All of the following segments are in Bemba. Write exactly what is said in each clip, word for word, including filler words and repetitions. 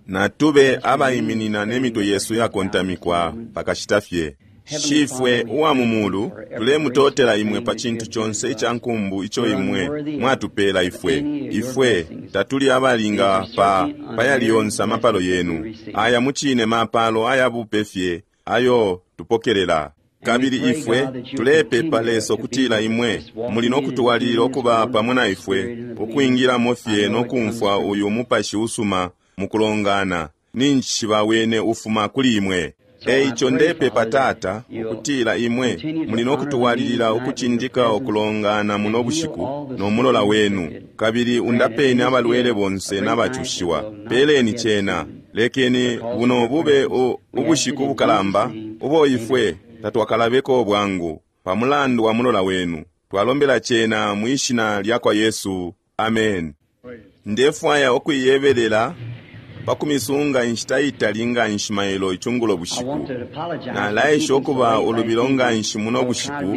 Natube abaiminina ne mitwe yesu yakontamikwa pakashita fye. Shifwe uwa mu mulu, tulemutotela imwe pa cintu conse ica nkumbu ico imwe mwatupela ifwe. Ifwe tatuli abalinga pa payali yonse amapalo yenu. Aya mucine mapalo ayabupe fye ayo tupokelela. Kabili ifwe tulepepa Lesa ukutila imwe muli no kutwalilila ukuba pamo na ifwe, ukwingilamo fye no kumfwa uyu mupashi usuma mukulongana. Ninjishiba wene ufuma kuli imwe. Eico ndepepa Tata ukutila imwe muli no kutwalilila ukucindika ukulongana muno bushiku no mulola wenu, kabili undapeni abalwele bonse n'abacushiwa. Peleni cena, lekeni buno bube ubushiku bukalamba ubo ifwe tatwakalabeko bwangu pamulandu wa mulola wenu. Twalombela cena mwishina lya kwa Yesu, amen. Ndefwaya okuiyebelela pakumisunga inshita itali nga nshi mailo icungulo bushiku. Nalaesha ukuba ulubilo nga nshi muno bushiku,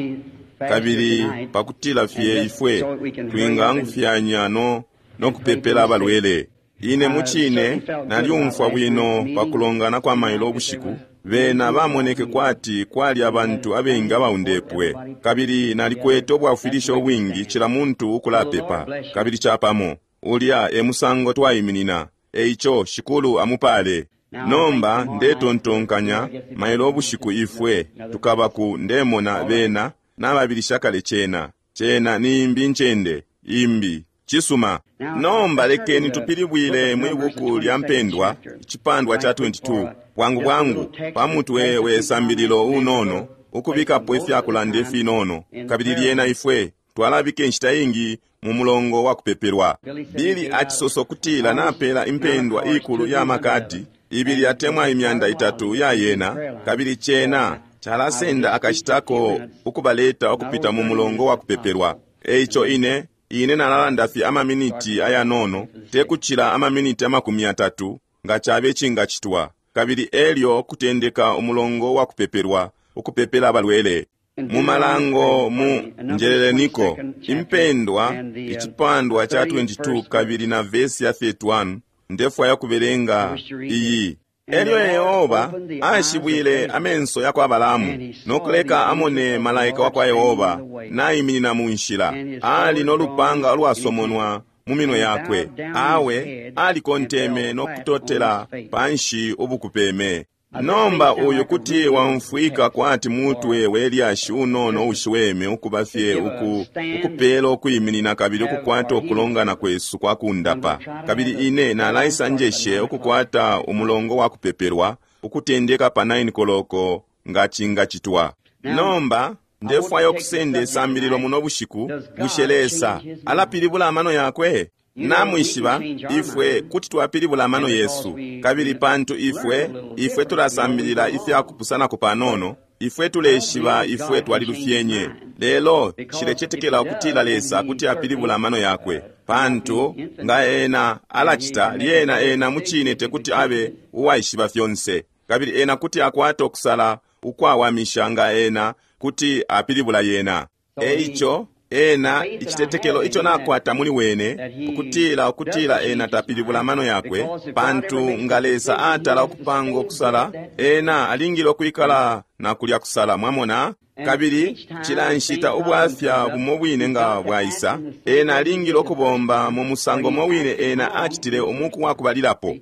kabili pakutila fye ifwe twingangufyanya no nokupepela abalwele. Ine mucine nalyumfwa bwino pakulongana kwa mailo ubushiku. Bena bamoneke kwati kwali abantu abengi abaundepwe, kabili nalikwete ubwafwilisho ubwingi cila muntu ukulapepa, kabili chapamo ulya e musango twaiminina. Eico Shikulu amupale. Nomba ndetontonkanya mailo ubushiku ifwe tukaba ku ndemona bena nababilisha kale cena. Cena ni imbi ncende imbi cisuma. Nomba lekeni tupilibwile mwi buku lya mpendwa icipandwa cha twenty-two bwangu bwangu pamutwe we sambililo unono ukubikapo ifyakulanda ifinono, kabili lyena ifwe twalabika inshita ingi mu mulongo wa kupepelwa. Bili acisoso kutila napela impendwa ikulu ya makadi ibili atemwa imyanda itatu ya yena, kabili cena chalasenda akashitako ukubaleta ukupita mu mulongo wa kupepelwa. Eico ine ine nalalanda fye amaminiti ayanono, tekuchila amaminiti amakumi atatu nga chabe chingachitwa, kabili elyo kutendeka umulongo wa kupepelwa ukupepela abalwele. Mu malango mu njeleleniko impendwa icipandwa cha twenty-two kabili na vesi ya thirty-one ndefwaya kubelenga iyi. Elyo Yehova ashibwile amenso ya kwa Balaamu nokuleka amone malaika wa kwa Yehova naiminina mu nshila, ali no lupanga lwasomonwa mu minwe yakwe. Awe alikonteme nokutotela panshi ubukupeme. Nomba uyu kuti wamfwika kwati mutwe welyashi unono ushiweme ukuba fye uku, ukupela ukuiminina kabili ukukwata ukulongana kwesu kwa kundapa. Kabili ine nalaisa njeshe ukukwata umulongo wa kupepelwa ukutendeka pa nine koloko nga chingachitwa. Nomba ndefwaya okusenda isambililo muno bushiku, bushe Lesa alapilibula amano yakwe? Namwishiba ifwe kuti twapilibula amano yesu, kabili pantu ifwe ifwe tulasambilila ifyakupusanako panono, ifwe tuleshiba ifwe twalilufyenye. Lelo nshilecetekela ukutila Lesa kuti apilibula amano yakwe, pantu nga ena alacita lyena ena mucine tekuti abe uwaishiba fyonse, kabili ena kuti akwata okusala ukwawamisha nga ena kuti apilibula yena. Eico ena icitetekelo ico nakwata muli wene ukutila ukutila ena tapilibula amano yakwe, pantu nga Lesa atala okupanga okusala ena alingile okwikala na kulya kusala, mwamona. Kabili cila nshita ubwafya bumo bwine nga bwaisa, ena alingile okubomba mu musango mo wine ena acitile umuku wa kubalilapo.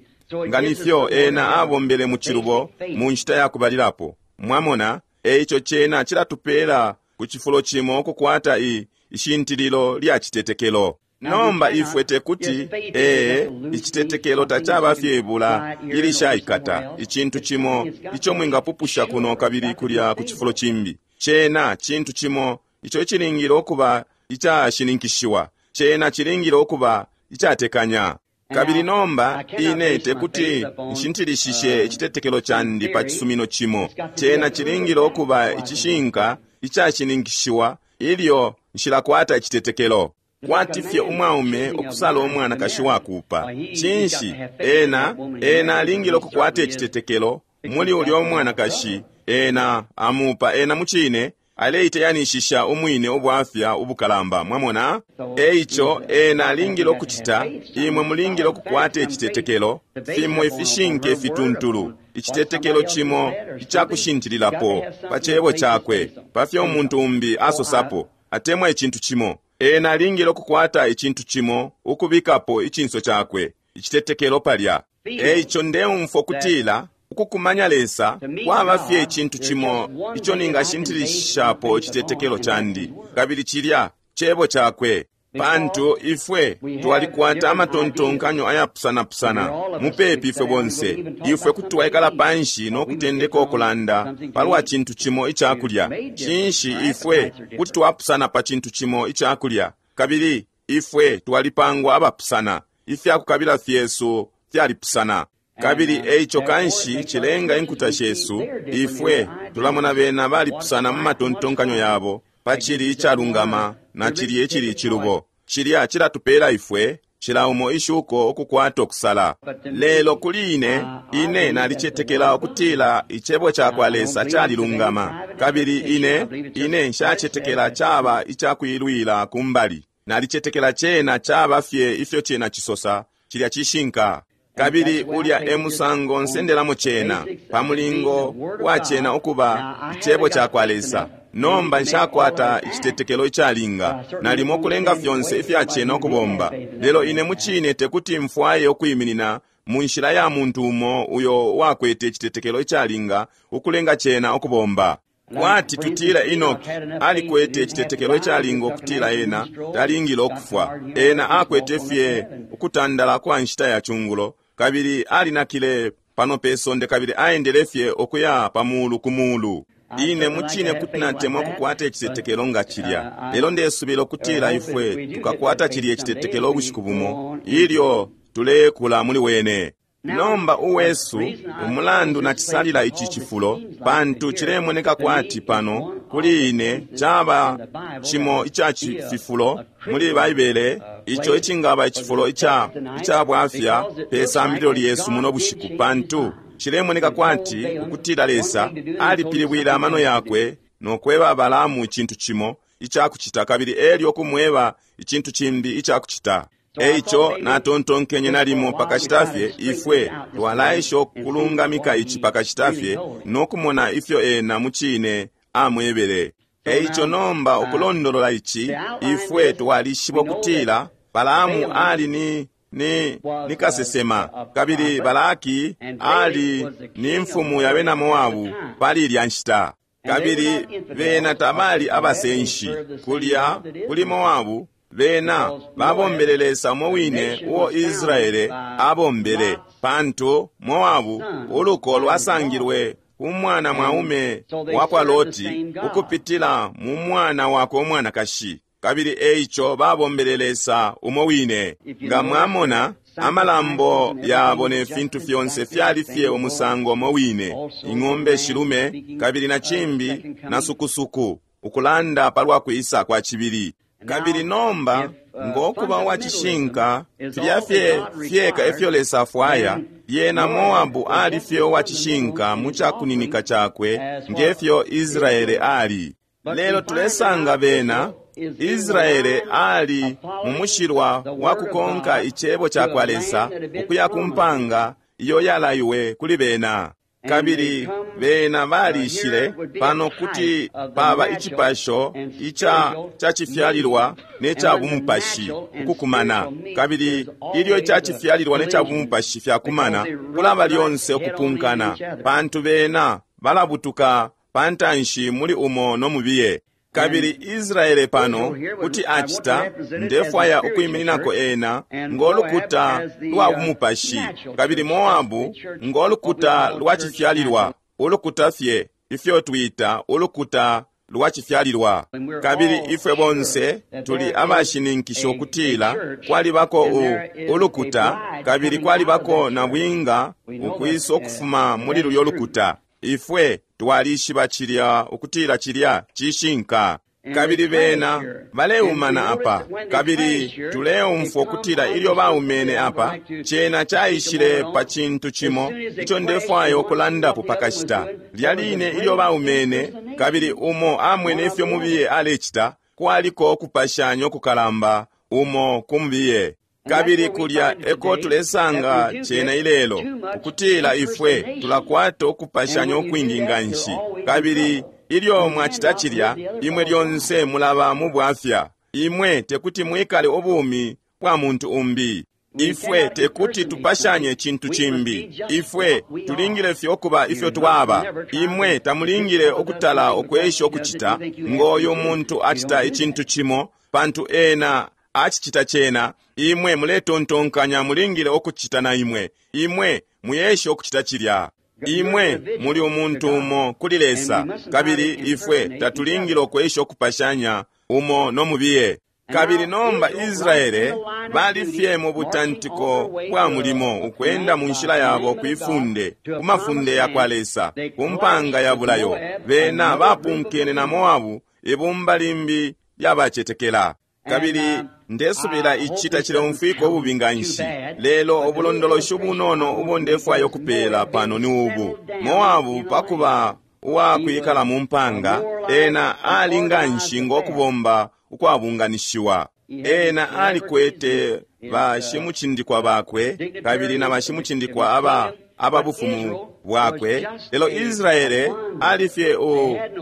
Nga nifyo ena abombele mu cilubo mu nshita ya kubalilapo, mwamona. Eico cena cilatupela ku cifulo cimo okukwata i ishintililo lya citetekelo. Nomba ifwe tekuti ee icitetekelo tacaba fye ibula ilishaikata icintu cimo ico mwingapupusha kuno kabili kulya ku cifulo cimbi. Cena cintu cimo ico cilingile okuba icashininkishiwa, cena cilingile okuba icatekanya. Kabili nomba ine tekuti nshintilishishe icitetekelo candi pa cisumino cimo. Cena cilingile okuba icishinka icashininkishiwa ilyo nshilakwata icitetekelo. Kwati fye umwaume okusala umwanakashi wakupa, cinshi ena ena alingile okukwata icitetekelo muli ulya umwanakashi ena amupa. Ena mucine Aleiteyanishisha umwine ubwafya ubukalamba, mwamona? Eico ena alingile ukucita, imwe mulingile ukukwata icitetekelo, fimo ifishinke fituntulu, icitetekelo cimo icakushintililapo pa cebo cakwe, pa fyo umuntu umbi asosapo, atemwa icintu cimo. Ena alingile ukukwata icintu cimo ukubikapo icinso cakwe, icitetekelo palya. Eico ndeumfwa kutila ukukumanya Lesa kwaba fye icintu cimo ico ningashintilishapo icitetekelo candi, kabili cilya cebo cakwe. Pantu ifwe twalikwata amatontonkanyo ayapusanapusana mupepi ifwe bonse. Ifwe kuti twaikala panshi no kutendeka ukulanda palwa cintu cimo icakulya. Cinshi, ifwe kuti twapusana pa cintu cimo icakulya, kabili ifwe twalipangwa abapusana, ifyakukabila fyesu fyalipusana. Kabili eico kanshi cilenga inkuta shesu, ifwe tulamona bena balipusana mu matontonkanyo yabo pa cili icalungama na cili icili icilubo. Cilya cilatupela ifwe cila umo ishuko ukukwata okusala. Lelo kuli ine, ine nalicetekela ukutila icebo cakwa Lesa calilungama, kabili ine ine nshacetekela caba icakuilwila kumbali. Nalicetekela cena caba fye ifyo cena cisosa, cilya cishinka. Kabili ulya e musango nsendelamo cena, pa mulingo wa cena ukuba icebo cakwa Lesa. Nomba nshakwata icitetekelo icalinga, nalimo kulenga fyonse ifya cena ukubomba, lelo ine mucine tekuti mfwaye ukwiminina mu nshila ya muntu umo uyo wakwete icitetekelo icalinga ukulenga cena ukubomba. Kwati tutila Enoki alikwete icitetekelo icalinga ukutila ena talingile ukufwa. Ena akwete fye ukutandala kwa nshita ya chungulo, kabili alinakile pano pe sonde, kabili aendele fye ukuya pa mulu ku mulu. Ine mucine kuti natemwa kukwata icitetekelo nga cilya, lelo ndesubila ukutila ifwe tukakwata cilya icitetekelo ubushiku bumo ilyo tulekula muli wene. Nomba uwesu umulandu nacisalila ici cifulo, pantu cilemoneka kwati pano kuli ine caba cimo ica fifulo muli Baibele ico icingaba icifulo ica ica bwafya pe sambililo lyesu muno bushiku, pantu cilemoneka kwati ukutila Lesa alipilibwile amano yakwe no kweba Balaamu icintu cimo icakucita, kabili elyo kumweba icintu cimbi icakucita. Eico natontonkenye nalimo pakashita fye ifwe twalaisha ukulungamika ici pakashita fye no kumona ifyo ena mucine amwebele. Eico nomba ukulondolola ici, ifwe twalishiba ukutila Balaamu ali ni ni ni kasesema, kabili Balaki ali ni mfumu ya bena Moabu pali ilya nshita, kabili bena tabali abasenshi kulya kuli Moabu. Bena babombele Lesa umo wine uo Israele abombele, pantu Moabu uluko lwasangilwe ku mwana mwaume wa kwa Loti ukupitila mu mwana wakwe umwanakashi, kabili eico babombele Lesa umo wine. Nga mwamona, amalambo yabo ne fintu fyonse fyali fye umusango umo wine, ing'ombe shilume kabili na cimbi na sukusuku, ukulanda palwa kwisa kwa cibili. Kabili nomba ngokuba uwacishinka filya fye fyeka ifyo Lesa afwaya, yena Moabu ali fye uwacishinka mu cakuninika cakwe ngefyo Israele ali. Lelo tulesanga bena Israele ali mu mushilwa wa kukonka icebo cakwa Lesa ukuya ku mpanga iyo yalaiwe kuli bena. Kabili bena balishile pano kuti paba icipasho ica cacifyalilwa ne ca bumupashi ukukumana, kabili ilyo icacifyalilwa ne ca bumupashi fyakumana, kulaba lyonse ukupunkana, pantu bena balabutuka pantanshi muli umo no mubiye. Kabili Israele pano kuti acita, ndefwaya ukwimininako ena ngolukuta lwa bumupashi, kabili Moabu ngolukuta lwa cifyalilwa, ulukuta fye ifyo twita ulukuta lwa cifyalilwa. Kabili ifwe bonse tuli abashininkisha ukutila kwalibako u ulukuta, kabili kwalibako na bwinga ukwisa ukufuma muli lulyo lukuta. Ifwe twalishiba cilya ukutila cilya cishinka. Kabili bena baleumana apa, kabili tuleumfwa ukutila ilyo baumene apa, cena caishile pa cintu cimo ico ndefwaya ukulandapo pakashita. Lya line ilyo baumene, kabili umo amwene ifyo mubiye alecita, kwaliko ukupashanya ukukalamba umo kumubiye. Kabili kulya eko tulesanga cena ilelo, ukutila ifwe tulakwata ukupashanya ukwingi nganshi. Kabili ilyo mwacita cilya, imwe lyonse mulaba mu bwafya. Imwe tekuti mwikale ubumi bwa muntu umbi. Ifwe tekuti tupashanye cintu cimbi. Ifwe tulingile fye ukuba ifyo twaba. Imwe tamulingile ukutala ukwesha ukucita ngoyo muntu acita icintu cimo, pantu ena acicita cena. Imwe muletontonkanya mulingile ukucita na imwe. Imwe muyeshe ukucita cilya. Imwe muli umuntu umo kuli Lesa, kabili ifwe tatulingile ukwesha ukupashanya umo no mubiye. Kabili nomba Israele bali fye mu butantiko bwa mulimo ukwenda mu nshila yabo kwifunde, ku mafunde ya kwa Lesa, ku mpanga ya bulayo. Bena bapunkene na Moabu, ibumba limbi lyabacetekela. Kabili ndesubila ici tacileumfwika ububi nganshi, lelo ubulondoloshi ubunono ubo ndefwaya ukupeela pano ni ubu. Moabu pakuba uwakwikala mu mpanga, ena ali nganshi ngokubomba ukwabunganishiwa. Ena alikwete bashimucindikwa bakwe kabili na bashimucindikwa aba ababufumu bwakwe, lelo Israele alifye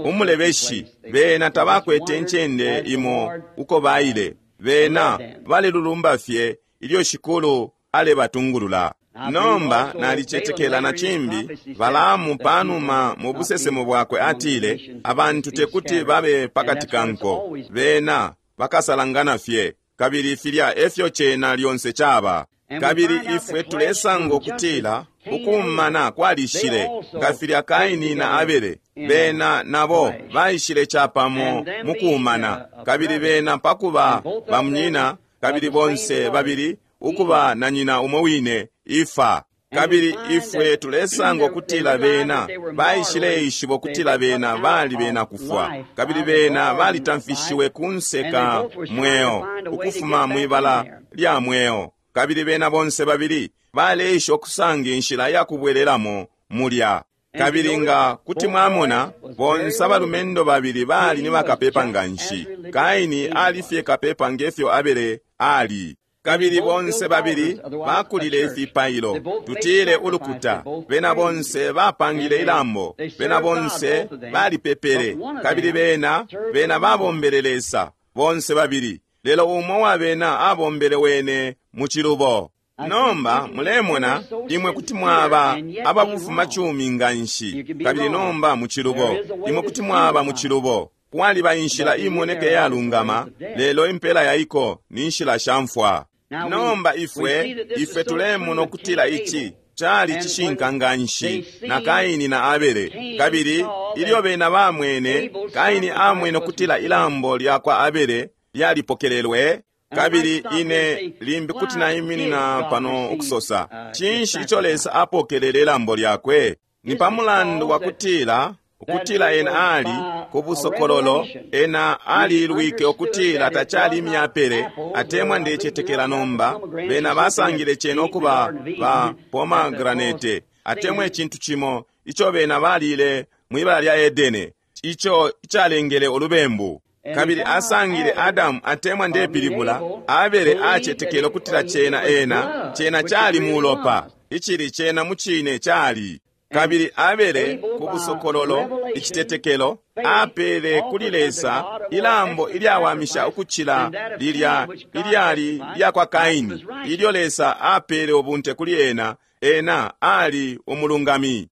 umulebeshi. Bena tabakwete incende imo uko baile. Bena balelulumba fye ilyo Shikulu alebatungulula. Nomba nalicetekela na cimbi, Balaamu panuma mu busesemo bwakwe atile, abantu tekuti babe pakati ka nko, bena bakasalangana fye. Kabili filya efyo cena lyonse caba. Kabili ifwe tulesanga ukutila ukumana kwalishile nga filya Kaini na Abele. Bena nabo baishile capamo mu kuumana, kabili bena pakuba bamunyina, kabili bonse babili ukuba na nyina umo wine Ifa. Kabili ifwe tulesanga ukutila bena baishile ishiba ukutila bena bali bena kufwa, kabili bena balitamfishiwe kunse ka mweo ukufuma mwibala lya mweo. Kabili bena bonse babili baleisha okusanga inshila ya kubwelelamo mulya. Kabili nga kuti mwamona, bonse abalumendo babili bali ni bakapepa nganshi. Kaini alifye kapepa ngefyo Abele ali. Kabili bonse babili bakulile ifipailo, tutile ulukuta. Bena bonse bapangile ilambo, bena bonse balipepele, kabili bena bena babombele Lesa bonse babili, lelo umo wa bena abombele wene mu cilubo. Nomba mulemona, imwe kuti mwaba ababufuma cumi nganshi, kabili nomba mu cilubo. Imwe kuti mwaba mu cilubo. Kwaliba inshila imoneke yalungama, lelo impela yaiko ni nshila sha mfwa. Nomba ifwe ifwe tulemona ukutila ici cali cishinka nganshi na Kaini na Abele. Kabili ilyo bena bamwene, Kaini amwene ukutila ilambo lya kwa Abele lyalipokelelwe. Kabili ine limbi kuti naiminina pano ukusosa, cinshi ico Lesa apokelele ilambo lyakwe? Ni pamulandu wa kutila ukutila ena ali ku busokololo, ena alilwike ukutila tacali imyapele, atemwa ndecetekela nomba bena basangile cena ukuba ba pomegranate, atemwa icintu cimo ico bena balile mwibala lya Edene, ico icalengele ulubembu. Kabili asangile Adamu, atemwa ndepilibula Abele, acetekele ukutila cena ena cena cali mulopa, icili cena mucine cali. Kabili Abele ku busokololo, icitetekelo, apele kuli Lesa ilambo ilyawamisha ukucila lilya ilyali lya kwa Kaini, ilyo Lesa apele ubunte kuli ena, ena ali umulungami.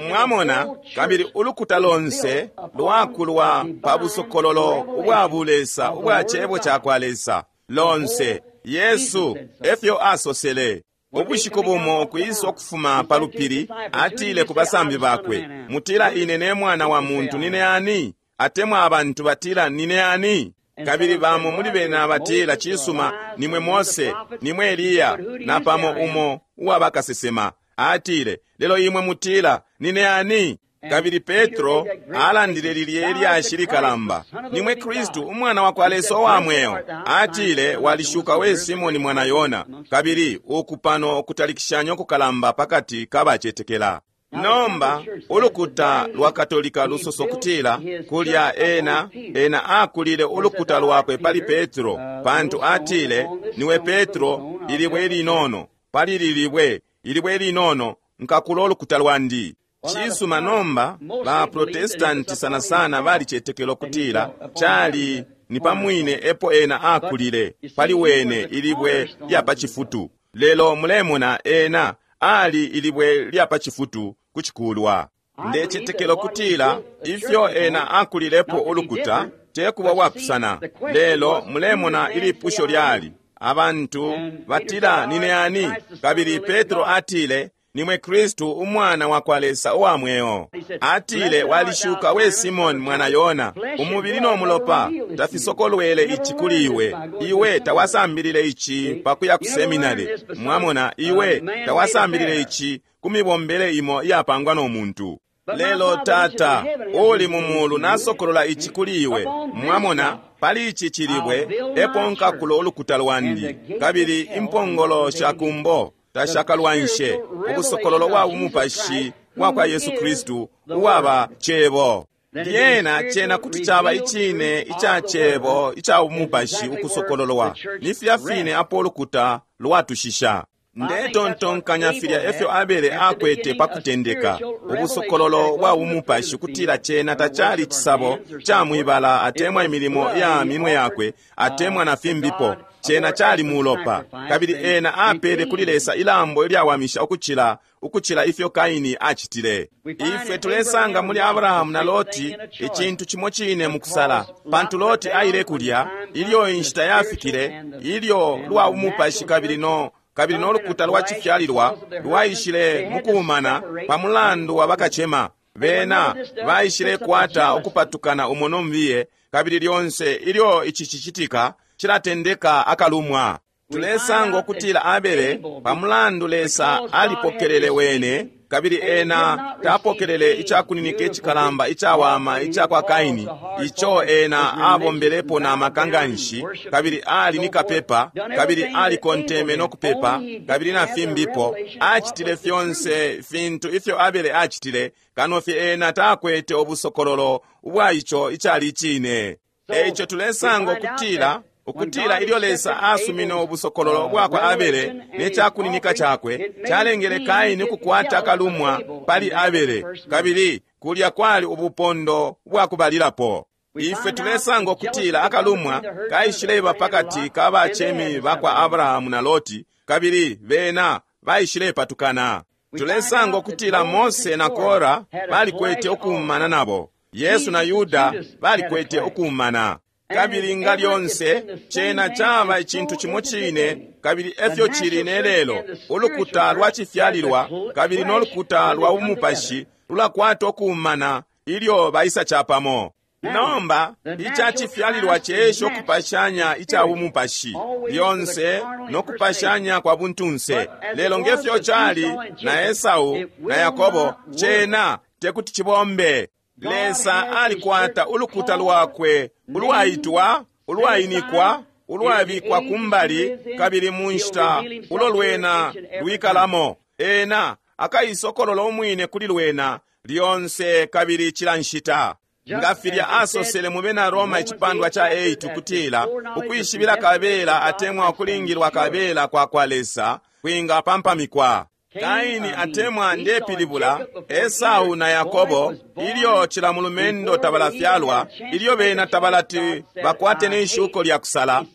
Mwamona, kabili ulukuta lonse lwakulwa pa busokololo ubwa bulesa ubwa cebo ca kwa Lesa lonse. Yesu efyo asosele. Ubushiku bumo kwisa ukufuma pa lupili, atile ku basambi bakwe, mutila ine ne mwana wa muntu nine ani? Atemwa abantu batila nine ani? Kabili bamo muli bena batila, cisuma, nimwe Mose, nimwe Eliya, na pamo umo uwa bakasesema. Atile, lelo imwe mutila nine ani? Kabili Petro alandile lilye lyashi likalamba, nimwe Kristu umwana wa kwa Lesa wa mweo. Atile, walishuka we Simoni mwana Yona. Kabili uku pano kutalikishanya kukalamba pakati kabacetekela. Nomba ulukuta lwa Katolika lusoso kutila kulya ena ena akulile ulukuta lwakwe pali Petro, pantu atile, niwe Petro, ilibwe linono, pali lilibwe, ilibwe linono, nkakula ulukuta lwandi. Cisuma, nomba ba Protestanti sana sana balicetekela kutila cali ni pamwine epo ena akulile pali wene ilibwe lya pa cifutu. Lelo mulemona ena ali ilibwe lya pa cifutu kucikulwa. Ndecetekela kutila ifyo ena akulilepo ulukuta tekuba wapusana. Lelo mulemona ilipusho lyali, abantu batila nine ani? Kabili Petro atile, nimwe Kristu umwana wa kwa Lesa uwa mweo. Atile, walishuka we Simon mwana Yona, umubili no mulopa tafisokolwele ici kuli iwe. Iwe tawasambilile ici pakuya ku seminari. Mwamona, iwe tawasambilile ici ku mibombele imo iyapangwa no muntu. Lelo Tata uli mu mulu nasokolola ici kuli iwe. Mwamona, pali ici cilibwe epo nkakula ulukuta lwandi, kabili impongolo sha kumbo tashakalwanshe. Ubusokololo bwa bumupashi bwa kwa Yesu Kristu uwaba Cebo. Lyena cena kuti caba icine ica Cebo ica bumupashi ukusokololwa. Ni filya fine apo ulukuta lwatushisha. Ndetontonkanya filya efyo Abele akwete pa kutendeka ubusokololo bwa bumupashi kutila cena tacali cisabo ca mwibala atemwa imilimo ya minwe yakwe atemwa na fimbipo. Cena cali mulopa, kabili ena apele kuli Lesa ilambo ilyawamisha ukucila ukucila ifyo Kaini acitile. Ifwe tulesanga muli Abrahamu na Loti icintu cimo cine mukusala, pantu Loti aile kulya ilyo inshita yafikile ilyo lwa bumupashi kabili no kabili no lukuta lwa cifyalilwa lwaishile mukuumana pa mulandu wa bakacema. Bena baishile kwata ukupatukana umo nombiye, kabili lyonse ilyo ici cicitika cilatendeka akalumwa. Tulesanga ukutila Abele pa mulandu Lesa alipokelele wene, kabili ena tapokelele icakuninika icikalamba icawama ica kwa Kaini, ico ena abombelepo na maka nganshi, kabili ali ni kapepa, kabili alikonteme no kupepa, kabili na fimbipo. Acitile fyonse fintu ifyo Abele acitile, kano fye ena takwete ubusokololo ubwa ico icali icine. Eico tulesanga ukutila ukutila ilyo Lesa asumine ubusokololo bwa kwa Abele ne cakuninika cakwe, calengele Kaini ukukwata akalumwa pali Abele, kabili kulya kwali ubupondo bwa kubalilapo. Ifwe tulesanga ukutila akalumwa kaishileba pakati ka bacemi ba kwa Abrahamu na Loti, kabili bena baishilepatukana. Tulesanga ukutila Mose na Kora balikwete ukuumana nabo. Yesu na Yuda balikwete ukuumana. Kabili nga lyonse cena caba icintu cimo cine, kabili efyo cili ne lelo. Ulukuta lwa cifyalilwa kabili no lukuta lwa bumupashi lulakwata ukuumana ilyo baisa capamo. Nomba ica cifyalilwa cesha ukupashanya ica bumupashi lyonse no kupashanya kwa buntunse. Lelo ngefyo cali na Esau na Yakobo, cena tekuti cibombe. Lesa alikwata ulukuta lwakwe ulwaitwa, ulwainikwa, ulwabikwa kumbali, kabili mu nshita ulo lwena lwikalamo. Ena akaisokolola umwine kuli lwena lyonse kabili cila nshita. Nga filya asosele mu bena Roma icipandwa ca eight kutila ukwishibila kabela atemwa ukulingilwa kabela kwa kwa Lesa kwinga pampamikwa. Kaini atemwa ndepilibula Esau na Yakobo, ilyo cila mulumendo tabalafyalwa, ilyo bena tabalati bakwate ne ishuko lya kusala.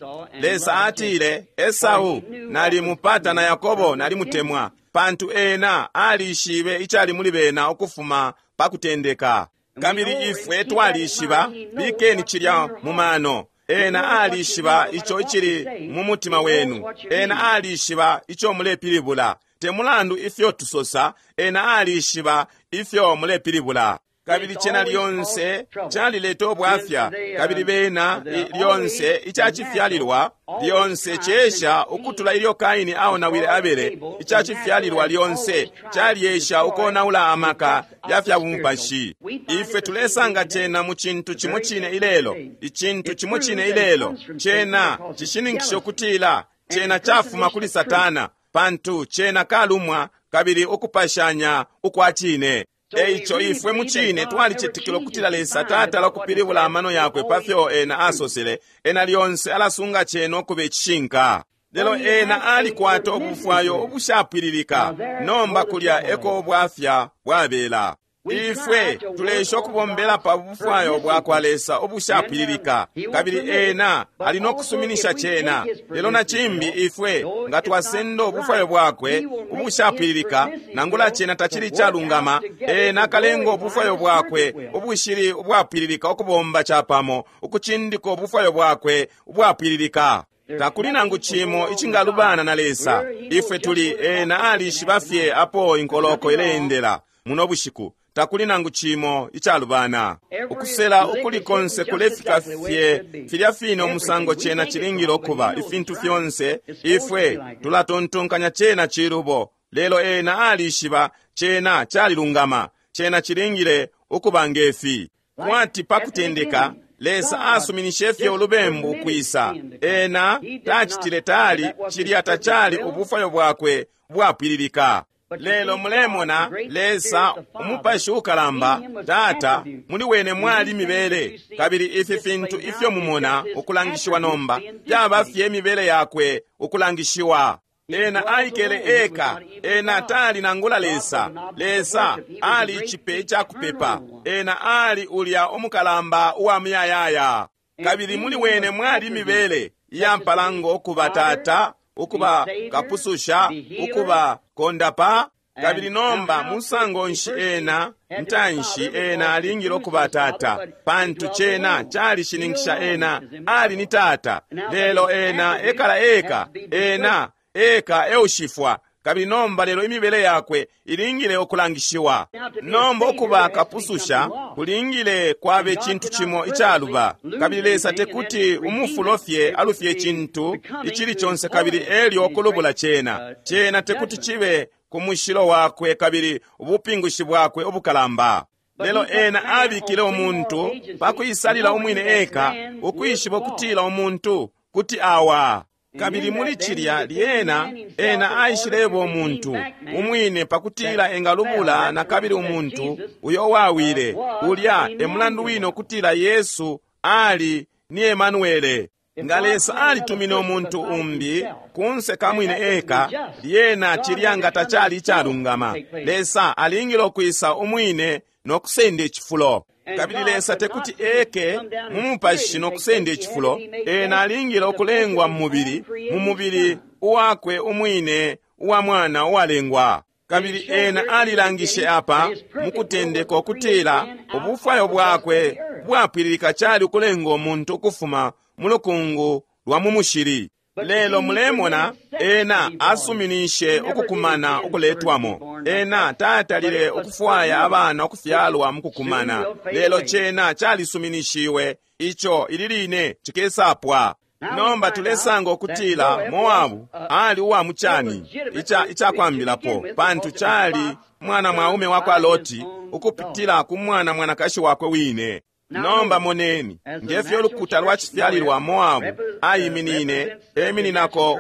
Lesa atile, Esau nalimupata na Yakobo nalimutemwa, pantu ena alishibe icali muli bena ukufuma pa kutendeka. Kabili ifwe twalishiba, bikeni cilya mu mano. Ena alishiba ico icili mu mutima wenu. Ena alishiba ico mulepilibula. Te mulandu ifyo tusosa, ena alishiba ifyo mulepilibula. Kabili cena lyonse calileta ubwafya, kabili bena lyonse icacifyalilwa lyonse cesha ukutula ilyo Kaini aonawile Abele. Icacifyalilwa lyonse calyesha ukonaula amaka ya fya bumupashi. Ifwe tulesanga cena mu cintu cimo cine ilelo, icintu cimo cine ilelo. Cena cishininkisha ukutila cena cafuma kuli Satana, pantu cena kalumwa kabili ukupashanya ukwa cine. Eico ifwe mucine twalicetekela ukutila Lesa tatala ukupilibula amano yakwe pafyo ena asosele. Ena lyonse alasunga cena ukuba icishinka. Lelo ena alikwata ubufwayo ubushapwililika. Nomba kulya eko ubwafya bwabela. Ifwe tulesha ukubombela pa bufwayo bwakwa Lesa ubushapwililika, kabili ena ali nokusuminisha cena. Lelo na cimbi ifwe nga twasenda ubufwayo bwakwe ubushapwililika, nangula cena tacili calungama, ena akalenga ubufwayo bwakwe ubushili ubwapwililika ukubomba capamo, ukucindika ubufwayo bwakwe ubwapwililika. Takuli nangu cimo icingalubana na Lesa. Ifwe tuli ena alishiba fye apo inkoloko ileendela muno bushiku. Takuli nangu cimo icalubana. Ukusela ukuli konse kulefika fye filya fine umusango cena cilingile ukuba. Ifintu fyonse ifwe tulatontonkanya cena cilubo, lelo ena alishiba cena calilungama. Cena cilingile ukuba ngefi. Kwati pa kutendeka Lesa asuminishe fye ulubembu ukwisa. Ena tacitile tali cilya tacali ubufwayo bwakwe bwapwililika. Lelo mulemona Lesa umupashi ukalamba Tata, muli wene mwali mibele, kabili ifi fintu ifyo mumona ukulangishiwa nomba fyaba fye mibele yakwe ukulangishiwa. Ena aikele eka, ena tali nangula Lesa. Lesa ali ichipe icakupepa, ena ali ulya umukalamba uwa muyayaya, kabili muli wene mwali mibele iyampalango ukuba Tata, ukuba kapususha, ukuba kondapa. Kabili nomba musango nshi ena ntanshi ena alingile ukuba Tata, pantu cena calishininkisha ena ali ni Tata. Lelo ena ekala eka, ena eka eushifwa. Kabili nomba lelo imibele yakwe ilingile ukulangishiwa. Nomba ukuba kapususha kulingile kwabe cintu cimo icaluba, kabili Lesa tekuti umufulo fye alufye cintu icili conse kabili elyo kulubula cena. Cena tekuti chibe ku mushilo wakwe kabili ubupingushi bwakwe ubukalamba. Lelo ena abikile umuntu pakuisalila umwine eka, ukwishiba ukutila umuntu kuti awa. Kabili muli cilya lyena ena aishileba umuntu umwine pakutila engalubula na kabili umuntu uyo wawile. Ulya e mulandu wine ukutila Yesu ali ni Emanuele. Nga Lesa alitumine umuntu umbi kunse kamwine eka, lyena cilya nga tacali icalungama. Lesa alingile ukwisa umwine nokusenda icifulo. Kabili Lesa tekuti eke mu mupashi nokusenda icifulo, ena alingile ukulengwa mu mubili, mu mubili uwakwe umwine uwa mwana uwalengwa. Kabili ena alilangishe apa mukutendeka ukutila ubufwayo bwakwe bwapwililika cali ukulenga umuntu ukufuma mu lukungu lwa mu mushili. Lelo mulemona ena asuminishe ukukumana ukuletwamo. Ena tatalile ukufwaya abana ukufyalwa mukukumana, lelo cena calisuminishiwe ico ili line cikesapwa. Nomba tulesanga ukutila Moabu ali uwa mucani ica icakwambilapo, pantu cali mwana mwaume wakwa Loti ukupitila ku mwana mwanakashi wakwe wine. Nomba moneni ngefyo ulukuta lwa cifyalilwa Moabu aiminine, emininako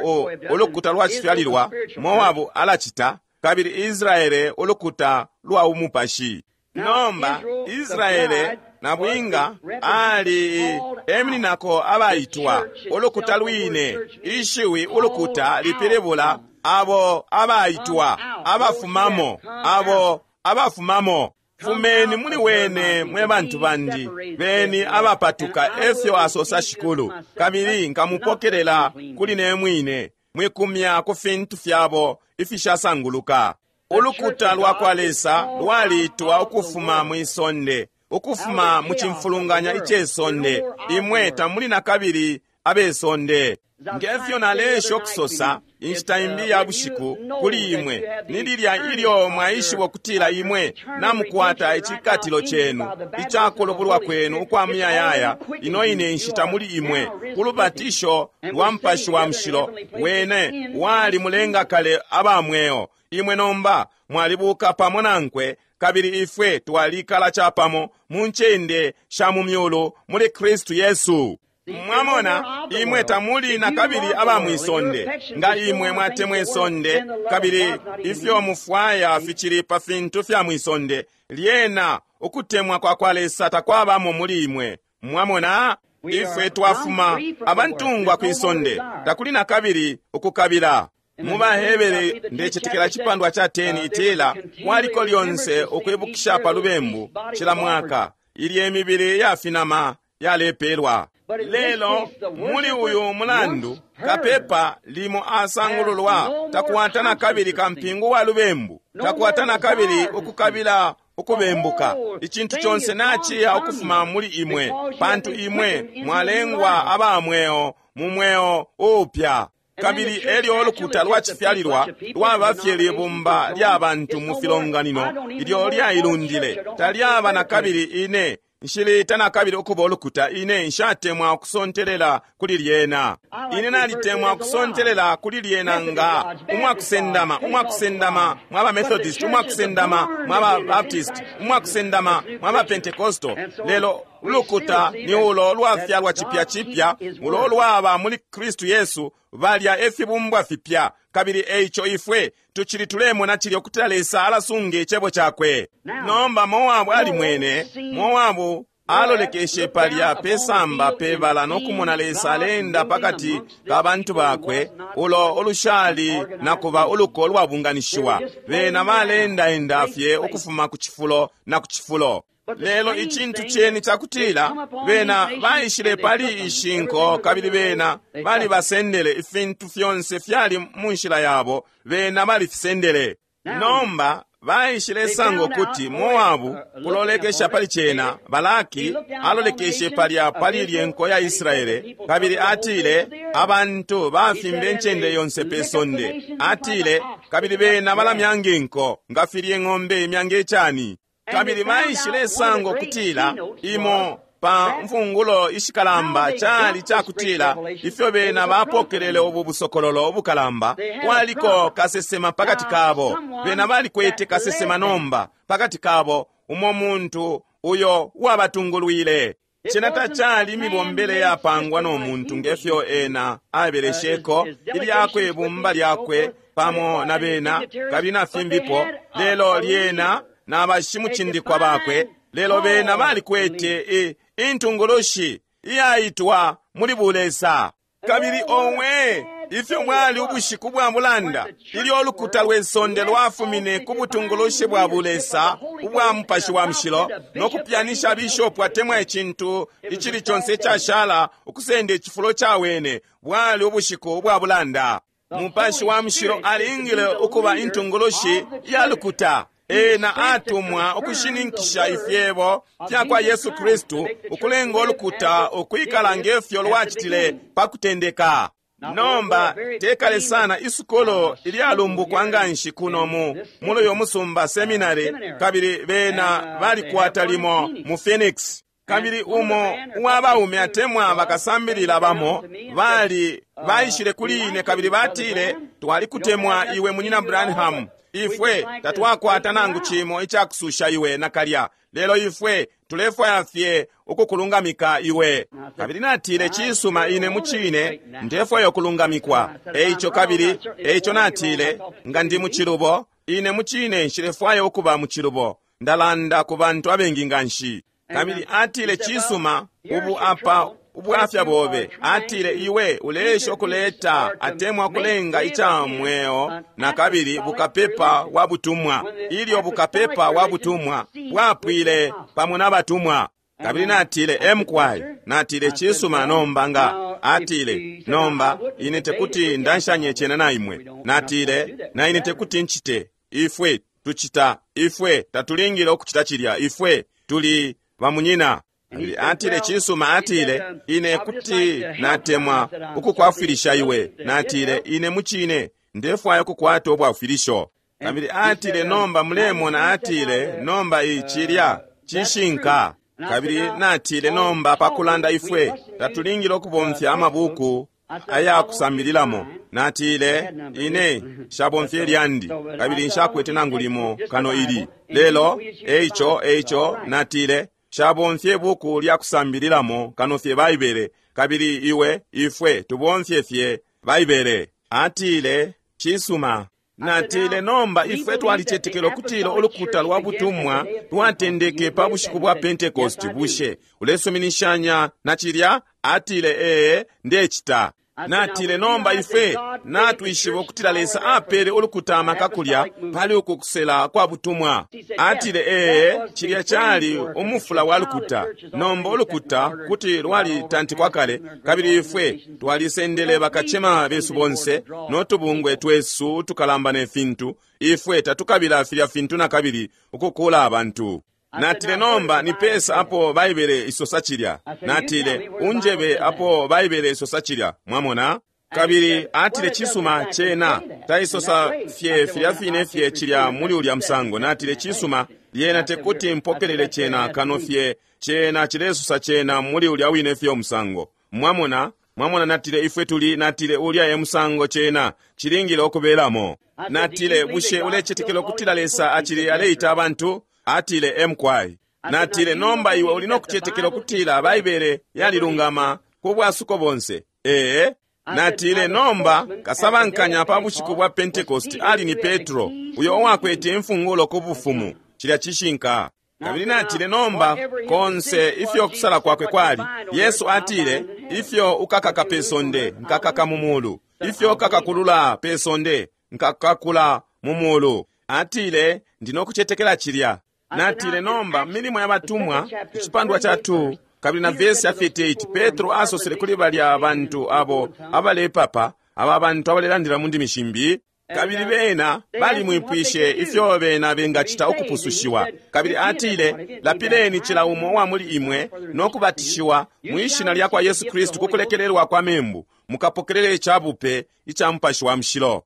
ulukuta lwa cifyalilwa Moabu alacita, kabili Israele ulukuta lwa umupashi. Nomba Israele na bwinga ali emininako abaitwa ulukuta lwine. Ishiwi ulukuta lipilibula abo abaitwa, abafumamo, abo abafumamo. Fumeni muli wene mwe bantu bandi, beni abapatuka, efyo asosa Shikulu, kabili nkamupokelela kuli ne mwine, mwikumya ku fintu fyabo ifishasanguluka. Ulukuta lwa kwa Lesa lwalitwa ukufuma mwisonde, ukufuma mu cimfulunganya icesonde. Imwe tamuli na kabili abesonde. Ngefyo nalesha ukusosa inshita imbi ya bushiku kuli imwe, ni lilya ilyo mwaishiba ukutila imwe namukwata icikatilo cenu icakulubulwa kwenu ukwa muyayaya. Ino ine nshita muli imwe ku lubatisho lwa Mupashi wa Mushilo, wene wali mulenga kale aba mweo. Imwe nomba mwalibuka pamo nankwe, kabili ifwe twalikala capamo mu ncende sha mu myulu muli Kristu Yesu. Mwamona, imwe tamuli na kabili aba mwisonde. Nga imwe mwatemwa isonde, kabili ifyo mufwaya ficili pa fintu fya mwisonde, lyena ukutemwa kwa kwa Lesa takwabamo muli imwe. Mwamona, ifwe twafuma abantungwa kwisonde, takuli na kabili ukukabila. Mu Bahebere ndecetekela cipandwa cha ten itila waliko lyonse ukwibukisha pa lubembu cila mwaka ilye mibili yafinama yalepelwa. Lelo muli uyu mulandu kapepa limo asangululwa takwata na kabili kampingu wa lubembu, takwata na kabili ukukabila ukubembuka. Icintu conse naciya ukufuma muli imwe, pantu imwe mwalengwa aba mweo mu mweo upya. Kabili elyo ulukuta lwacifyalilwa lwaba fye libumba lya bantu mu filonganino ilyo lyailundile, talyaba na kabili ine nshilita na kabili ukuba ulukuta. Ine nshatemwa ukusontelela kuli lyena. Ine nalitemwa ukusontelela kuli lyena nga umwakusendama, umwakusendama mwaba Methodist, umwakusendama mwaba Baptist, umwakusendama mwaba Pentecostal. Lelo ulukuta ni ulo lwafyalwa cipya cipya, ulo lwaba muli Kristu Yesu, balya efibumbwa fipya. Kabili eico ifwe tucili tulemona cilya ukutila Lesa alasunga icebo cakwe. Nomba Moabu alimwene, Moabu alolekeshe palya pesamba pebala nokumona Lesa alenda pakati ka bantu bakwe, ulo olushali nakuba uluko lwabunganishiwa. Bena balendaenda fye ukufuma ku cifulo na ku cifulo. Lelo icintu ceni cakutila bena baishile pali ishinko, kabili bena balibasendele ifintu fyonse fyali mu nshila yabo, bena balifisendele. Nomba baishile sanga ukuti Moabu kulolekesha pali cena, Balaki alolekeshe palya pali lyenko ya Israele, kabili atile abantu bafimbe ncende yonse pe sonde. Atile kabili bena balamyanga inko nga filye ng'ombe imyanga icani. Kabili baishile sanga ukutila imo pa mfungulo ishikalamba cali cakutila ifyo bena bapokelele ubu busokololo ubukalamba, kwaliko kasesema pakati kabo. Bena balikwete kasesema nomba pakati kabo, umo muntu uyo wabatungulwile. Cena tacali imibombele yapangwa no muntu ngefyo ena abelesheko ilyakwe ibumba lyakwe pamo na bena kabili na fimbipo, lelo lyena na bashimucindikwa bakwe. Lelo bena balikwete intungulushi iyaitwa muli bulesa. Kabili owe ifyo mwali ubushiku bwa bulanda ilyo ulukuta lwe sonde lwafumine ku butungulushi bwa bulesa ubwa Mupashi wa Mushilo no kupyanisha bishopu atemwa icintu icili conse icashala ukusenda icifulo ca wene. Bwali ubushiku bwa bulanda. Mupashi wa Mushilo alingile ukuba intungulushi ya lukuta. Ena atumwa ukushininkisha ifyebo fya kwa Yesu Kristu, ukulenga ulukuta ukwikala ngefyo lwacitile pa kutendeka. Nomba tekale sana isukolo ilyalumbukwa nganshi kuno mu mulo musumba seminary, kabili bena balikwata limo mu Phoenix. Kabili umo uwa baume atemwa bakasambilila bamo bali baishile kuli ine kabili batile, twalikutemwa iwe munyina Branham, ifwe tatwakwata nangu cimo icakususha iwe nakalya, lelo ifwe tulefwaya fye ukukulungamika iwe. Kabili natile, cisuma, ine mucine ndefwaya ukulungamikwa. Eico kabili eico natile, nga ndi mucilubo, ine mucine nshilefwaya ukuba mucilubo, ndalanda ku bantu abengi nganshi. Kabili atile, cisuma, ubu apa ubwafya bobe. Atile, iwe ulesha ukuleta atemwa kulenga ica mweo na kabili bukapepa wa butumwa. Ilyo bukapepa wa butumwa bwapwile pamo na batumwa. Kabili natile, emkwai. Natile, cisuma, nomba nga. Atile, nomba ine tekuti ndanshanye cena na imwe. Natile, na ine tekuti nchite. Ifwe tuchita, ifwe tatulingile ukuchita cilya, ifwe tuli bamunyina. Kabili atile, cisuma, atile, ine kuti natemwa ukukwafwilisha iwe. Natile, ine mucine ndefwaya ukukwata ubwafwilisho. Kabili atile, nomba mulemona, atile, nomba icilya cishinka. Kabili natile, nomba pakulanda ifwe tatulingile ukubomfya amabuku aya kusambililamo. Natile, ine nshabomfye lyandi, kabili nshakwete nangu limo kano ili. Lelo eico eico natile, nshabomfye buku lya kusambililamo kano fye Baibele, Kabili iwe, ifwe, tubomfye fye Baibele. Atile, cisuma. Natile, nomba ifwe twalicetekela ukutila ulukuta lwa butumwa lwatendeke pa bushiku bwa Pentecost. Bushe ulesuminishanya na cilya? Atile, ee, ndecita. Natile, nomba ifwe natwishiba ukutila Lesa apele ulukuta amaka kulya pali uku kusela kwa butumwa. Atile, ee, cilya cali umufula wa lukuta. Nomba ulukuta kuti lwalitantikwa kale, kabili ifwe twalisendele bakacema besu bonse no tubungwe twesu tukalamba ne fintu. Ifwe tatukabila filya fintu na kabili ukukula abantu. Natile, nomba ni pesa apo Baibele isosa cilya. Natile, unjebe apo Baibele isosa cilya. Mwamona? Kabili atile, cisuma, cena taisosa fye filya fine fye cilya muli ulya musango. Natile, cisuma, lyena tekuti mpokelele cena kano fye cena cilesosa cena muli ulya wine fye umusango. Mwamona? Mwamona, natile, ifwe tuli, natile, ulya e musango cena cilingile okubelamo. Natile, bushe ulecetekela ukutila Lesa acili aleita abantu? Atile, emkwai. Natile, nomba iwe uli nokucetekela ukutila Baibele yalilungama ku bwasuko bonse. Ee. Natile, nomba kasabankanya pa bushiku bwa Pentecost ali ni Petro, uyo uwakwete imfungulo ku bufumu. Cilya cishinka. Kabili natile, nomba konse ifyo kusala kwakwe kwali, Yesu atile, ifyo ukakaka pe sonde nkakaka mu mulu, ifyo ukakakulula pe sonde nkakakula mu mulu. Atile, ndinokucetekela cilya. Natile, nomba milimo ya batumwa icipandwa cha two kabili na vesi ya thirty-eight, Petro asosele kuli balya bantu abo abalepapa, aba bantu abalelandila mu ndimi shimbi, kabili bena balimwipwishe ifyo bena bengacita ukupusushiwa. Kabili atile, lapileni cila umo wa muli imwe no kubatishiwa mwi shina lya kwa Yesu Kristu ku kulekelelwa kwa membu, mukapokelele icabupe ica Mupashi wa Mushilo.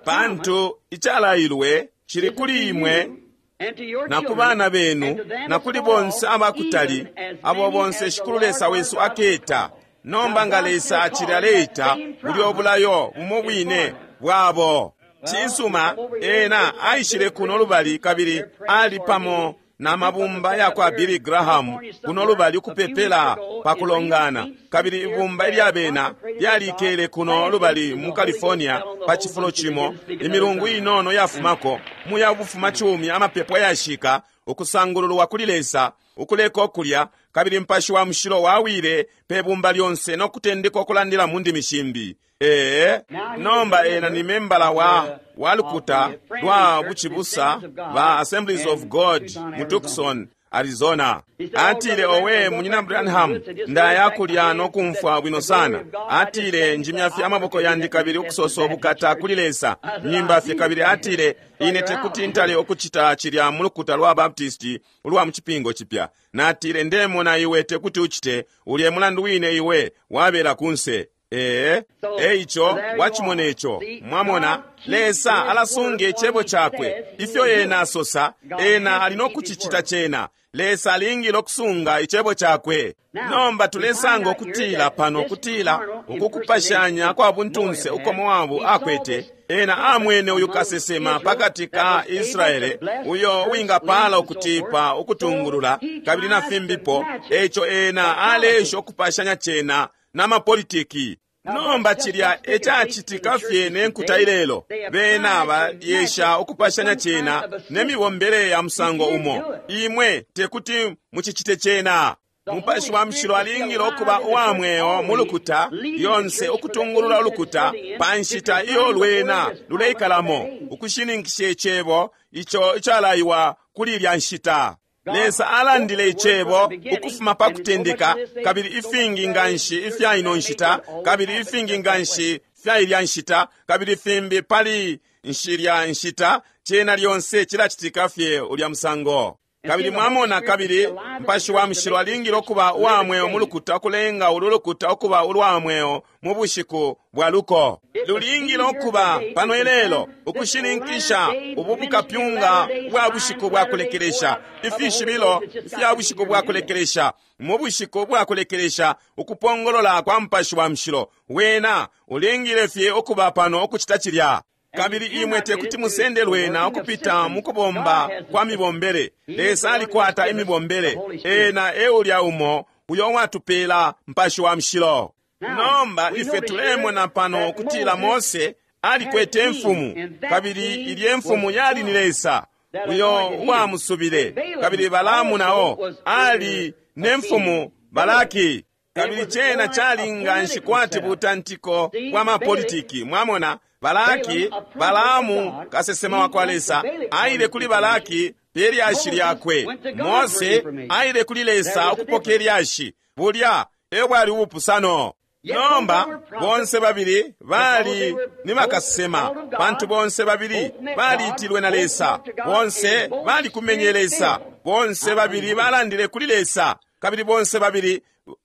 Pantu icalailwe cili kuli imwe na ku bana benu na kuli bonse abakutali, abo bonse Shikulu Lesa wesu aketa. Nomba nga Lesa acili aleita, bulyo obulayo bumo bwine bwabo. Cisuma, ena aishile kuno lubali kabili ali pamo na mabumba ya kwa Billy Graham kuno lubali ukupepela pa kulongana. Kabili ibumba ilya bena lyalikele kuno lubali mu California pa cifulo cimo imilungu inono yafumako muya bufuma cumi amapepo yashika ukusangululwa kuli Lesa ukuleka okulya. Kabili Mupashi wa Mushilo wawile pe bumba lyonse no kutendeka okulandila mu ndimi shimbi. Ee, nomba ena ni membala wa wa lukuta lwa buchibusa ba Assemblies of God mu Tucson, Arizona. Atile, owe munyina Branham, ndaya kulya no kumfwa bwino sana. Atile, njimya fye amaboko yandi kabili ukusosa obukata kuli Lesa nyimba fye. Kabili atile, ine tekuti ntale okuchita chilya mu lukuta lwa Baptisti ulwa mu chipingo chipya. Natile, ndemona iwe tekuti uchite ulye mulandu wine iwe wabela kunse. Ee, eicho wachimona icho. Mwamona, Lesa alasunga icebo chakwe. Ifyo ena asosa, ena ali nokuchichita chena. Lesa alingile okusunga icebo chakwe. Nomba tulesanga okutila pano kutila ukukupashanya kwa buntunse uko Moabu akwete. Ena amwene uyu kasesema pakati ka Israele uyo wingapala ukutipa ukutungulula kabili na fimbipo. Eicho ena alesha okupashanya chena na mapolitiki. Nomba chilya echachitika fye nenkuta ilelo. Bena bayesha okupashanya chena nemibombele ya musango umo. Imwe tekuti muchichite chena. Mupashi wa Mushilo alingile okuba uwa mweo mu lukuta yonse ukutungulula ulukuta pa nshita iyo lwena luleikalamo ukushininkisha icebo icho icalaiwa kuli ilya nshita. Lesa alandile icebo ukufuma pa kutendeka, kabili ifingi nganshi ifya ino nshita, kabili ifingi nganshi fya ilya nshita, kabili fimbi pali nshilya nshita, chena lyonse chilachitika fye ulya musango. Kabili mwamona, kabili Mupashi wa Mushilo alingile okuba uwa mweo mu lukuta okulenga ulu lukuta okuba ulwa mweo mu bushiku bwa luko. Lulingile okuba pano ilelo ukushininkisha ubu bukapyunga bwa bushiku bwa kulekelesha, ifishibilo fya bushiku bwa kulekelesha, mu bushiku bwa kulekelesha ukupongolola kwa Mupashi wa Mushilo. Wena ulingile fye okuba pano okuchita chilya. Kabili imwe tekuti musende lwena okupita mukubomba kwa mibombele. Lesa alikwata imibombele. Ena eulya umo uyo uwatupela Mupashi wa Mushilo. Nomba ife tulemona pano ukutila Mose alikwete imfumu, kabili ilye mfumu yali ni Lesa uyo uwamusubile. Kabili Balaamu nao ali ne mfumu Balaki, kabili cena cali nganshi kwati butantiko bwa mapolitiki. Mwamona, Balaki, Balaamu kasesema wa kwa Lesa aile kuli Balaki pe lyashi lyakwe. Mose aile kuli Lesa ukupoka ilyashi. Bulya e bwali ubupusano. Nomba bonse babili bali ni bakasesema, pantu bonse babili baliitilwe na Lesa, bonse balikumenye Lesa, bonse babili balandile kuli Lesa, kabili bonse babili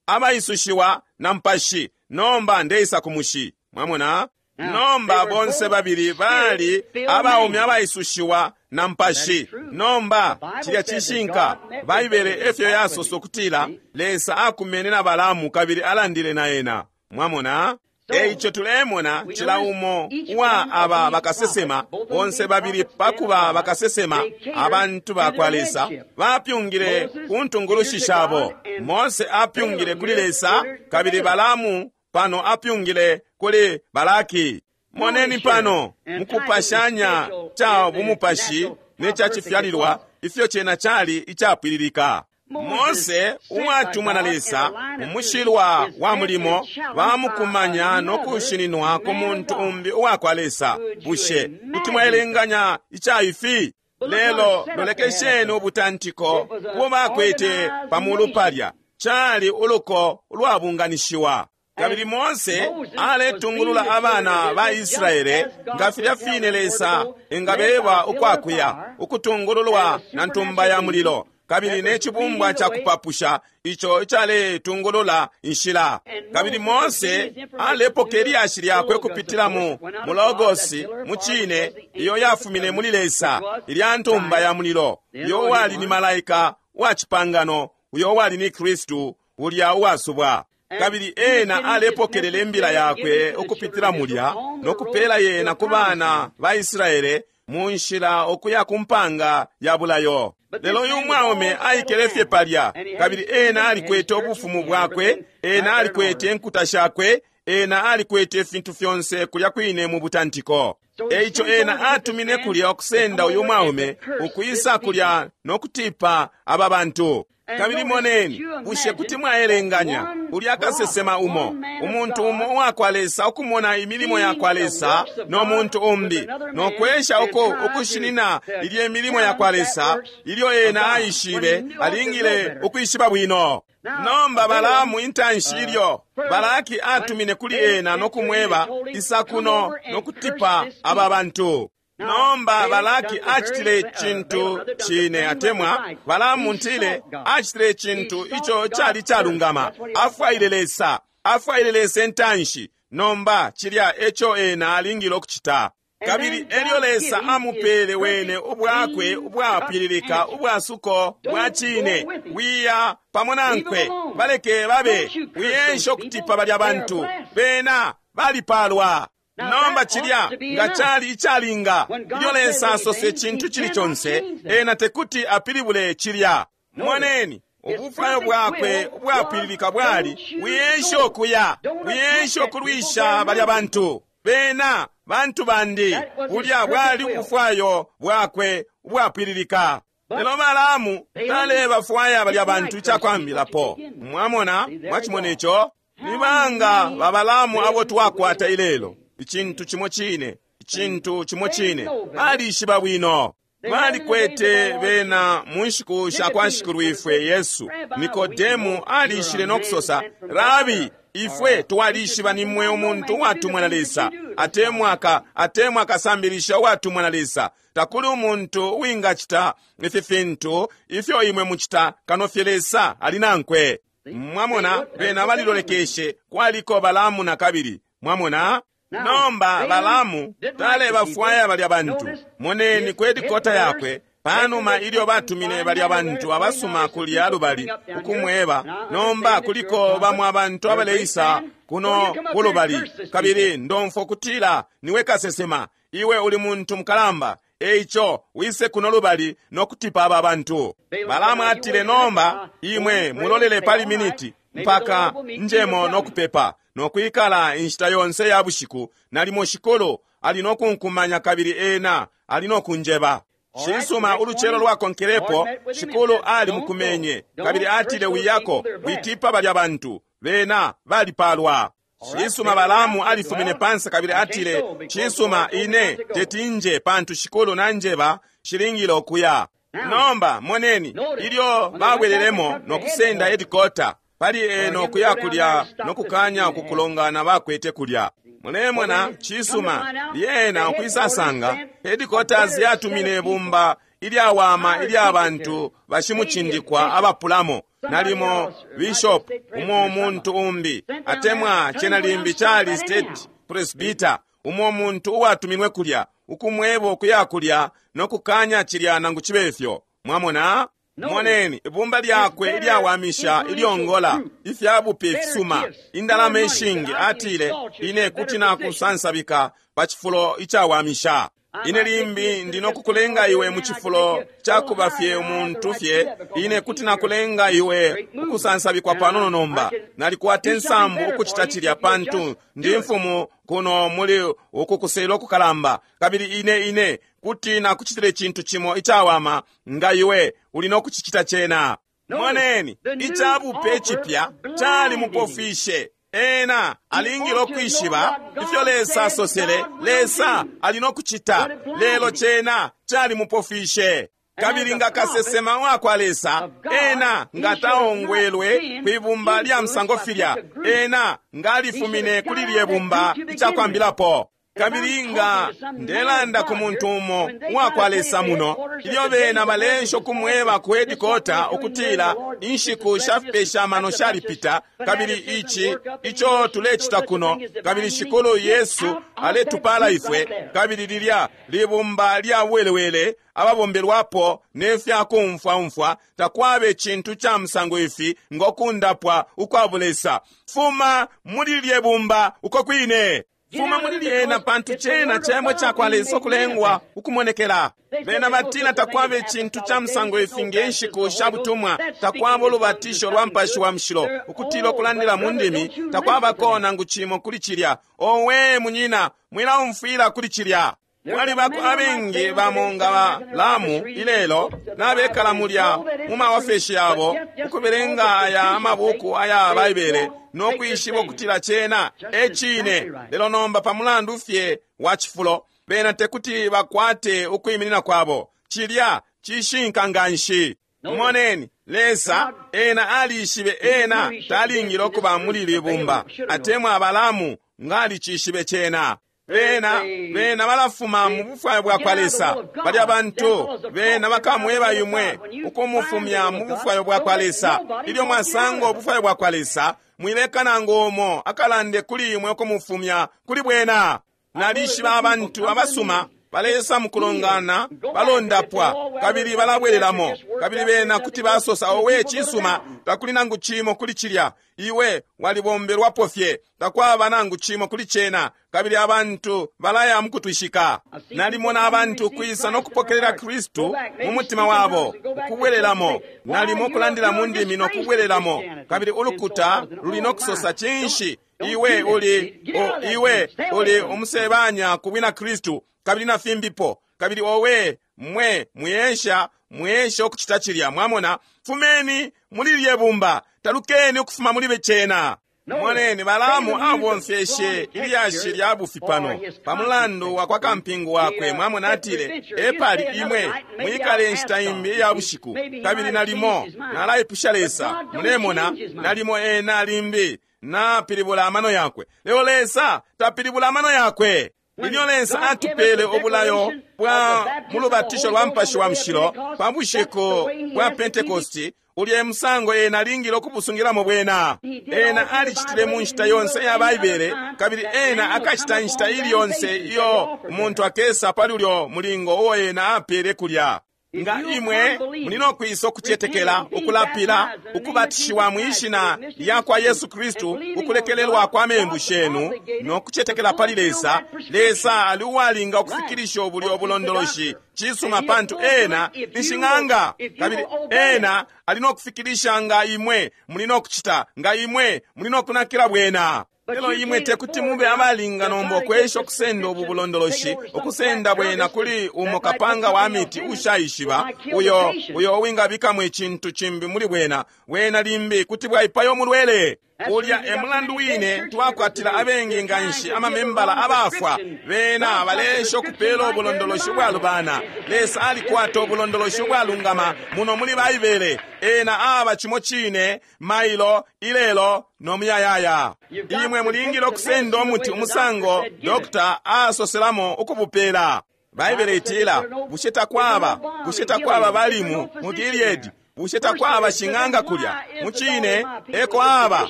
abaisushiwa na Mupashi. Nomba ndeisa ku mushi. Mwamona? Nomba bonse babili bali abaume abaisushiwa na Mupashi. Nomba cilya cishinka. Baibele efyo yasosa ukutila Lesa akumene na Balaamu kabili alandile na ena. Mwamona? Eico tulemona cila umo uwa aba bakasesema, bonse babili pakuba bakasesema, abantu ba kwa Lesa bapyungile ku ntungulushi shabo. Mose apyungile kuli Lesa, kabili Balaamu pano apyungile kuli Balaki. Moneni pano mukupashanya ca bumupashi ne ca cifyalilwa ifyo cena cali icapwililika. Mose uwatumwa na Lesa umushilwa wa mulimo bamukumanya no kushininwa ku muntu umbi uwa kwa Lesa. Bushe kuti mwaelenganya ica ifi? Lelo lolekesheni ubutantiko ubo bakwete pamulu palya. Cali uluko ulwabunganishiwa. Kabili Mose aletungulula abana ba Israele nga filya fine Lesa engabeba ukwakuya, ukutungululwa na ntumba ya mulilo kabili ne cibumbwa ca kupapusha ico icaletungulula inshila. Kabili Mose alepoka ilyashi lyakwe ukupitila mu mulogosi mu cine iyo yafumine muli Lesa, ilya ntumba ya mulilo, uyo uwali ni malaika wa cipangano, uyo uwali ni Kristu ulya uwasubwa. Kabili ena alepokelela imbila yakwe ukupitila mulya no kupela yena ku bana ba Israele mu nshila ukuya ku mpanga ya bulayo. Lelo uyu mwaume aikele fye palya, kabili ena alikwete ubufumu bwakwe, ena alikwete inkuta shakwe, ena alikwete ifintu fyonse kulya kwine mu butantiko. Eico ena atumine kulya ukusenda uyu mwaume ukwisa kulya no kutipa aba bantu. Kabili moneni, bushe kuti mwaelenganya ulya kasesema umo, umuntu umo uwa kwa Lesa ukumona imilimo ya kwa Lesa no muntu umbi, no kwesha uko ukushinina ilye milimo ya kwa Lesa ilyo ena aishibe alingile ukwishiba bwino. Nomba Balaamu intanshi ilyo Balaki atumine kuli ena no kumweba isa kuno no kutipa aba bantu. Nomba Balaki acitile icintu cine, atemwa Balaamu ntile acitile icintu ico cali calungama. Afwaile Lesa, afwaile Lesa intanshi. Nomba cilya eco ena alingile ukucita. Kabili elyo Lesa amupele wene ubwakwe ubwapwililika ubwasuko bwa cine. Wiya pamo nankwe, baleke babe, wiyensha ukutipa balya bantu, bena balipalwa. Nomba cilya nga cali icalinga, ilyo Lesa asose icintu cili conse, ena tekuti apilibule cilya. Moneni, ubufwayo bwakwe ubwapwililika bwali wiyensha ukuya, wiyensha ukulwisha balya bantu, bena bantu bandi. Bulya bwali ubufwayo bwakwe ubwapwililika. Lelo Balaamu talebafwaya balya bantu icakwambilapo. Mwamona, mwacimona ico? Ni banga ba Balaamu abo twakwata ilelo? Icintu cimo cine, icintu cimo cine. Balishiba bwino. Balikwete bena mu nshiku sha kwa Shikulwifwe Yesu. Nikodemu alishile no kusosa, Rabi, ifwe twalishiba nimwe umuntu uwatumwa na Lesa, atemwa atemwa akasambilisha uwatumwa na Lesa. Takuli umuntu uwingacita ifi fintu ifyo imwe mucita kano fye Lesa ali nankwe. Mwamona, bena balilolekeshe kwaliko Balaamu na kabili. Mwamona? Nomba Balaamu talebafwaya balya bantu. Moneni kwedi kota yakwe panuma ilyo batumine balya bantu abasuma kulya lubali ukumweba, nomba kuliko bamwe abantu abaleisa kuno kulubali, kabili ndomfwa kutila niwe kasesema, iwe uli muntu mukalamba, Eico wise kuno lubali nokutipa aba bantu. Balaamu atile, nomba imwe mulolele pali miniti mpaka njemo nokupepa nokwikala inshita yonse ya bushiku. Nalimo Shikulu ali nokunkumanya kabili ena ali nokunjeba. Cisuma, ulucelo lwakonkelepo Shikulu ali mukumenye kabili atile, wiyako, witipa balya bantu, bena balipalwa. Cisuma, Balaamu alifumine pansi kabili atile, cisuma, ine teti nje pantu Shikulu nanjeba shilingile okuya. Nomba moneni ilyo babwelelemo nokusenda headquarter pali eno kuya kulya nokukanya ukukulongana bakwete kulya. Mulemona, cisuma, lyena ukwisasanga headquarters yatumine bumba ilyawama ilya bantu bashimucindikwa abapulamo, nalimo bishop umo muntu umbi atemwa cena limbi chali state presbyter umo muntu uwatuminwe kulya ukumwebo kuya kulya nokukanya cilya nangu chibefyo. Mwamona? Moneni ibumba lyakwe ilyawamisha ilyongola ifyabupe fisuma indalama ishingi. Atile, ine kuti nakusansabika pa chifulo icawamisha. Ine limbi ndinokukulenga iwe mu chifulo chakuba fye umuntu fye. Ine kuti nakulenga iwe ukusansabikwa panono nomba. Nalikwata insambu ukuchita cilya pantu ndi mfumu kuno muli ukukusela okukalamba, kabili ine ine kuti nakuchitile chintu chimo icawama nga iwe uli nokuchichita chena. Moneni ichabupe chipya chali mupofishe. Ena alingile okwishiba ifyo Lesa asosele, Lesa ali nokuchita, lelo chena chali mupofishe. Kabili nga kasesema wakwa Lesa, ena nga taongwelwe kwibumba lya msango filya, ena nga alifumine kuli lye bumba icakwambilapo. Kabili nga ndelanda ku muntu umo uwakwa Lesa muno, ilyo bena balensho kumweba ku headquarter ukutila inshiku shafipesha mano shalipita, kabili ichi icho tulecita kuno, kabili Shikulu Yesu aletupala ifwe, kabili lilya libumba lya welewele ababombelwapo nefya kumfwa-umfwa, takwabe chintu cha msango ifi ngokundapwa ukwabulesa. Fuma muli lye bumba uko kwine. Fuma muli lyena pantu chena chemwe chakwa Lesa okulengwa ukumonekela. Bena batina takwabe chintu cha msango ifi ngenshiku sha butumwa, takwaba ulubatisho lwa mpashi wa mshilo ukutila okulandila mu ndimi, takwabako nangu chimo kuli chilya. Owe munyina, mwilaumfwila kuli chilya. Kwalibako abengi bamonga Balaamu ilelo nabekala mulya mu maofeshi yabo ukubelenga aya amabuku aya Baibele nokwishiba ukutila chena echine. Lelo nomba pamulandu fye wa chifulo bena tekuti bakwate ukwiminina kwabo. Chilya chishinka nganshi. Moneni Lesa ena alishibe ena talingile okuba muli libumba atemwa Balaamu ngalichishibe chena. Bena bena balafuma mu bufwayo bwakwa Lesa. Balya bantu bena bakamweba imwe ukumufumya mu bufwayo bwakwa Lesa. Ilyo mwasanga ubufwayo bwakwa Lesa, mwileka nangu umo akalande kuli imwe ukumufumya kuli bwena. Nalishiba abantu abasuma balesa mukulongana balondapwa kabili balabwelelamo, kabili bena kuti basosa, owe cisuma, takuli nangu chimo kuli chilya, iwe walibombelwapo fye, takwaba nangu chimo kuli chena, kabili abantu balaya mukutwishika. Nalimona abantu kwisa nokupokelela Kristu mu mutima wabo ukubwelelamo, nalimo kulandila mu ndimi nokubwelelamo, kabili ulukuta luli nokusosa chinshi, iwe uli o, iwe uli umusebanya ku bwina Kristu, kabili na fimbipo, kabili owe mwe muyesha muyesha okuchita chilya. Mwamona, fumeni muli lye bumba, talukeni ukufuma muli bechena. Moneni Balaamu abomfyeshe ilyashi lya bufi pano pamulandu wa kwa kampingu wakwe. Mwamona atile, epali imwe mwikale inshita imbi ya bushiku, kabili nalimo nalaipusha Lesa. Mulemona, nalimo ena limbi napilibula amano yakwe. Lelo Lesa tapilibula amano yakwe. Ilyo Lesa atupele obulayo bwa mulubatisho lwa mpashi wa mshilo pa bushiku bwa Pentekosti, ulye musango ena alingile okubusungilamo bwena. Ena alichitile mu nshita yonse ya Baibele, kabili ena akachita inshita ili yonse iyo umuntu akesa pali ulyo mulingo uwo ena apele kulya. Nga imwe muli no kwisa ukucetekela, ukulapila, ukubatishiwa mwi shina lya kwa Yesu Kristu, ukulekelelwa kwa membu shenu, no kucetekela pali Lesa, Lesa ali uwalinga ukufikilisha ubulyo bulondoloshi. Cisuma, pantu ena ni shing'anga, kabili ena ali no kufikilisha nga imwe muli no kucita, nga imwe muli no kunakila bwena. Lelo imwe tekuti mube abalinga nomba ukwesha ukusenda ubu bulondoloshi, ukusenda bwena kuli umo kapanga wa miti ushaishiba, uyo uyo uwingabikamo icintu cimbi muli bwena, bwena limbi kuti bwaipaya umulwele. Ulya e mulandu wine twakwatila abengi nganshi amamembala abafwa. Bena balesha ukupela ubulondoloshi ubwalubana. Lesa alikwata ubulondoloshi ubwalungama muno muli Baibele. Ena aba cimo cine mailo, ilelo no muyayaya. Imwe mulingile ukusenda umuti umusango dokta asoselamo ukubupela. Baibele itila, bushe takwaba, bushe takwaba balimu mu Gileadi? Bushe takwaba shing'anga kulya? Mucine eko aba.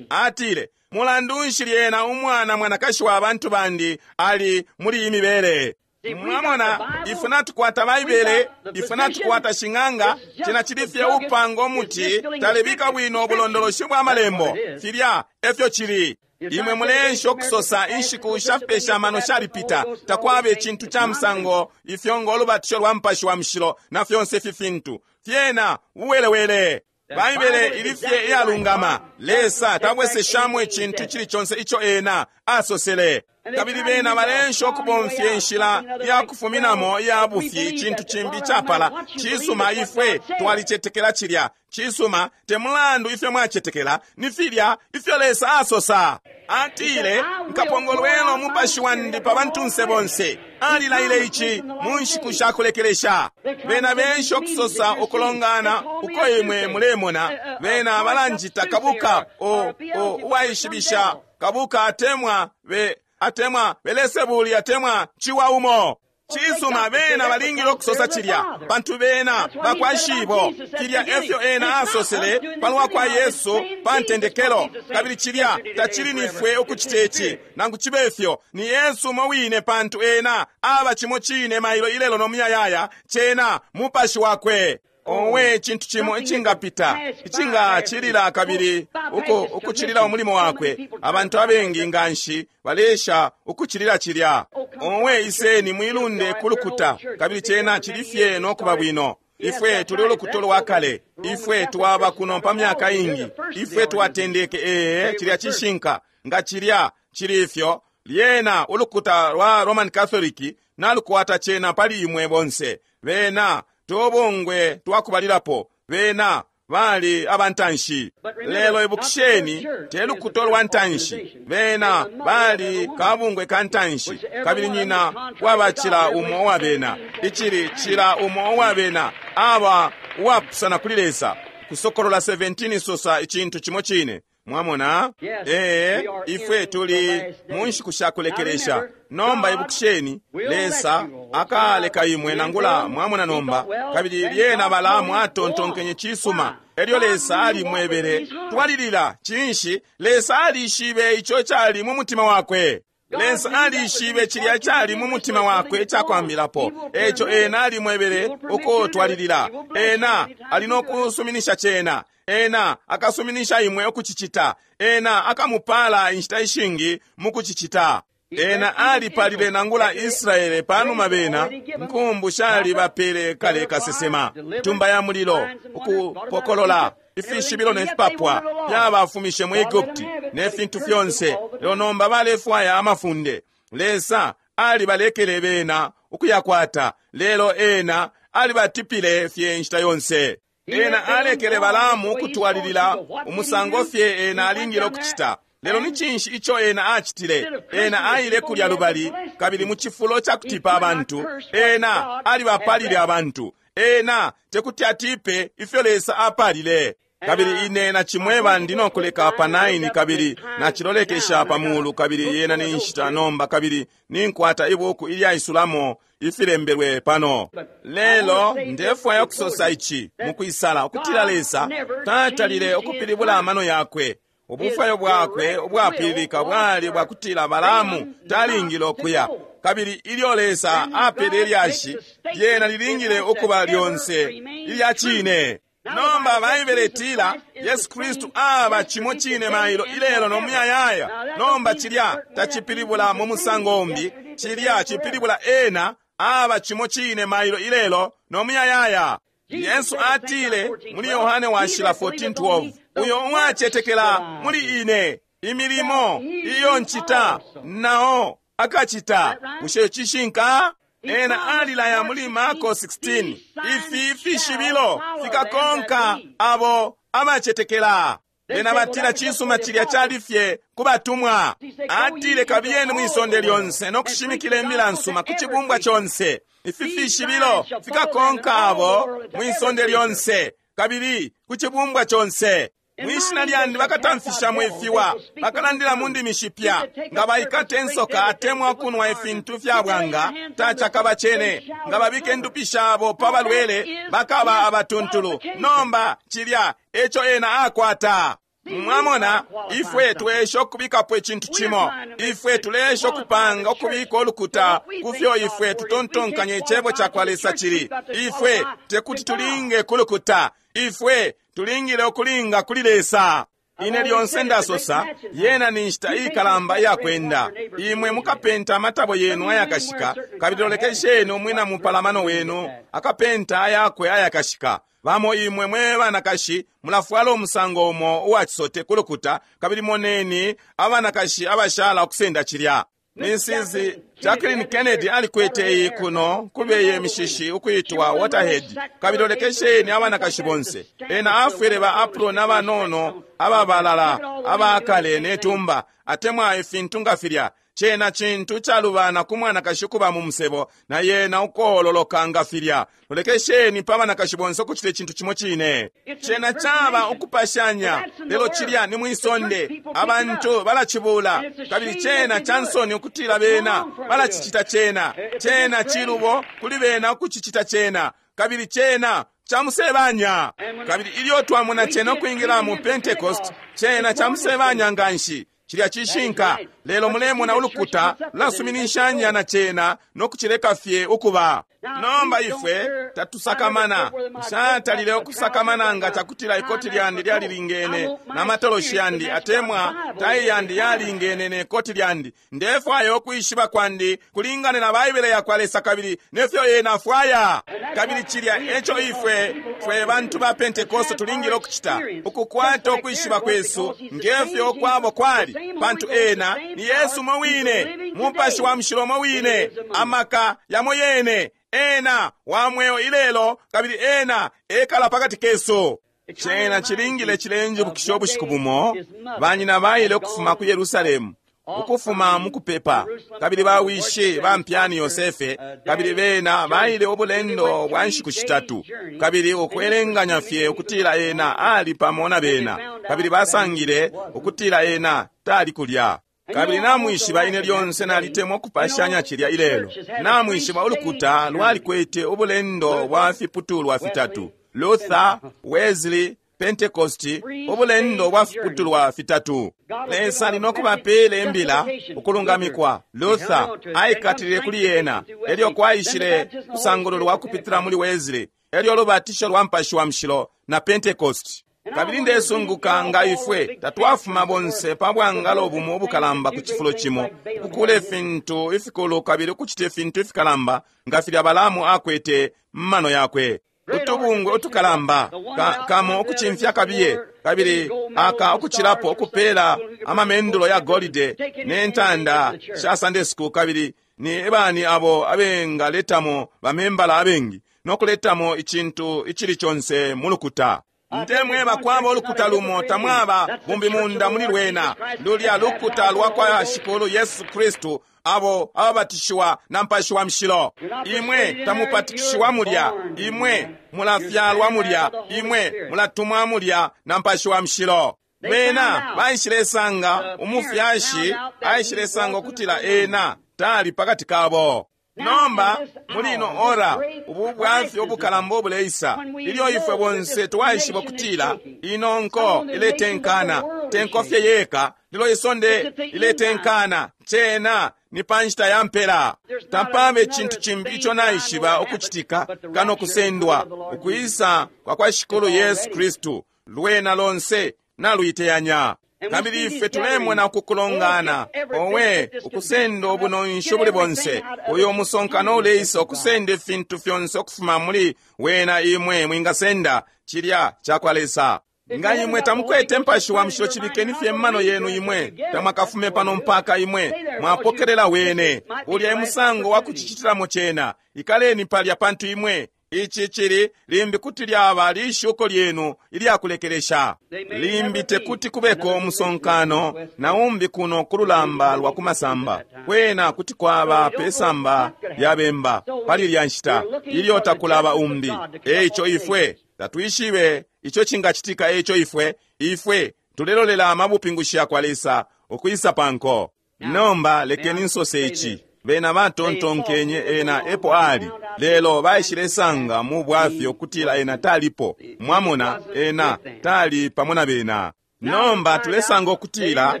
Atile, mulandu nshi lyena umwana mwanakashi wa bantu bandi ali muli iyi mibele? Mwamona, ifwe natukwata Baibele, ifwe natukwata shing'anga, cena cili fye upanga umuti talebika bwino ubulondoloshi bwa malembo. Filya efyo cili. Imwe mulensha ukusosa inshiku shafipesha amano shalipita, takwaba icintu ca musango ifyo ngo lubatisho lwa Mupashi wa Mushilo na fyonse ifi fintu. Fyena uwelewele. Baibele ili fye iyalungama. Lesa tabweseshamo icintu cili conse ico ena asosele. Kabili bena balensha ukubomfya inshila ya kufuminamo iya bufi, icintu cimbi icapala. Cisuma, ifwe twalicetekela cilya. Cisuma, te mulandu ifyo mwacetekela, ni filya ifyo Lesa asosa. Atile, nkapongolwela umupashi wandi pa bantunse bonse. Alilaile ici mu nshiku sha kulekelesha. Bena bensha ukusosa ukulongana uko imwe mulemona. Bena balanjita kabuka o, o, uwaishibisha kabuka atemwa be atemwa belesebuli atemwa ciwa umo. Cisuma, bena balingile ukusosa cilya, pantu bena bakwa shibo. Cilya efyo ena asosele palwa kwa Yesu pa ntendekelo. Kabili cilya tacili nifwe ukucita ici, nangu cibe fyo ni Yesu umo wine, pantu ena aba cimo cine mailo, ilelo no muyayaya, cena mupashi wakwe. Owe, icintu cimo icingapita, icingacilila kabili uku ukucilila umulimo wakwe. Abantu abengi nganshi balesha ukucilila cilya. Owe, iseni mwilunde kulukuta, kabili cena cili fye no kuba bwino. Ifwe tuli ulukuta lwa kale, ifwe twaba kuno pa myaka ingi, ifwe twatendeke. Ee, cilya cishinka. Nga cilya cili ifyo, lyena ulukuta lwa Roman Catholic nalukwata cena pali imwe bonse. Bena tobongwe twakubalilapo, bena bali abantanshi. Lelo ibukisheni, te lukuta lwa ntanshi, bena bali kabungwe ka ntanshi, kabili nyina wabacila umo wa bena, icili cila umo wa bena aba uwapusana kuli Lesa. Kusokolola seventeen sosa icintu cimo cine. Mwamona? Ee, ifwe tuli mu nshiku sha kulekelesha. Nomba ibukisheni, Lesa akaleka imwe nangula mwamona nomba. Kabili lyena Balaamu atontonkenye cisuma. Elyo Lesa alimwebele, twalilila. Cinshi? Lesa alishibe ico cali mu mutima wakwe. Lesa alishibe cilya cali mu mutima wakwe icakwambilapo. Eco ena alimwebele uko twalilila. Ena ali no kusuminisha cena. Ena akasuminisha imwe ukucicita. Ena akamupala inshita ishingi mukucicita. Ena alipalile nangula Israele panuma bena nkumbu shali bapele kale kasesema. Tumba ya mulilo, ukupokolola ifishibilo ne fipapwa fyabafumishe mu Egupti ne fintu fyonse. Lelo nomba balefwaya amafunde. Lesa alibalekele bena ukuyakwata, lelo ena alibatipile fye inshita yonse. Ena alekele Balaamu ukutwalilila umusango fye ena alingile ukucita. Lelo ni cinshi ico ena acitile? Ena aile kulya lubali, kabili mu cifulo ca kutipa abantu, ena alibapalile abantu. Ena tekuti atipe ifyo Lesa apalile. Kabili ine nacimweba ndi no kuleka pa nine, kabili nacilolekesha pa mulu, kabili yena ni nshita nomba, kabili ninkwata ibuku ilyaisulamo ifilembelwe pano. Lelo ndefwaya ukusosa ici mukwisala, ukutila Lesa tatalile ukupilibula amano yakwe. Ubufwayo bwakwe ubwapililika bwali bwakutila Balaamu talingile ukuya. Kabili ilyo Lesa apele lyashi, lyena lilingile ukuba lyonse ilya cine. Nomba Baibele itila Yesu Kristu aba cimo cine mailo, ilelo no muyayaya. Nomba cilya tacipilibula mu musango umbi, cilya cipilibula ena aba cimo cine mailo, ilelo no muyayaya. Yesu atile muli Yohane washila fourteen twelve, uyo uwacetekela muli ine, imilimo iyo ncita nao akacita. Bushe cishinka? Ena alilaya muli Marko sixteen, ifi fishibilo fikakonka abo abacetekela. Bena batila cisuma cilya cali fye ku batumwa. Atile kabiyeni mwisonde lyonse no kushimikila imbila nsuma ku cibumbwa conse. Ifi fishibilo fikakonka abo mwisonde lyonse kabili ku cibumbwa conse. Mwishina lyandi bakatamfishamo ifiwa, bakalandila mu ndimi shipya. Nga baikate insoka atemwa kunwa ifintu fya bwanga, tacakaba cene. Nga babike ndupi shabo pa balwele, bakaba abatuntulu. Nomba cilya eco ena akwata. Mwamona, ifwe twesha ukubikapo icintu cimo. Ifwe tulesha ukupanga ukubika ulukuta kufyo ifwe tutontonkanya icebo ca kwa Lesa cili. Ifwe tekuti tulinge kulukuta. Ifwe tulingile ukulinga kuli Lesa. Ine lyonse ndasosa, yena ni nshita ikalamba iyakwenda. Imwe mukapenta amatabo yenu ayakashika, kabili lolekesheni umwina mupalamano wenu akapenta ayakwe ayakashika. Bamo imwe mwe banakashi mulafwala umusango umo uwacisote kulukuta, kabili moneni abanakashi abashala ukusenda cilya. Missus Jacqueline Kennedy alikwete iyi kuno kubeye mishishi ukuitwa waterhead, kabili lolekesheni abanakashi bonse. Ena afwele ba apron abanono ababalala abakale netumba atemwa ifintu nga filya. Cena cintu calubana ku mwanakashi kuba mu musebo na yena ukololoka nga filya. Lolekesheni pa banakashi bonse ukucita icintu cimo cine. Cena caba ukupashanya, lelo cilya ni mwisonde. Abantu balacibula, kabili cena cansoni ukutila bena balacicita cena. Cena cilubo kuli bena ukucicita cena, kabili cena camusebanya. Kabili ilyo twamona cena ukwingila mu Pentecost, cena camusebanya nganshi. Cilya cishinka, lelo mulemona ulukuta lasuminishanya na cena no kucileka fye ukuba. Nomba ifwe tatusakamana. Nshatalile ukusakamana nga cakutila ikoti lyandi lyalilingene na matoloshi yandi, atemwa tai yandi yalingene ne koti lyandi. Ndefwaya ukwishiba kwandi kulingane na Baibele ya kwa Lesa kabili nefyo ena afwaya. Kabili cilya eco ifwe fwe bantu ba Pentecost tulingile ukucita, ukukwata ukwishiba kwesu ngefyo kwabo kwali, pantu ena ni Yesu mo wine, Mupashi wa Mushilo mo wine, amaka yamo yene. Ena wa mweo ilelo, kabili ena ekala pakati kesu. Cena chilingile chilenjibukisha ubushiku bumo banyina baile ukufuma ku Yerusalemu, ukufuma mukupepa, kabili bawishi bampyani Yosefe, kabili bena baile ubulendo bwa nshiku shitatu, kabili ukwelenganya fye ukutila ena ali pamo na bena, kabili basangile ukutila ena tali kulya. Kabili namwishiba ine lyonse nalitemwa ukupashanya cilya ilelo. Namwishiba ulukuta lwalikwete ubulendo bwa fiputulwa fitatu: Luther, Wesley, Pentecost, ubulendo bwa fiputulwa fitatu. Lesa ali nokubapela imbila ukulungamikwa. Luther aikatilile kuli yena, elyo kwaishile kusangululwa kupitila muli Wesley, elyo lubatisho lwa Mupashi wa Mushilo na Pentecost. Kabili ndesunguka nga ifwe tatwafuma bonse pa bwangalo bumo ubukalamba ku cifulo cimo, ukukula ifintu ifikulu kabili ukucita ifintu ifikalamba nga filya Balaamu akwete mmano yakwe. Utubungwe utukalamba ka, kamo ukucimfya kabiye, kabili aka ukucilapo ukupela amamendulo ya golide ne ntanda sha Sunday school, kabili ni bani abo abengaletamo bamembala abengi no kuletamo icintu icili conse mu lukuta. Ntemweba kwaba ulukuta lumo tamwaba bumbimunda muli lwena. Lulya lukuta lwa kwa Shikulu Yesu Kristu, abo ababatishiwa na Mupashi wa Mushilo. Imwe tamupatikishiwa mulya, imwe mulafyalwa mulya, imwe mulatumwa mulya na Mupashi wa Mushilo. Bena baishilesanga umufyashi aishilesanga ukutila ena tali pakati kabo. Nomba muli ino ora ubu bwafya ubukalamba obuleisa, ilyo ifwe bonse twaishiba kutila ino nko iletenkana, tenko fye yeka, Lelo isonde liletenkana, cena ni pa nshita ya mpela. Tapaba icintu cimbi ico naishiba ukucitika kano kusendwa, ukwisa kwa kwa Shikulu Yesu Kristu. Lwena lonse naluiteyanya. Kabili ife tulemona ukukulongana, owe, ukusenda ubunonshi ubuli bonse. Uyo umusonkano uleisa ukusenda ifintu fyonse ukufuma muli wena imwe mwingasenda cilya cakwa Lesa. Nga imwe tamukwete Mupashi wa Mushilo, chibikeni fye mmano yenu imwe tamwakafume pano mpaka imwe mwapokelela wene. Ulya emusango wa kuchichitilamo cena. Ikaleni palya pantu imwe ichi chili limbi kuti lyaba lishuko lyenu ilyakulekelesha. Limbi tekuti kubeko umusonkano na umbi kuno kululamba lwa kumasamba. Kwena kuti kwaba pesamba lya bemba pali lya nshita ilyo takulaba umbi. Eico ifwe tatwishibe ico cingacitika. Eico ifwe ifwe tulelolela amabupingushi ya kwa Lesa ukwisa panko. Nomba lekeni nsose ichi. Bena batontonkenye ena epo ali, lelo baishilesanga mu bwafya ukutila ena talipo. Mwamona, ena tali pamo na bena. Nomba tulesanga ukutila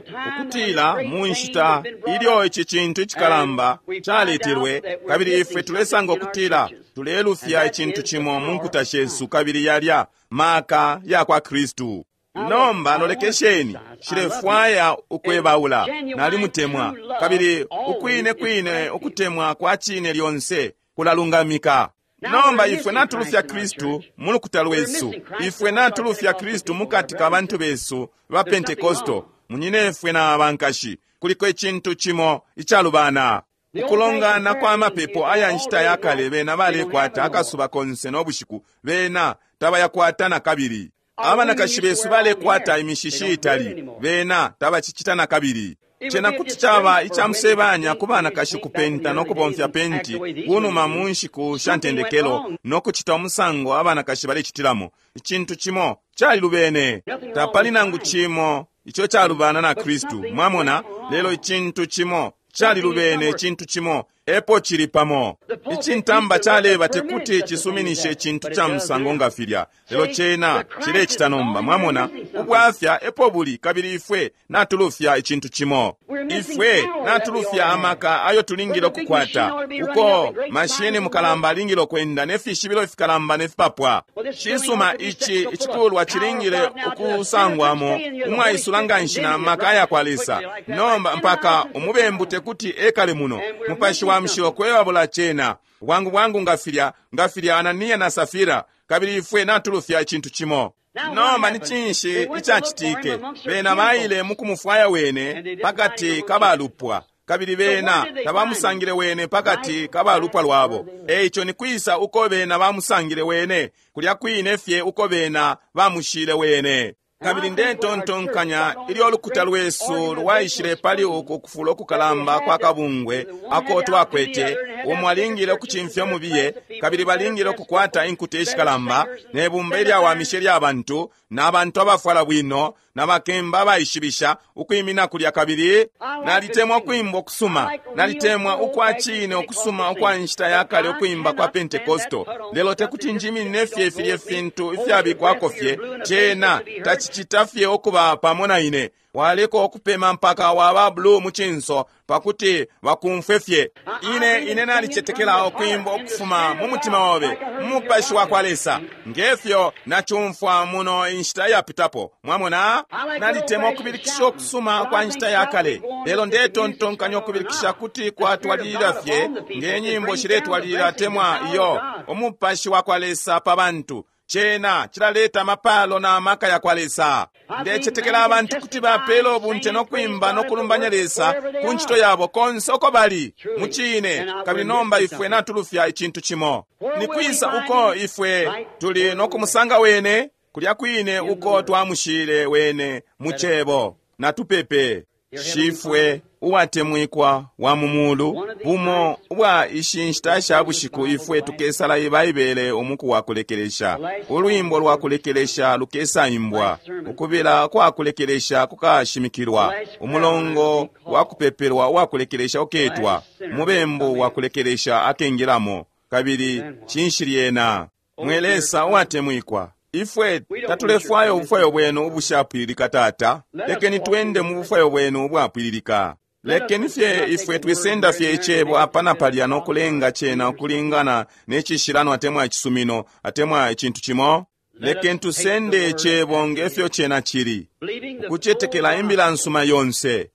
ukutila mu nshita ilyo ici cintu icikalamba caletelwe, kabili ifwe tulesanga ukutila tulelufya icintu cimo mu nkuta shesu, kabili yalya maka ya kwa Kristu. Nomba lolekesheni, shilefwaya ukwebaula. Nalimutemwa, kabili ukwine kwine ukutemwa kwa cine lyonse kulalungamika. Nomba ifwe natulufya Kristu mu lukuta lwesu. Ifwe natulufya Kristu mukati ka bantu besu ba Pentekosto, munyinefwe na bankashi. Kuliko icintu cimo icalubana. Ukulongana kwa mapepo aya nshita ya kale bena balekwata akasuba konse no bushiku, bena tabayakwata na kabili. Abanakashi besu balekwata imishishi itali, bena tabacicita na kabili. Cena kuti caba icamusebanya ku banakashi kupenta no kubomfya penti kunuma mu nshiku sha ntendekelo no kucita umusango abanakashi balecitilamo. Icintu cimo calilubene. Tapali nangu cimo ico calubana na Kristu, mwamona, lelo icintu cimo calilubene, icintu cimo epo cili pamo. Icintamba caleba tekuti cisuminishe icintu ca musango nga filya, lelo cena cilecita nomba. Mwamona, ubwafya epo buli, kabili ifwe natulufya icintu cimo. Ifwe natulufya amaka ayo tulingile ukukwata, uko mashini mukalamba alingile ukwenda ne fishibilo ifikalamba ne fipapwa. Cisuma, ici icikulwa cilingile ukusangwamo umwaisula nganshi na maka aya kwa Lesa. Nomba mpaka umubembu tekuti ekale muno. Mupashi wa Mushilo kwebabula cena bwangu bwangu nga filya nga filya Anania na Safira, kabili ifwe natulufya icintu cimo. Nomba ni cinshi icacitike? Bena baile mukumufwaya wene pakati kabalupwa, kabili bena tabamusangile wene pakati kabalupwa lwabo. Eico ni kwisa uko bena bamusangile wene? Kulya kwine fye uko bena bamushile wene. Kabili ndetontonkanya ilyo ulukuta lwesu lwaishile pali uku kufula ukukalamba kwa kabungwe ako twakwete, umo alingile ukucimfya umubiye, kabili balingile ukukwata inkuta ishikalamba ne bumba ilyawamisha ilya bantu na bantu abafwala bwino na bakemba abaishibisha ukwimina kulya. Kabili nalitemwa ukwimba ukusuma, nalitemwa ukwa cine ukusuma ukwa nshita ya kale, ukwimba kwa Pentekosto. Lelo tekuti njiminine fye filye fintu ifyabikwako fye, cena tacicita fye ukuba pamo na ine. Waleko okupema mpaka waba blue mu cinso pakuti bakumfwe fye. Ine ine nalicetekela ukwimba ukufuma mu mutima obe, mu mupashi wa kwa Lesa, ngefyo nacumfwa muno inshita yapitapo. Mwamona, nalitemwa ukubilikisha ukusuma kwa nshita ya kale, lelo ndetontonkanya ukubilikisha kuti kwatwalilila fye nge nyimbo shiletwalilila temwa iyo umupashi wa kwa Lesa pa bantu. Cena cilaleta amapalo na maka ya kwa Lesa. Ndecetekela abantu kuti bapela ubunte no kwimba no kulumbanya Lesa ku ncito yabo konse uko bali mucine. Kabili nomba ifwe natulufya icintu cimo. Ni kwisa uko ifwe tuli no kumusanga wene? Kulya kwine uko twamushile wene mu cebo. Natupepe. Shifwe uwatemwikwa wa mu mulu, bumo ubwa ishi nshita sha bushiku ifwe tukesala Baibele umuku wa kulekelesha. Ulwimbo lwa kulekelesha lukesaimbwa, ukubila kwa kulekelesha kukashimikilwa, umulongo wa kupepelwa uwa kulekelesha uketwa, umubembu wa kulekelesha akengilamo. Kabili cinshi lyena? Mwe Lesa uwatemwikwa, Ifwe tatulefwaya ubufwayo bwenu ubushapwililika, Tata. Lekeni twende mu bufwayo bwenu ubwapwililika. Lekeni fye ifwe twisenda fye icebo apa na palya no kulenga cena ukulingana ne cishilano atemwa icisumino atemwa icintu cimo. Lekeni tusende icebo ngefyo cena cili, ukucetekela imbila nsuma yonse,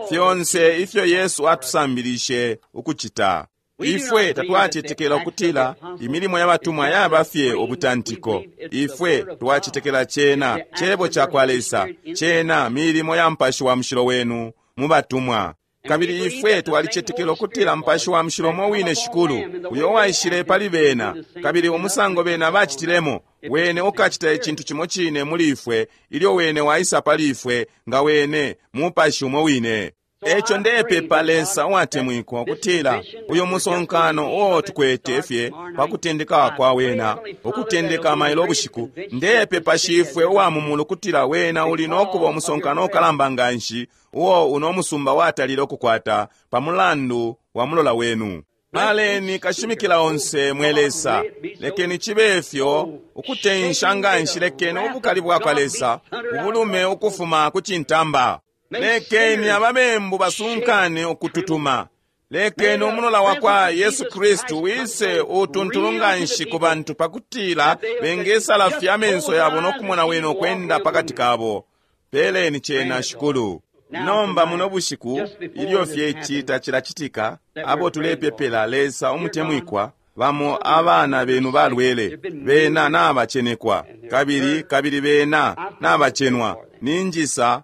fyonse ifyo Yesu atusambilishe ukucita. Ifwe tatwacetekela ukutila imilimo ya batumwa yaba fye ubutantiko. Ifwe twacetekela cena cebo ca kwa Lesa, cena milimo ya Mupashi wa Mushilo wenu mu batumwa. Kabili ifwe twalicetekela ukutila Mupashi wa Mushilo mo wine Shikulu uyo waishile pali bena, kabili umusango bena bacitilemo, wene ukacita icintu cimo cine muli ifwe ilyo wene waisa pali ifwe, nga wene Mupashi umo wine. Eco ndepepa, Lesa uwatemwikwa, ukutila uyo musonkano uo tukwete fye pa kutendeka kwa wena, ukutendeka mailo ubushiku, ndepepa Shifwe uwa mumulu ukutila wena uli nokuba umusonkano ukalamba nganshi uo uno musumba watalile ukukwata pa mulandu wa mulola wenu. Paleni kashimikila onse, mwe Lesa. Lekeni chibe fyo ukutensha nganshi, lekeni ubukali bwa kwa Lesa ubulume ukufuma ku cintamba. Lekeni ababembu basunkane ukututuma. Lekeni umulola wa kwa Yesu Kristu wise utuntulu nganshi ku bantu pakutila bengesala fye amenso yabo no kumona wene ukwenda pakati kabo. Peleni cena, Shikulu. Nomba muno bushiku ilyo fye ici tacilacitika, abo tulepepela, Lesa umutemwikwa, bamo abana benu balwele, bena nabacenekwa, kabili kabili bena nabacenwa. Ninjisa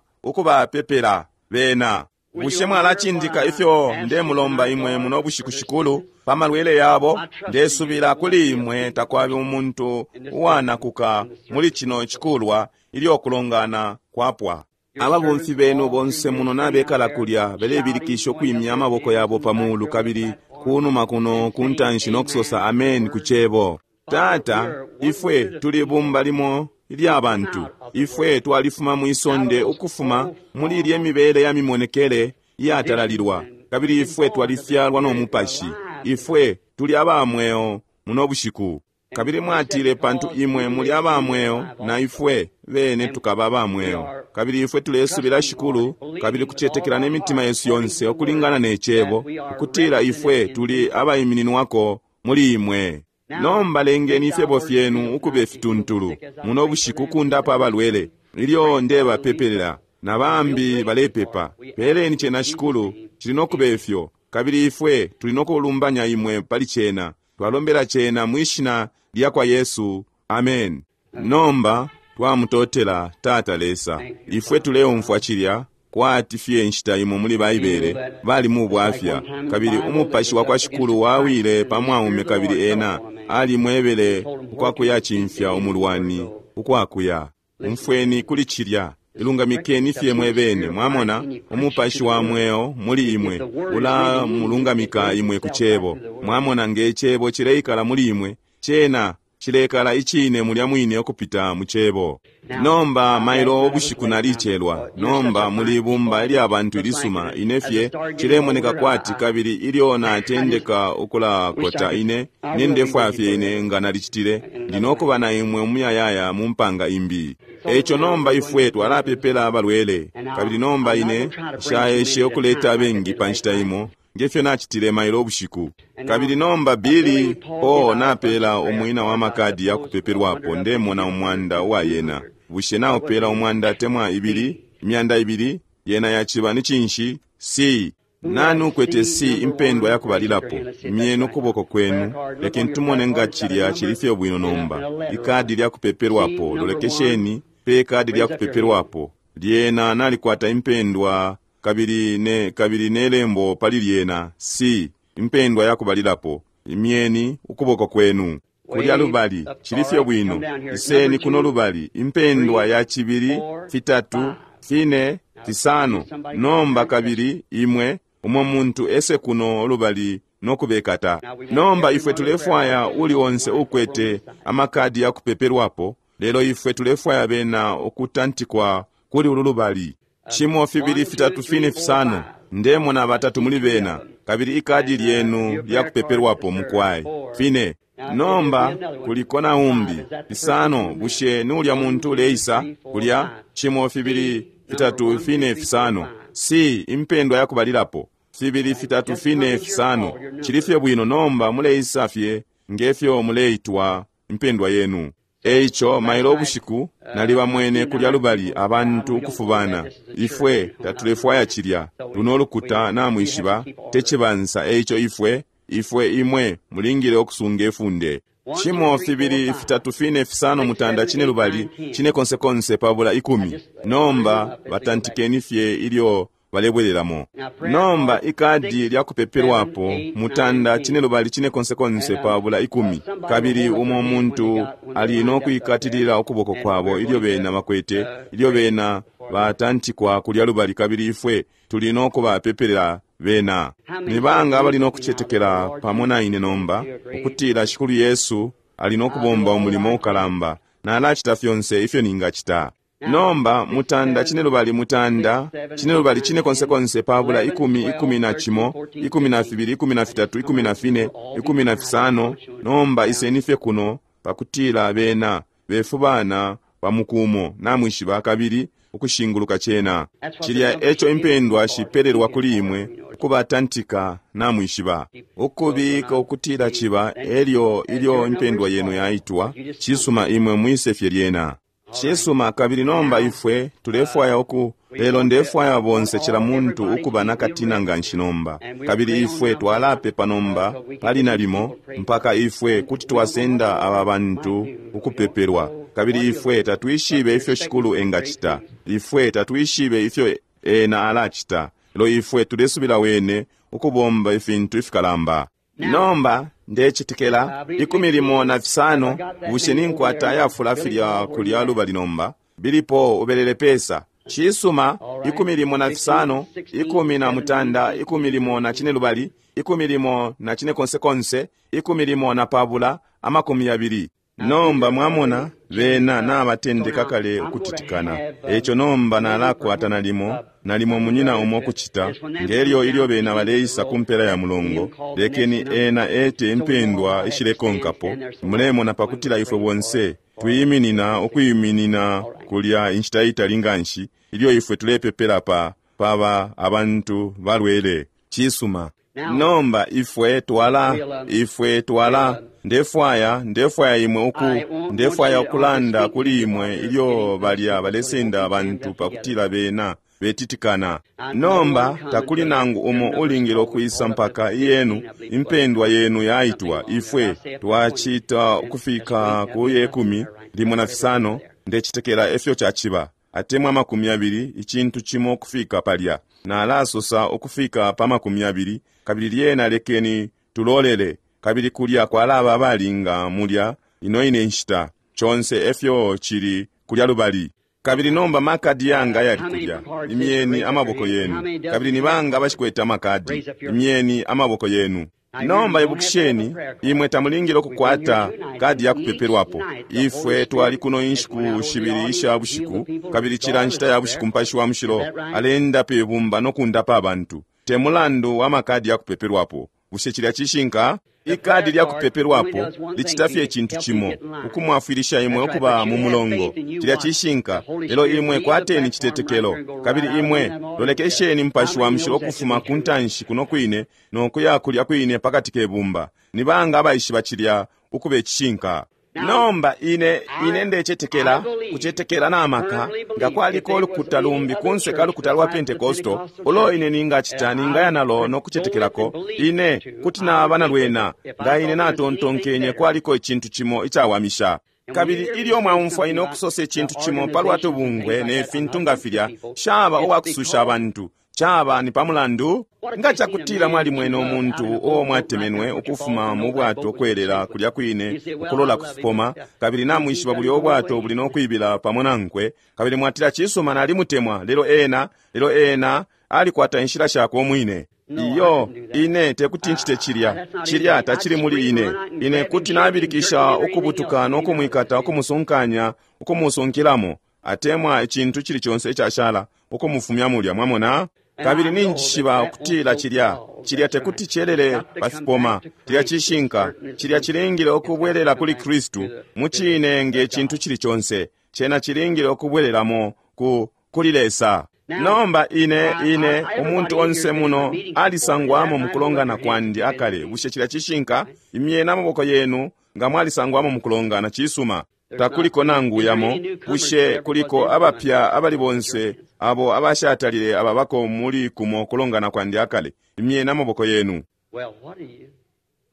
ukubapepela bena. Bushe mwalacindika ifyo ndemulomba imwe muno bushiku, Shikulu, pa malwele yabo? Ndesubila kuli imwe takwabe umuntu uwanakuka muli chino chikulwa ilyo kulongana kwapwa. Ababomfi benu bonse muno nabekala kulya belebilikisha ukwimya amaboko yabo pa mulu kabili kunuma kuno kuntanshi no kusosa amen ku cebo. Tata, ifwe tuli bumba limo ilya bantu. Ifwe twalifuma mwisonde ukufuma muli ilye mibele ya mimonekele iyatalalilwa, kabili ifwe twalifyalwa no Mupashi. Ifwe tuli aba mweo muno bushiku. Kabili mwatile pantu imwe muli aba mweo, na ifwe bene tukaba aba mweo. Kabili ifwe tulesubila, Shikulu, kabili kucetekela ne mitima yesu yonse ukulingana ne cebo, ukutila ifwe tuli abaimininwako muli imwe. Nomba lengeni ifyebo fyenu ukube fituntulu muno bushiku kundapa abalwele ilyo ndebapepelela na bambi balepepa. Peleni cena, Shikulu, cili nokuba ifyo, kabili ifwe tuli nokulumbanya imwe pali cena. Twalombela cena mwishina lya kwa Yesu, amen. Nomba twamutotela Tata Lesa. Ifwe tuleumfwa cilya kwati fye nshita imo muli Baibele bali mu bwafya, kabili umupashi wa kwa Shikulu wawile pa mwaume, kabili ena alimwebele ukwakuyacimfya umulwani ukwakuya. Umfweni kuli cilya, ilungamikeni fye mwebene. Mwamona umupashi wa mweo muli imwe ula mulungamika imwe ku cebo. Mwamona nge cebo cileikala muli imwe, cena cilekala icine mulya mwine ukupita mu cebo. Nomba mailo ubushiku nalicelwa. Nomba muli bumba ilya bantu ilisuma ine fye cilemoneka kwati, kabili ilyo natendeka ukulakota ine nendefwaya fye ine nga nalicitile, ndinokuba na imwe umuyayaya mu mpanga imbi. Eco nomba ifwe twalapepela abalwele, kabili nomba ine nshaeshe ukuleta abengi pa nshita imo ngefyo nachitile mailo ubushiku. Kabili nomba Billy Paul napela umwina wa makadi ya kupepelwapo, ndemona umwanda uwa yena. Bushe naupela umwanda atemwa ibili, imyanda ibili? Yena yaciba ni cinshi? C. Nani ukwete C impendwa ya kubalilapo? Imyeni ukuboko kwenu. Lekeni tumone nga cilya cili fye bwino nomba. Ikadi lya kupepelwapo, lolekesheni pe kadi lya kupepelwapo. Lyena nalikwata impendwa kabili ne kabili nelembo pali lyena C impendwa ya kubalilapo. Imyeni ukuboko kwenu kulya lubali, cili fye bwino. Iseni kuno lubali, impendwa ya cibili, fitatu, fine, fisano. Nomba kabili imwe umo muntu ese kuno lubali nokubekata. Nomba ifwe tulefwaya uli onse ukwete amakadi ya kupepelwapo, lelo ifwe tulefwaya bena ukutantikwa kuli ulu lubali. Chimo fibili fitatu fine fisano. Ndemona batatu muli bena, kabili ikadi lyenu lyakupepelwapo mukwai. Fine. Nomba kuliko na umbi fisano. Bushe nulya muntu uleisa kulya? Chimo fibili fitatu fine fisano. Si impendwa yakubalilapo fibili fitatu fine fisano. Chilifye bwino. Nomba muleisa fye ngefyo muleitwa impendwa yenu. Eicho mailo ubushiku nalibamwene kulya lubali abantu ukufubana. Ifwe tatulefwaya chilya luno lukuta namwishiba techibansa. Eicho ifwe ifwe imwe mulingile okusunga efunde. Chimo fibili fitatu fine fisano mutanda chine lubali chine konse konse pabula ikumi. Nomba batantikeni fye ilyo balebwereramo. Nomba ikadi lyakupepelwapo mutanda chine lubali chine konse konse pabula ikumi. Kabili umo muntu ali nokuikatilila ukuboko kwabo ilyo bena bakwete ilyo bena batantikwa kulya lubali, kabili ifwe tuli nokubapepelela bena. Nibanga abali nokuchetekela pamo na ine nomba ukutila Shikulu Yesu ali nokubomba umulimo ukalamba nalachita fyonse ifyo ningachita. Nomba mutanda chine lubali mutanda chine lubali chine konse konse pabula ikumi ikumi na chimo ikumi na fibili ikumi na fitatu ikumi na fine ikumi na fisano. Nomba iseni fye kuno pakutila bena befubana pamukumo namwishiba kabili ukushinguluka chena. Chilya echo impendwa shipelelwa kuli imwe ukubatantika namwishiba ukubika ukutila chiba elyo ilyo impendwa yenu yaitwa. Chisuma imwe mwise fye lyena. Chisuma. Kabili nomba ifwe tulefwaya uku lelo ndefwaya bonse chila muntu ukuba nakatina nganshi nomba. Kabili ifwe twalapepa nomba pali nalimo mpaka ifwe kuti twasenda aba bantu ukupepelwa. Kabili ifwe tatwishibe ifyo Shikulu engachita, ifwe tatwishibe ifyo ena alachita, lelo ifwe tulesubila wene ukubomba ifintu ifikalamba. Nomba ndechitikela ikumi limo na fisano. Bushe ninkwata ayafula filya kulya lubali nomba bilipo ubelele pesa. Chisuma ikumi limo na fisano ikumi na mutanda ikumi limo na chine lubali ikumi limo na chine konse konse ikumi limo na pabula amakumi yabili. Nomba mwamona bena nabatendeka kale ukutitikana. Echo nomba nalakwata nalimo nalimo munyina umo kuchita ngelyo ilyo bena baleisa kumpela ya mulongo. Lekeni ena ete impendwa ishilekonkapo. Mulemona pakutila ifwe bonse tuyiminina ukuyiminina kulya inshita itali nganshi ilyo ifwe tulepepela pa paba abantu balwele. Chisuma. Nomba ifwe twala ifwe twala ndefwaya ndefwaya imwe uku ndefwaya ukulanda kuli imwe ilyo balya balesenda abantu pakutila bena betitikana. Nomba takuli nangu umo ulingile okuisa mpaka iyenu impendwa yenu yaitwa. Ifwe twachita ukufika ku yekumi limo na fisano ndechitekela efyo chachiba atemwa makumi abili ichintu chimo kufika palya. Nalasosa ukufika pa makumi abili kabili lyena lekeni tulolele. Kabili kulya kwalaba abalinga mulya ino ine nshita chonse efyo chili kulya lubali. Kabili nomba makadi yanga yali kulya imyeni amaboko yenu. Kabili nibanga abashikwete amakadi imyeni amaboko yenu. Nomba ibukisheni imwe tamulingile okukwata kadi yakupepelwapo. Ifwe twali kuno inshiku shibili isha bushiku kabili chila nshita ya bushiku Mupashi wa Mushilo alenda pe bumba nokundapa abantu te mulandu wa makadi yakupepelwapo. Bushe chilya chishinka? Ikadi lyakupepelwapo lichita fye ichintu chimo ukumwafwilisha imwe okuba mu mulongo. Chilya chishinka. Lelo imwe kwateni chitetekelo kabili imwe lolekesheni Mupashi wa Mushilo okufuma ku ntanshi kuno kwine nokuya kulya kwine pakati kebumba. Nibanga abaishiba chilya ukuba ichishinka? Nomba ine ine ndechetekela kuchetekela namaka nga kwaliko olukuta lumbi kunse kalukuta lwa Pentekosto ulo ine ningachita ningaya nalo nokuchetekelako ine kuti naba nalwena nga ine natontonkenye kwaliko ichintu chimo ichawamisha. Kabili ilyo mwaumfwa ine okusosa ichintu chimo palwa tubungwe ne fintu nga filya shaba uwakususha abantu chaba ni pamulandu nga chakutila mwali mwene omuntu uo mwatemenwe ukufuma mu bwato okwelela kulya kwine ukulola kufipoma kabili namwishiba buli obwato buli nokwibila pamo nankwe kabili mwatila chisuma nalimutemwa lelo ena lelo ena alikwata inshila shakwe omwine. Iyo ine tekuti nchite chilya chilya tachili muli ine. Ine kuti nabilikisha ukubutuka nokumwikata ukumusunkanya ukumusunkilamo atemwa ichintu chili chonse ichashala ukumufumya mulya mwamona. Kabili ninjishiba ukutila cilya cilya tekuti celele pa fipoma. Cilya cishinka, cilya cilingile ukubwelela kuli Kristu mucine nge cintu cili conse. Cena cilingile ukubwelelamo ku kuli Lesa. Nomba ine ine umuntu onse muno alisangwamo mukulongana kwandi akale. Bushe cilya cishinka? Imyeni amaboko yenu nga mwalisangwamo mukulongana. Cisuma. Takuliko nangu yamo. Bushe kuliko abapya abali bonse abo abashatalile ababako muli kumo kulongana kwandi akale? Imyeni amaboko yenu.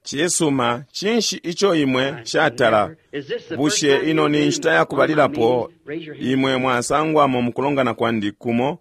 Cisuma, cinshi ico imwe shatala? Bushe ino ni nshita yakubalilapo imwe mwasangwamo mukulongana kwandi kumo?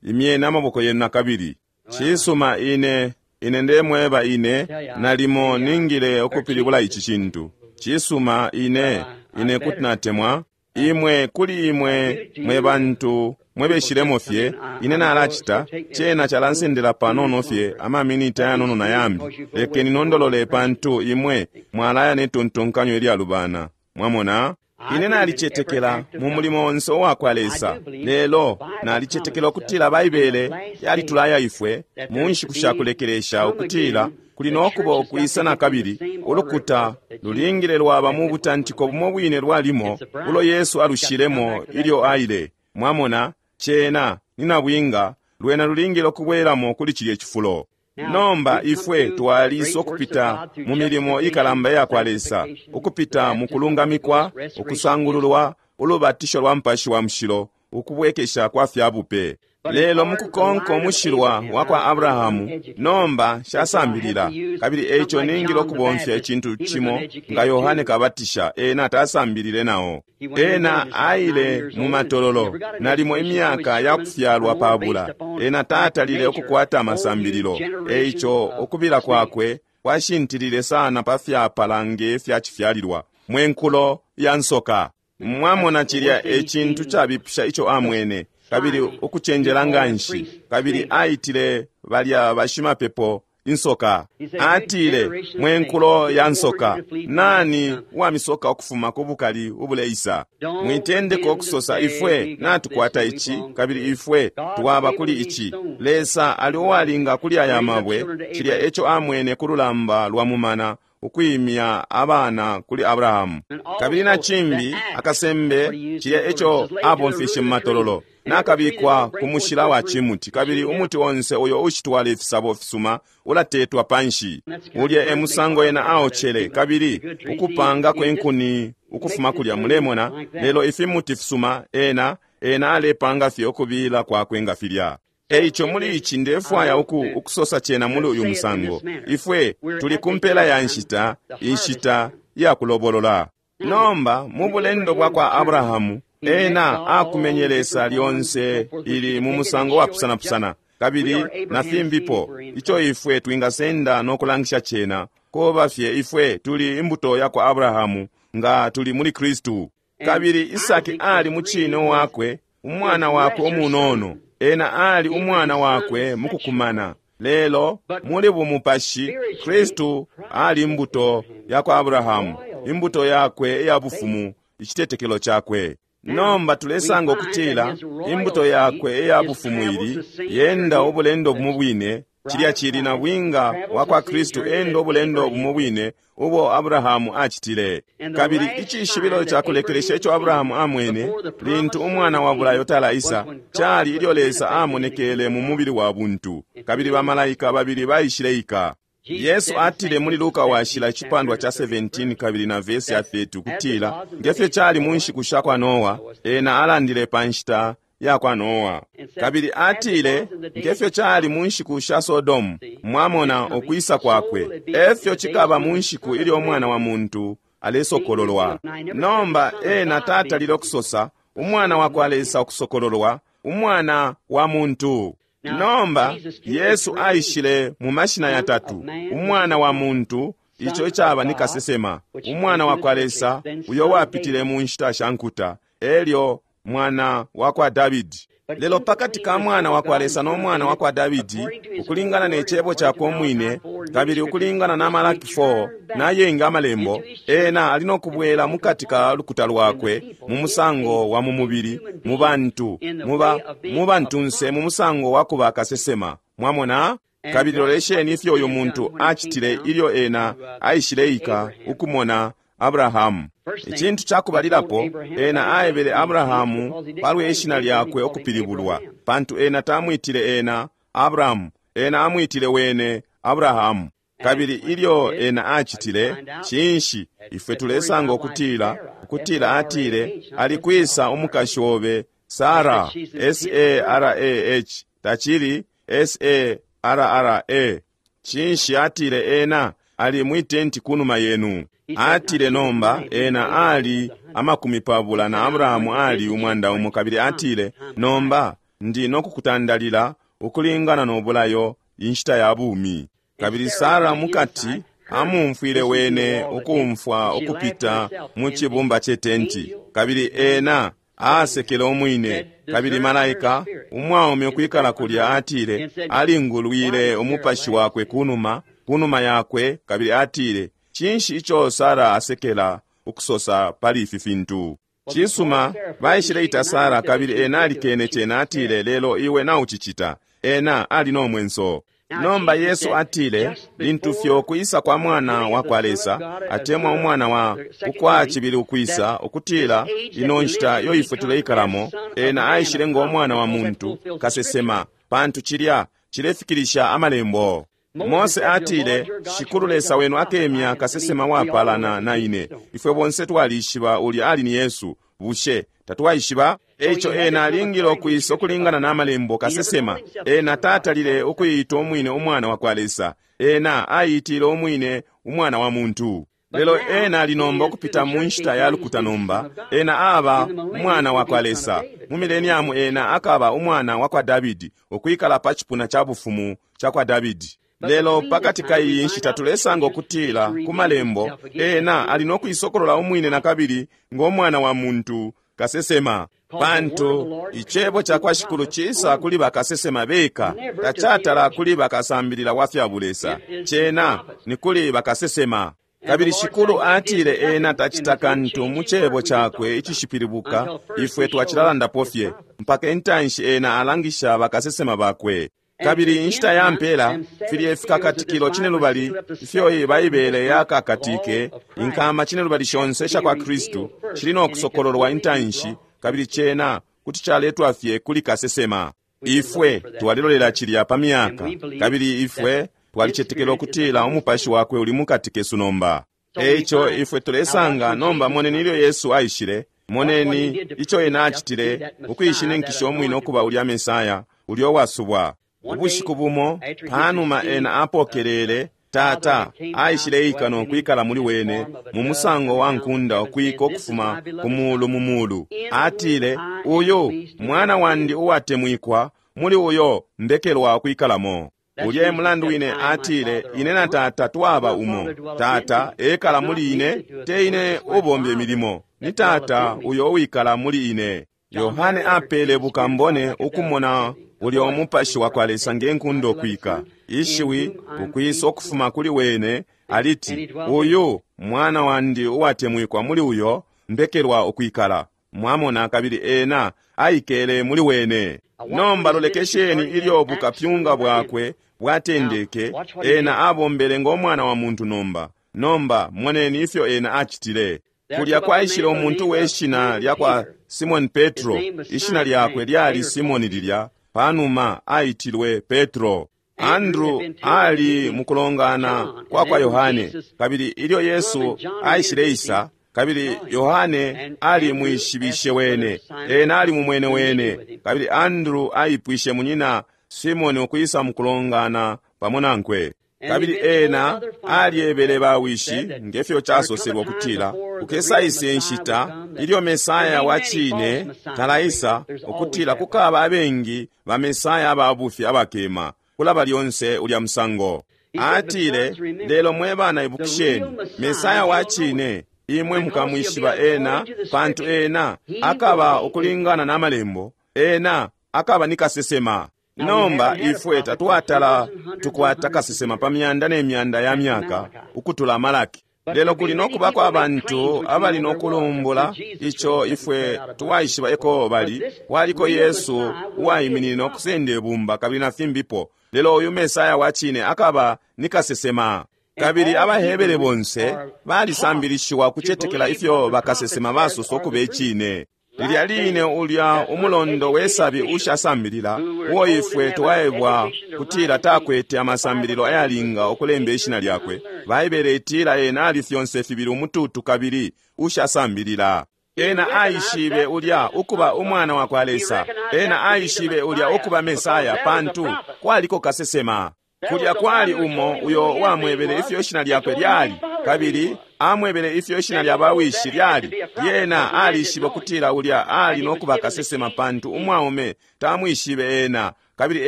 Imyeni amaboko yenu nakabili. Cisuma, ine ine ndemweba ine nalimo ningile ukupilibula ici cintu. Cisuma, ine ine kuti natemwa imwe kuli imwe mwe bantu mwebeshilemo fye. Ine nalacita cena calansendela panono fye amaminiti ayanono na yambi. Lekeni nondolole pantu imwe mwalaya netontonkanyo ilyalubana. Mwamona, ine nalicetekela mu mulimo onse uwakwa Lesa, lelo nalicetekela ukutila Baibele yalitulaya ifwe mu nshiku shakulekelesha ukutila kuli nokuba ukwisa nakabili ulukuta lulingile lwaba mu butantiko bumo bwine lwalimo ulo Yesu alushilemo ilyo aile. Mwamona, cena ni nabwinga lwena lulingile ukubwelamo kuli cilye cifulo. Nomba ifwe twalisa ukupita mu milimo ikalamba yakwa Lesa, ukupita mu kulungamikwa, ukusangululwa, ulubatisho lwa Mupashi wa Mushilo, ukubwekesha kwa fyabupe. Lelo mukukonka umushilwa wa kwa Abrahamu, nomba shasambilila, kabili eico ningile ukubomfya icintu cimo nga Yohane Kabatisha. Ena tasambilile nao. Ena aile mu matololo nalimo imyaka ya kufyalwa pabula. Ena tatalile ukukwata amasambililo, eico ukubila kwakwe kwashintilile sana pa fyapala nge fyacifyalilwa mwenkulo ya nsoka. Mwamona, cilya e cintu cabipusha ico amwene, kabili ukucenjela nganshi, kabili aitile balya bashimapepo insoka. Atile, mwenkulo ya nsoka, nani uwamisoka ukufuma ku bukali ubuleisa? Mwitendeka ukusosa ifwe natukwata ici, kabili ifwe twaba kuli ici. Lesa ali uwalinga kuli aya mabwe. Cilya eco amwene ku lulamba lwa mumana, ukwimya abana kuli Abrahamu. Kabili na cimbi akasembe, cilya eco abomfeshe mu matololo, nakabikwa ku mushila wa cimuti, kabili umuti onse uyo ushitwala ifisabo fisuma ulatetwa panshi. Ulya e musango ena aocele, kabili ukupanga kwenkuni ukufuma kulya, mulemona. Lelo ifimuti fisuma ena ena alepanga fye ukubila kwakwe nga filya. Eico muli ici ndefwaya uku ukusosa cena muli uyu musango. Ifwe tuli kumpela ya nshita, inshita ya kulobolola. Nomba mu bulendo bwa kwa Abrahamu, ena akumenye Lesa lyonse ili mu musango wa pusana-pusana, kabili na fimbipo ico ifwe twingasenda no kulangisha cena koba fye ifwe tuli imbuto ya kwa Abrahamu nga tuli muli Kristu. Kabili Isaki ali mu cine wakwe, umwana wakwe umunono. Ena ali umwana wakwe mukukumana, lelo muli bumupashi Kristu ali imbuto ya kwa Abrahamu, imbuto yakwe iya bufumu, icitetekelo cakwe. Nomba tulesanga ukutila imbuto yakwe iya bufumu ili yenda ubulendo bumo bwine. Cilya cili na bwinga wa kwa Kristu enda ubulendo bumo bwine ubo Abrahamu acitile. Kabili icishibilo ca kulekelesha ico Abrahamu amwene lintu umwana wa bulayo talaisa, cali ilyo Lesa amonekele mu mubili wa buntu, kabili bamalaika babili baishileika. Yesu atile muli Luka washila icipandwa ca seventeen kabili na vesi ya thirty ukutila ngefyo cali mu nshiku sha kwa Noa, ena alandile pa nshita ya kwa Noa. Kabili atile ngefyo cali mu nshiku sha Sodomu, mwamona ukwisa kwakwe, efyo cikaba mu nshiku ilyo umwana wa muntu alesokololwa. Nomba ena tatalile ukusosa umwana wa kwa Lesa ukusokololwa, umwana wa muntu. Nomba Yesu aishile mu mashina yatatu: umwana wa muntu, ico icaba ni kasesema, umwana wa kwa Lesa uyo wapitile mu nshita sha nkuta, elyo mwana wa kwa Davidi. Lelo pakati ka mwana wa kwa Lesa no mwana wa kwa Davidi, ukulingana ne cebo cakwe umwine, kabili ukulingana na Malaki four na yenga amalembo, ena ali no kubwela mukati ka lukuta lwakwe mu musango wa mu mubili, mu bantu, muba mu bantunse, mu musango wa kuba kasesema. Mwamona? Kabili lolesheni ifyo uyu muntu acitile ilyo ena aishileika ukumona Abrahamu. Icintu cakubalilapo, ena aebele Abrahamu palwe ishina lyakwe ukupilibulwa, pantu ena tamwitile ena Abrahamu, ena amwitile wene Abrahamu. Kabili ilyo ena acitile, cinshi ifwe tulesanga ukutila, ukutila atile, alikwisa umukashi obe Sara, S A R A H, tacili S A R R A. Cinshi atile ena ali mwitenti kunuma yenu. Atile nomba ena ali amakumi pabula na Abrahamu ali umwanda umo, kabili atile nomba ndi nokukutandalila ukulingana nobulayo inshita ya bumi. Kabili Sara mukati amumfwile wene ukumfwa ukupita mu cibumba ce tenti, kabili ena asekele umwine. Kabili malaika umwaume ukwikala kulya atile alingulwile umupashi wakwe kunuma kunuma yakwe, kabili atile cinshi ico Sara asekela ukusosa pali ifi fintu? Cisuma, baishileita Sara, kabili ena alikene cena, atile lelo iwe naucicita. Ena ali no mwenso. Nomba Yesu atile lintu fyo kuisa kwa mwana wa kwa Lesa, atemwa umwana wa ukwa cibili ukwisa, ukutila ino nshita yo ifwe tuleikalamo, ena aishile ngo mwana wa muntu kasesema, pantu cilya cilefikilisha amalembo. Mose atile Shikulu Lesa wenu akemya kasesema wapalana na ine. Ifwe bonse twalishiba ulya ali ni Yesu. Bushe tatwaishiba? Eico ena alingile ukwisa ukulingana na malembo kasesema. Ena tatalile ukuyita umwine umwana wa kwa Lesa, ena ayitile umwine umwana wa muntu. Lelo ena alinomba ukupita mu nshita ya lukuta nomba, ena aba umwana wa kwa Lesa. Mu mileniamu ena akaba umwana wa kwa Davidi, ukwikala pa cipuna ca bufumu ca kwa Davidi. Lelo pakati ka iyi nshita tulesanga ukutila ku malembo ena ali nokuisokolola umwine na kabili ngo mwana wa muntu kasesema, pantu icebo ca kwa Shikulu cisa kuli bakasesema beka, tacatala kuli bakasambilila wa fya bulesa, cena ni kuli bakasesema. Kabili Shikulu atile ena tacita kantu mu cebo cakwe icishipilibuka, ifwe twacilalandapo fye mpaka intanshi ena alangisha bakasesema bakwe. Kabili inshita ya mpela filye fikakatikilo cinelubali ifyo Baibele yakakatike, inkama cinelubali shonse sha kwa Kristu shili no kusokololwa intanshi, kabili cena kuti caletwa fye kuli kasesema. Ifwe twalilolela cilya pa myaka, kabili ifwe twalicetekela ukutila umupashi wakwe uli mukati kesu nomba. Eico ifwe tulesanga nomba, moneni ilyo Yesu aishile, moneni ico ena acitile ukuishininkisha umwine ukuba ulya Mesaya ulya uwasubwa. Ubushiku bumo panuma ena apokelele Tata aishileika no kwikala muli wene mu musango wa nkunda ukwika ukufuma ku mulu mu mulu. Atile, uyu mwana wandi uwatemwikwa, muli uyo mbekelwa ukwikalamo. Ulya mulandu wine atile, ine na Tata twaba umo. Tata ekala muli ine, te ine ubombe milimo, ni Tata uyo uwikala muli ine. Yohane apele bukambone ukumona ulya umupashi wa kwa Lesa nge nkunda ukwika, ishiwi ukwisa ukufuma kuli wene aliti, uyu mwana wandi uwatemwikwa, muli uyo mbekelwa ukwikala. Mwamona, kabili ena aikele muli wene. Nomba lolekesheni ilyo bukapyunga bwakwe bwatendeke, ena abombele ngo mwana wa muntu nomba. Nomba moneni ifyo ena acitile. Kulya kwaishile umuntu we shina lya kwa Simoni Petro, ishina lyakwe lyali Simoni lilya, panuma aitilwe Petro. Andrew ali mukulongana kwa kwa Yohane, kabili ilyo Yesu aishileisa, kabili Yohane ali mwishibishe wene, ena ali mumwene wene, kabili Andrew aipwishe munyina Simoni ukwisa mukulongana pamo nankwe. Kabili ena alyebele bawishi ngefyo casoselwa ukutila kukesaise nshita ilyo Mesaya wa cine talaisa, ukutila kukaba abengi ba Mesaya ababufi abakema kulaba lyonse ulya musango. Atile, lelo mwe bana ibukisheni, Mesaya wa cine imwe mukamwishiba ena, pantu ena akaba ukulingana na malembo, ena Akaba ni kasesema. Nomba ifwe tatwatala tukwata kasesema pa myanda ne myanda ya myaka ukutula Malaki. Lelo kuli nokubako abantu abali nokulumbula ico ifwe twaishiba eko bali. Waliko Yesu uwaiminine okusenda ibumba kabili na fimbipo. Lelo uyu Mesaya wa cine akaba ni kasesema. Kabili abaHebere bonse balisambilishiwa kucetekela ifyo bakasesema basosa ukuba icine. Lilya line ulya umulondo wesabi ushasambilila uo ifwe twaebwa kutila takwete amasambililo ayalinga okulemba ishina lyakwe. Baibele itila ena ali fyonse fibili umututu kabili ushasambilila. Ena aishibe ulya ukuba umwana wa kwa Lesa. Ena aishibe ulya ukuba Mesaya pantu kwaliko kasesema. Kulya kwali umo uyo wamwebele ifyo ishina lyakwe lyali, kabili amwebele ifyo ishina lya bawishi lyali. Yena alishibe kutila ulya ali nokuba kasesema pantu umwaume tamwishibe ena, kabili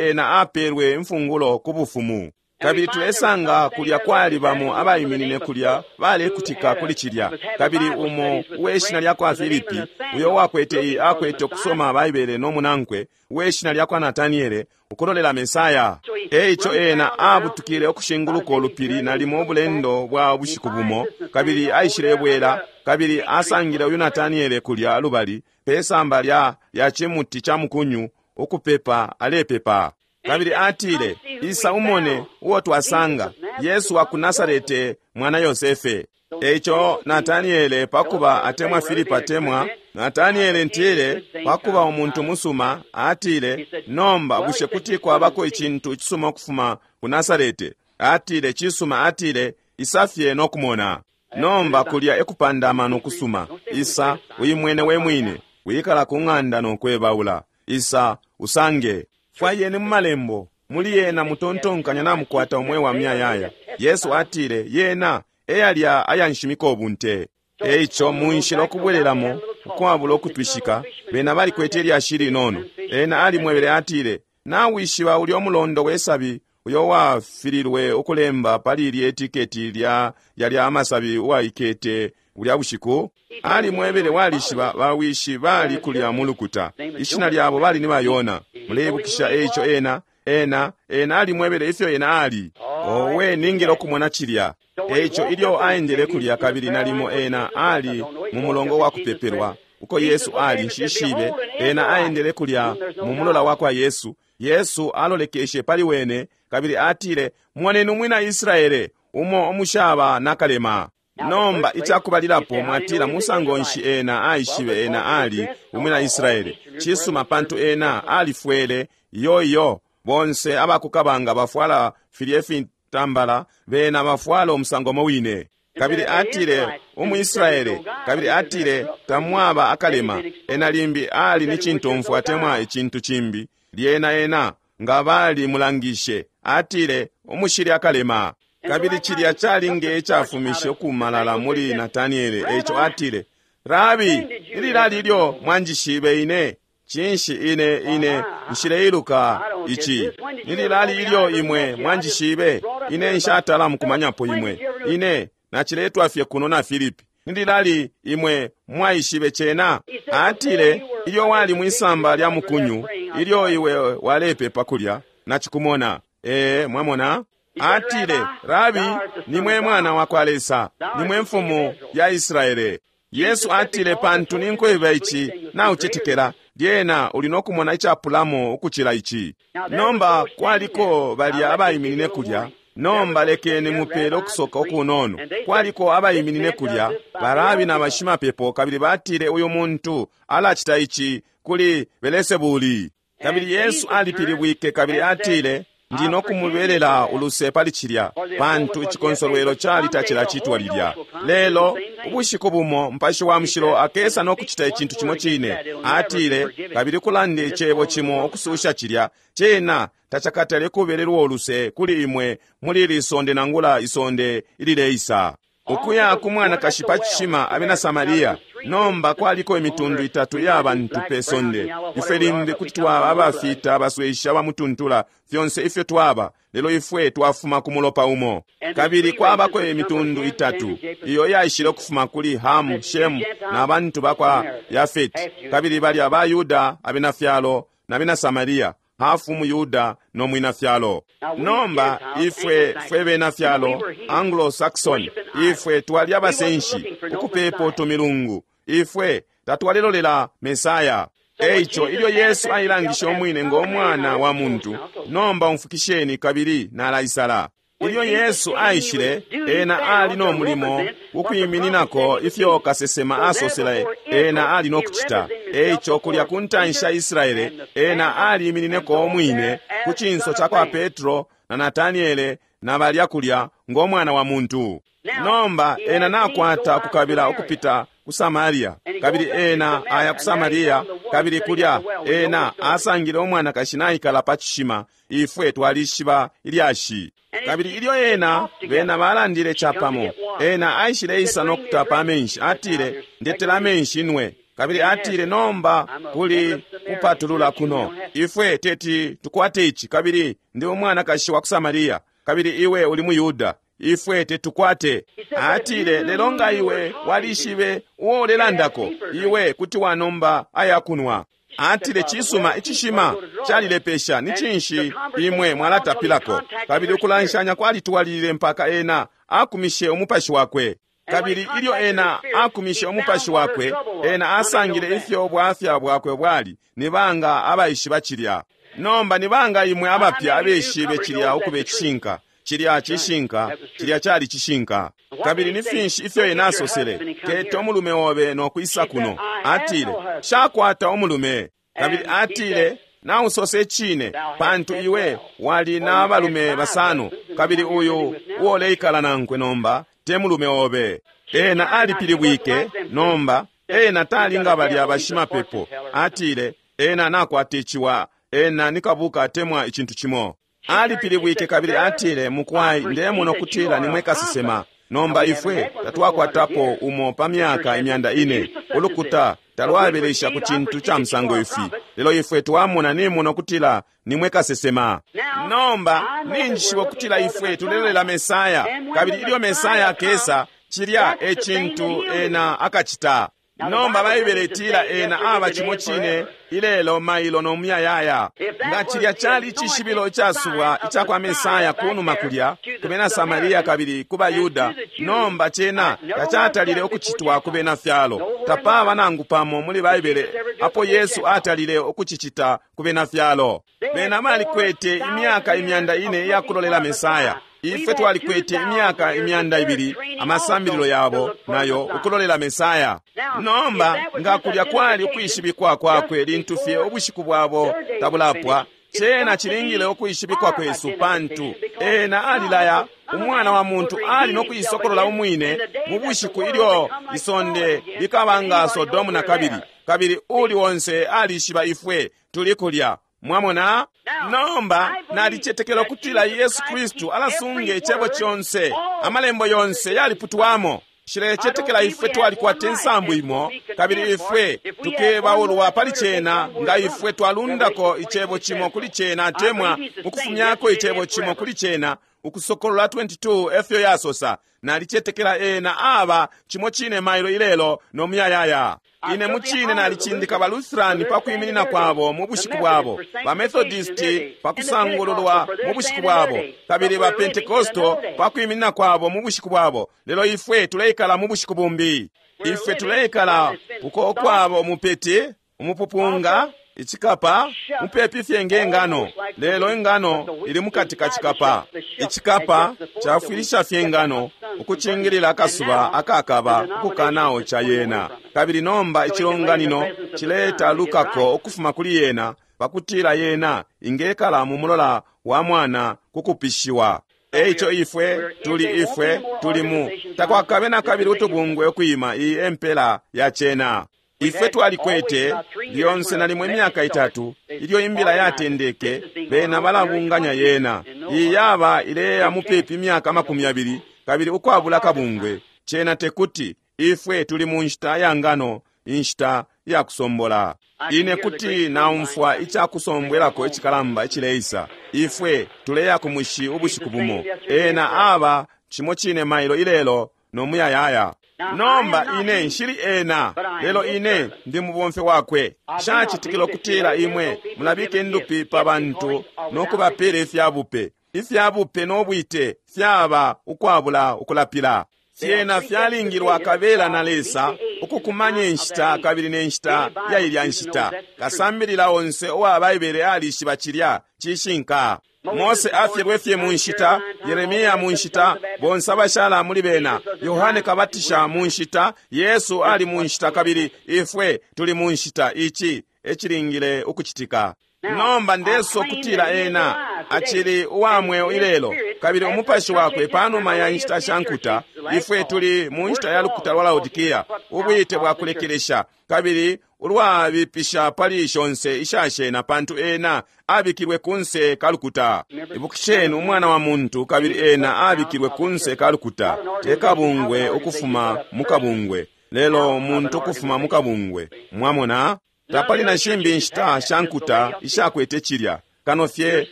ena apelwe imfungulo ku bufumu. Kabili tulesanga kulya kwali bamo abaiminine kulya balekutika kuli cilya. Kabili umo uweshina lya kwa Filipi, uyo wakwete akwete okusoma Baibele n'omunankwe, uweshina lya kwa Nataniele, ukulolela Mesaya. Eico ena abutukile okushinguluka olupili nalimo obulendo bwa bushiku bumo, kabili aishile bwela, kabili asangile uyu Nataniele kulya lubali pesamba lya lya chimuti cha mukunyu ukupepa alepepa. Kabili atile, isa umone uo twasanga, Yesu wa ku Nasarete mwana Yosefe. Eico Nataniele pakuba atemwa Filipo atemwa Nataniele ntile pakuba umuntu musuma atile, nomba bushe kuti kwabako icintu cisuma ukufuma ku Nasarete? Atile cisuma, atile isafye nokumona. Nomba kulya ekupanda amano kusuma. Isa uyimwene we mwine, wikala ku ng'anda nokwebaula. Isa usange. Fwayeni mu malembo, muli yena mutontonkanya namukwata umwe wa myayaya. Yesu atile yena eyalya ayanshimika obunte. Eico munshila okubwereramo ukwabula okutwishika, bena balikwete ilyashi linono. Ena alimwebele atile, nawishiba ulya omulondo wesabi uyo wafililwe okulemba pali ilya etiketi lya yalya amasabi uwaikete ulya bushiku? Alimwebele walishiba bawishi bali kulya mu lukuta, ishina lyabo bali ni bayona. Muleibukisha eico ena ena ena alimwebele ifyo ena ali. Owe ningile okumona cilya. Eico ilyo aendele kulya kabili nalimo ena ali mu mulongo wa kupepelwa uko Yesu ali nshishibe. Ena aendele kulya mu mulola wa kwa Yesu. Yesu alolekeshe pali wene kabili atile, moneni umwina Israele umo omushaba nakalema. Nomba icakubalilapo mwatila musango nshi ena aishibe ena ali umwina Israele? Cisuma pantu ena alifwele yoyo. Bonse abakukabanga bafwala filye fitambala, bena bafwala omusango mo wine. Kabili atile umu Israele, kabili atile tamwaba akalema. Ena limbi ali ni cintomfwa atemwa icintu cimbi. Lyena ena nga bali mulangishe, atile umushili akalema. Kabili cilya calinge icafumishe okumalala muli Nataniele. Eico atile, Rabi, ililali ilyo mwanjishibe ine? Cinshi ine ine nshileiluka ici? Nililali ilyo imwe mwanjishibe? Ine nshatala mukumanyapo imwe. Ine naciletwa fye kuno na Filipi. Nililali imwe mwaishibe cena? Atile, ilyo wali mwisamba lya mukunyu, ilyo iwe walepepa kulya, nacikumona. Ee, mwamona? Atile, Rabi, nimwe mwana wa kwa Lesa, nimwe mfumu ya Israele. Yesu atile, pantu ninkweba ici, naucetekela, lyena uli nokumona icapulamo ukucila ici. Nomba kwaliko balya abaiminine kulya. Nomba lekeni mupele okusoka okunono. Kwaliko abaiminine kulya, barabi na bashimapepo, kabili batile uyu muntu alacita ici kuli Belesebuli. Kabili Yesu alipilibwike kabili atile, ndi nokumubelela uluse pali cilya, pantu icikonsolwelo cali tacilacitwa lilya. Lelo ubushiku bumo Mupashi wa Mushilo akesa nokucita icintu cimo cine. Atile, kabili kulanda icebo cimo okususha cilya, cena tacakatale kubelelwa uluse kuli imwe muli ili isonde nangula isonde ilileisa. Ukuya ku mwanakashi pa cishima abena Samaria. Nomba kwaliko imitundu itatu ya bantu pe sonde. Ifwe limbi kuti twaba abafita, abaswesha, abamutuntula, fyonse ifyo twaba, lelo ifwe twafuma ku mulopa umo. Kabili kwabako imitundu itatu iyo yaishile ukufuma kuli Hamu, Shemu na bantu bakwa Yafeti. Kabili balya ba Yuda, abena fyalo na bena Samaria, hafu mu Yuda no mwina fyalo. Nomba ifwe fwe bena fyalo Anglo-Saxon, ifwe twali abasenshi ukupepo tumilungu, ifwe tatwalilolela Mesaya. Eico ilyo Yesu ailangisha umwine ngo mwana wa muntu, nomba umfukisheni kabili nalaisala. Ilyo Yesu aishile, ena ali no mulimo ukwimininako ifyo kasesema asosele ena ali no kucita. Eico kulya ku ntanshi ya Israele, ena aliiminineko umwine ku cinso ca kwa Petro na Nataniele na balya kulya ngo mwana wa muntu. Nomba ena nakwata kukabila ukupita ku Samaria, kabili ena aya ku Samaria, kabili kulya ena asangile umwanakashi naikala pa cishima. Ifwe twalishiba ilyashi. Kabili ilyo ena bena balandile chapamo, ena aishile isa no kutapa amenshi. Atile, ndetela amenshi nwe. Kabili atile, nomba kuli kupatulula kuno, ifwe teti tukwate ichi, kabili ndi umwanakashi wa ku Samaria, kabili iwe uli mu Yuda, ifwe tetukwate. Atile, lelo nga iwe walishibe uo ulelandako, iwe kuti wanomba ayakunwa. Atile, cisuma, icishima calilepesha, ni cinshi imwe mwalatapilako? Kabili ukulanshanya kwalitwalilile mpaka ena akumishe umupashi wakwe. Kabili ilyo ena akumishe umupashi wakwe, ena asangile ifyo bwafya bwakwe bwali. Ni banga abaishiba cilya? Nomba ni banga imwe abapya abeshibe cilya ukube icishinka? Cilya cishinka, cilya cali cishinka. Kabili ni finshi ifyo ena asosele? Keta umulume obe no kwisa kuno. Atile, shakwata umulume. Kabili atile, nausose cine, pantu iwe wali na balume basano, kabili uyu uoleikala nankwe nomba te mulume obe. Ena alipilibwike nomba, ena tali nga balya bashimapepo. Atile, ena nakwata iciwa, ena nikabuka atemwa icintu cimo. Alipilibwike kabili atile, mukwai, ndemona kutila nimwe kasesema. Nomba ifwe tatwakwatapo umo pa myaka imyanda ine. Ulukuta talwabelesha ku cintu ca musango ifi, lelo ifwe twamona nimona kutila nimwe kasesema. Nomba ninjishiba kutila ifwe tulelolela Mesaya, kabili ilyo Mesaya akesa, cilya e cintu ena akacita. Nomba Baibele itila ena aba cimo cine ilelo, mailo no muyayaya. Nga cilya cali icishibilo icasubwa ica kwa Mesaya kunuma kulya ku bena Samaria kabili ku baYuda, nomba cena tacatalile ukucitwa ku bena fyalo. Tapaba nangu pamo muli Baibele apo Yesu atalile ukucicita ku bena fyalo. Bena balikwete imyaka imyanda ine iyakulolela Mesaya. Ifwe twalikwete imyaka imyanda ibili amasambililo yabo nayo ukulolela Mesaya. Nomba nga kulya kwali ukwishibikwa kwakwe lintu fye ubushiku bwabo tabulapwa, cena cilingile ukwishibikwa kwesu, pantu ena alilaya umwana wa muntu ali no kuisokolola umwine mu bushiku ilyo isonde likaba nga Sodomu na kabili, kabili uli wonse alishiba ifwe tuli kulya. Mwamona? Nomba nalicetekela kutila Yesu Kristu alasunga icebo conse, amalembo yonse yaliputwamo. Nshilecetekela ifwe twalikwata insambu imo, kabili ifwe tukebaulwa pali cena nga ifwe twalundako icebo cimo kuli cena atemwa ukufumyako icebo cimo kuli cena. Ukusokolola twenty-two efyo yasosa. Nalicetekela ena aba cimo cine mailo ilelo no muyayaya. Ine mucine nalicindika ba Lutheran pa kwiminina kwabo mu bushiku bwabo, ba Methodist pa kusangululwa mu bushiku bwabo, kabili ba Pentecostal pa kwiminina kwabo mu bushiku bwabo. Lelo ifwe tuleikala mu bushiku bumbi. Ifwe tuleikala uko kwabo umupeti, umupupunga, icikapa, mupepi fye nge ngano, lelo ingano ili mukati ka cikapa. Icikapa cafwilisha fye ingano ukucingilila akasuba akakaba ukukanawo ca yena. Kabili nomba icilonganino cileta lukako ukufuma kuli yena pakutila yena ingekala mu mulola wa mwana kukupishiwa. Eico ifwe tuli ifwe tuli mu takwakabe na kabili utubungwe ukwima iyi empela ya cena. Ifwe twalikwete lyonse nalimwe imyaka itatu ilyo imbila yatendeke, bena balabunganya yena. Iyi yaba ileya mupepi imyaka makumi abili kabili ukwabula kabungwe. Cena tekuti ifwe tuli mu nshita ya ngano, inshita ya kusombola. Ine kuti naumfwa icakusombwelako icikalamba icileisa. Ifwe tuleya ku mushi ubushiku bumo. Ena aba cimo cine mailo ilelo no muyayaya. Nomba ine nshili ena, lelo ine ndi mubomfi wakwe. Nshacitikila ukutila imwe mulabika indupi pa bantu no kubapela ifyabupe. Ifyabupe no bwite fyaba ukwabula ukulapila. Fyena fyalingilwa kabela na Lesa ukukumanya inshita kabili ne nshita ya ilya nshita. Kasambilila onse uwa Baibele alishiba cilya cishinka. Mose afyelwe fye mu nshita, Yeremia mu nshita, bonse abashala muli bena, Yohane Kabatisha mu nshita, Yesu ali mu nshita kabili ifwe tuli mu nshita. Ici ecilingile ukucitika. Nomba ndeso kutila ena acili uwa mweo ilelo, kabili umupashi wakwe panuma ya nshita sha nkuta. Ifwe tuli mu nshita ya lukuta lwa Laodikia, ubwite bwa kulekelesha kabili ulwabipisha pali shonse ishashena, pantu ena abikilwe kunse kalukuta. Ibukisheni, umwana wa muntu, kabili ena abikilwe kunse kalukuta, te kabungwe ukufuma mu kabungwe, lelo muntu ukufuma mu kabungwe. Mwamona? Tapali na shimbi nshita sha nkuta ishakwete cilya kano fye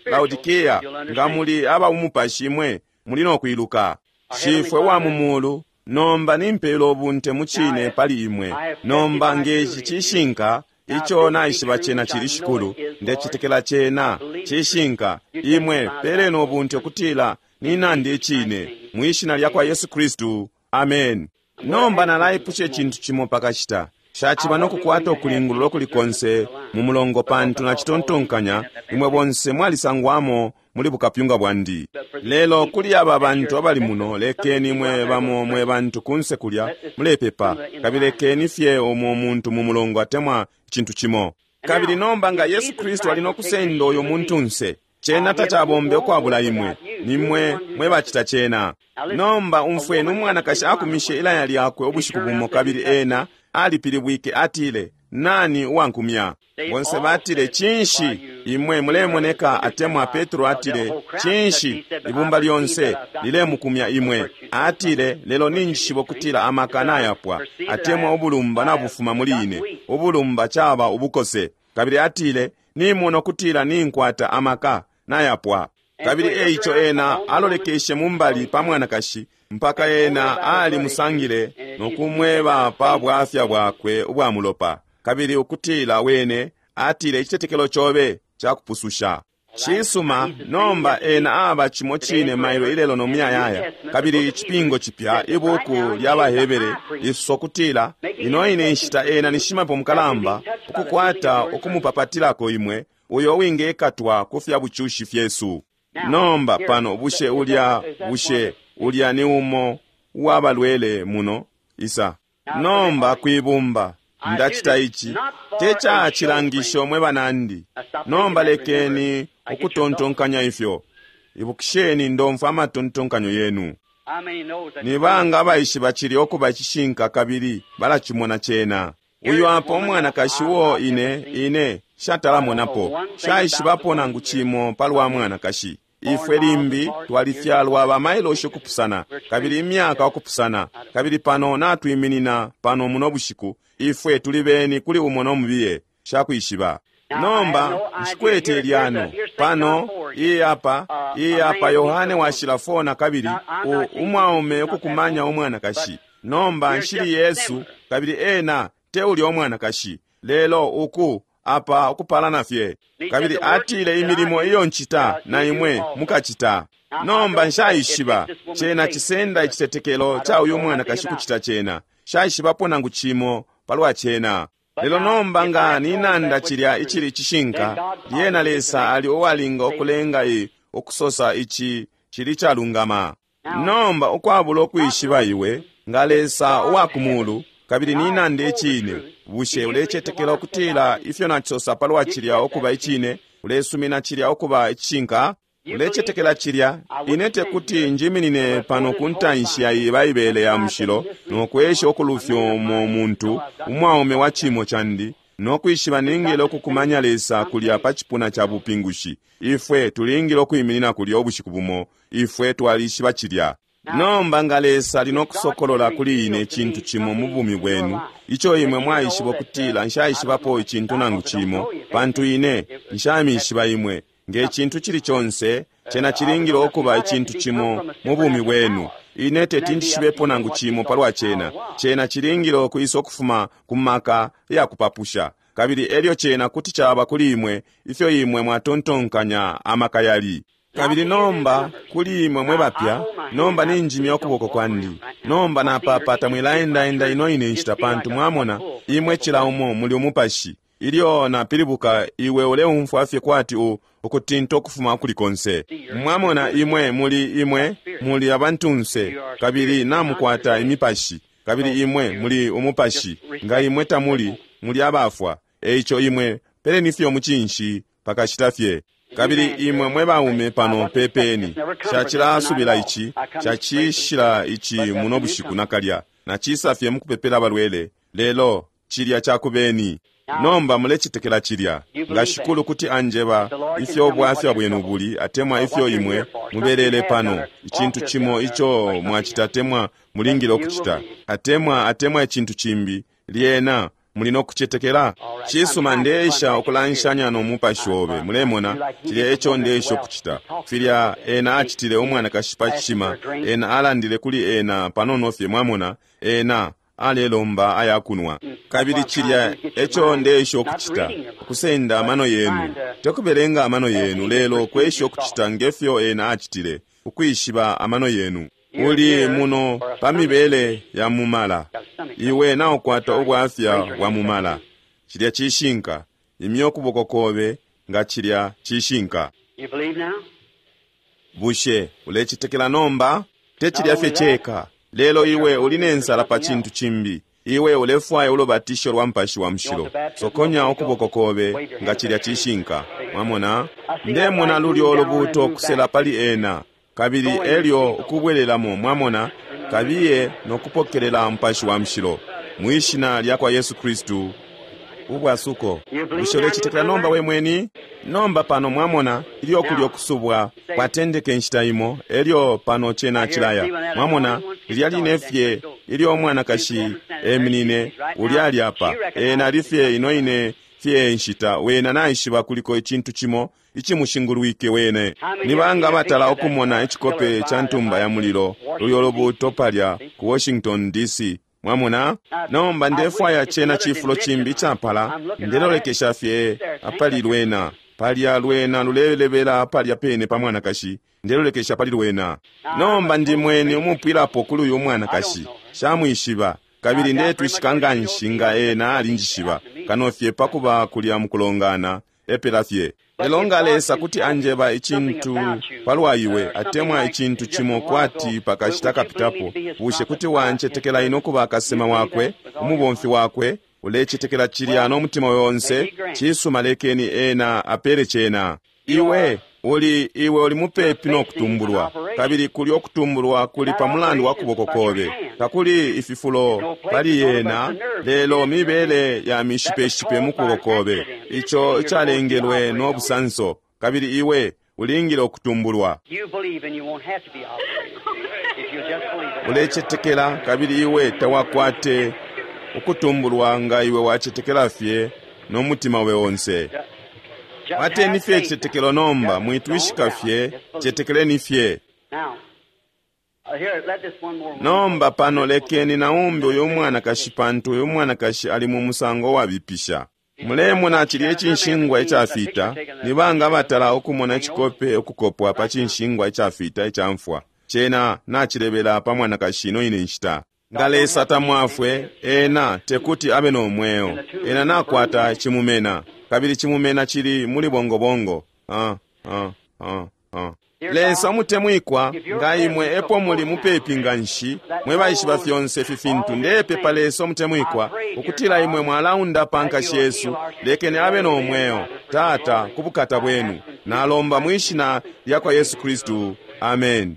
Laodikia. Nga muli aba umupashi imwe muli no kwiluka. Shifwe wa mu mulu, nomba nimpela ubunte mucine pali imwe. Nomba ngeci cishinka ico naishiba cena cili shikulu, ndecitekela cena cishinka. Imwe peleni ubunte ukutila ninandi icine, mwishina lya kwa Yesu Kristu, amen. Nomba nalaipusha icintu cimo pakashita. Shaciba nokukwata ukulingulula ukuli konse mu mulongo, pantu nacitontonkanya imwe bonse mwalisangwamo muli bukapyunga bwandi. Lelo kuli aba bantu abali muno, lekeni mwe bamo mwe bantu kunse kulya mulepepa, kabili lekeni fye umo muntu mu mulongo atemwa icintu cimo. Kabili nomba nga Yesu Kristu ali nokusenda uyo muntunse, cena tacabombe ukwabula imwe, nimwe mwe bacita cena. Nomba umfweni, umwanakashi akumishe ilaya lyakwe ubushiku bumo, kabili ena alipilibwike, atile, nani uwankumya? Bonse batile, cinshi imwe mulemoneka? Atemwa Petro atile, cinshi ibumba lyonse lilemukumya imwe? Atile, lelo ninjishiba ukutila amaka nayapwa, atemwa ubulumba nabufuma muli ine. Ubulumba caba ubukose. Kabili atile, nimona ukutila ninkwata amaka nayapwa. Kabili eico ena alolekeshe mumbali pa mwanakashi mpaka ena alimusangile no kumweba pa bwafya bwakwe ubwa mulopa, kabili ukutila wene atile, icitetekelo cobe cakupususha. Cisuma, nomba ena aba cimo cine mailo ilelo no muyayaya. Kabili icipingo cipya, ibuku lya Bahebere lisosa kutila ino ine nshita ena ni shimapepo mukalamba ukukwata ukumupapatilako imwe uyo wingekatwa ku fya bucushi fyesu. Nomba pano, bushe ulya bushe ulya ni umo uwabalwele muno isa? Nomba kwibumba ndacita ici te ca cilangisho mwe banandi. Nomba lekeni ukutontonkanya ifyo. Ibukisheni, ndomfwa amatontonkanyo yenu. Ni banga abaishiba cili okuba icishinka kabili balacimona cena? Uyu apa umwanakashi uo ine ine shatalamonapo, shaishibapo nangu cimo palwa mwanakashi. Ifwe limbi twalifyalwa bamailoshi ukupusana, kabili imyaka ukupusana, kabili pano natwiminina pano muno bushiku, ifwe tuli beni kuli umo nomubiye, shakwishiba. Nomba nshikwete lyano pano iyi apa iyi apa Yohane washila four na kabili umwaume ukukumanya umwanakashi. Nomba nshili Yesu, kabili ena te ulya umwanakashi, lelo uku apa ukupalana fye. Kabili atile, imilimo iyo ncita na imwe mukacita. Nomba nshaishiba cena cisenda icitetekelo ca uyu mwanakashi kucita cena. Shaishibapo nangu cimo palwa cena. Lelo nomba nga ninanda cilya icili cishinka, lyena Lesa ali uwalinga ukulenga i ukusosa ici cili calungama. Nomba ukwabula ukwishiba iwe nga Lesa uwa kumulu, kabili ninanda icine, bushe ulecetekela ukutila ifyo nacisosa palwa cilya ukuba icine? Ulesumina cilya ukuba icishinka? Ulecetekela cilya? Ine tekuti njiminine pano ku ntanshi ya iyi Baibele ya mushilo no kwesha ukulufya umo muntu umwaume wa cimo candi no kwishiba ningile ukukumanya Lesa kulya pa cipuna ca bupingushi. Ifwe tulingile ukwiminina kulya ubushiku bumo. Ifwe twalishiba cilya. Nomba nga Lesa ali nokusokolola kuli ine icintu cimo mu bumi bwenu ico imwe mwaishiba ukutila nshaishibapo icintu nangu cimo, pantu ine nshamishiba imwe, nge cintu cili conse, cena cilingile ukuba icintu cimo mu bumi bwenu Ine teti njishibepo nangu cimo palwa cena. Cena cilingile ukwisa ukufuma ku maka yakupapusha, kabili elyo cena kuti caba kuli imwe ifyo imwe mwatontonkanya amaka yali. Kabili nomba kuli imwe mwe bapya, nomba ninjimya ukuboko kwandi. Nomba napapata mwilaendaenda ino ine nshita, pantu mwamona imwe cila umo muli umupashi. Ilyo napilibuka iwe uleumfwa fye kwati u ukutinta ukufuma kuli konse. Mwamona imwe muli imwe muli abantunse, kabili namukwata imipashi, kabili imwe muli umupashi. Nga imwe tamuli, muli abafwa. Eico imwe peleni fye umucinshi pakashita fye. Kabili imwe mwe baume pano pepeni. Shacilasubila ici, shacishila ici muno bushiku nakalya. Nacisa fye mukupepela abalwele, lelo cilya cakubeni. Nomba mulecitekela cilya. Nga Shikulu kuti anjeba ifyo ubwafya bwenu buli, atemwa ifyo imwe mubelele pano, icintu cimo ico mwacita atemwa mulingile ukucita, atemwa atemwa icintu cimbi, lyena muli nokucetekela. Cisuma, ndeesha ukulanshanya no mupashi obe. Mulemona, cilya eco ndeesha ukucita. Filya ena acitile umwanakashi pa cishima, ena alandile kuli ena panono fye, mwamona, ena alelomba ayakunwa. Kabili cilya eco ndeesha ukucita, ukusenda amano yenu, tekubelenga amano yenu, lelo kwesha ukucita ngefyo ena acitile, ukwishiba amano yenu. Uli muno pa mibele ya mumala. Iwe naukwata ubwafya bwa mumala. Cilya cishinka. Imya ukuboko kobe nga cilya cishinka. Bushe ulecitekela nomba? Te cilya fye ceka, lelo iwe uli nensala pa cintu cimbi. Iwe ulefwaya ulubatisho lwa Mupashi wa Mushilo. Sokonya ukuboko kobe nga cilya cishinka. Mwamona? Ndemona lulyo lubuto kusela pali ena, kabili elyo ukubwelelamo, mwamona, kabiye nokupokelela Mupashi wa Mushilo mwishina lya kwa Yesu Kristu. Ubwasuko. Bushe ulecitekela nomba we mweni? Nomba pano mwamona ilyo kulyo kusubwa kwatendeke nshita imo, elyo pano cena cilaya. Mwamona lilya line fye ilyo umwanakashi eminine, ulya ali apa. Ena ali fye ino ine fye nshita, wena naishiba kuliko icintu cimo icimushingulwike wene. Ni banga batala ukumona icikope ca ntumba ya mulilo lulyo lubuto palya ku Washington D C? Mwamona? Nomba ndefwaya cena cifulo cimbi icapala, ndelolekesha fye apali lwena. Palya lwena lulelebela palya pene pa mwanakashi, ndelolekesha pali lwena. Nomba ndi mweni umupwilapo kuli uyu mwanakashi, shamwishiba, kabili ndetwishika nganshi nga ena alinjishiba, kano fye pakuba kulya mukulongana, epela fye. Lelo nga Lesa kuti anjeba icintu palwa iwe, atemwa icintu cimo kwati pakashita kapitapo, bushe kuti wancetekela ino kuba kasema wakwe, umubomfi wakwe? Ulecetekela cilya no mutima wonse? Cisuma, lekeni ena apele cena. Iwe uli iwe uli mupepi no kutumbulwa, kabili kuli okutumbulwa kuli pa mulandu wa kuboko kobe. Takuli ififulo pali yena, lelo mibele ya mishipeshipe mu kuboko kobe, ico icalengelwe no busanso, kabili iwe ulingile okutumbulwa. Ulecetekela, kabili iwe tawakwate ukutumbulwa nga iwe wacetekela fye no mutima we onse. Wateni fye icitetekelo nomba, mwitwishika fye, cetekeleni fye. Nomba pano lekeni naumbi uyu mwanakashi, pantu uyu mwanakashi ali mu musango wabipisha. Mulemona cilya icinshingwa icafita? Ni banga batala ukumona icikope ukukopwa pa cinshingwa icafita icamfwa? Cena nacilebela pa mwanakashi ino ine nshita. Nga Lesa tamwafwe, ena tekuti abe no mweo. Ena nakwata cimumena, kabili cimumena cili muli bongobongo. Ah, ah, ah, ah. Lesa umutemwikwa, nga imwe epo muli mupepi nganshi, mwe baishiba fyonse ifi fintu, ndepepa Lesa umutemwikwa ukutila imwe mwalaunda pa nkashi yesu, lekeni abe no mweo, Tata, ku bukata bwenu. Nalomba mwishina lya kwa Yesu Kristu. Amen.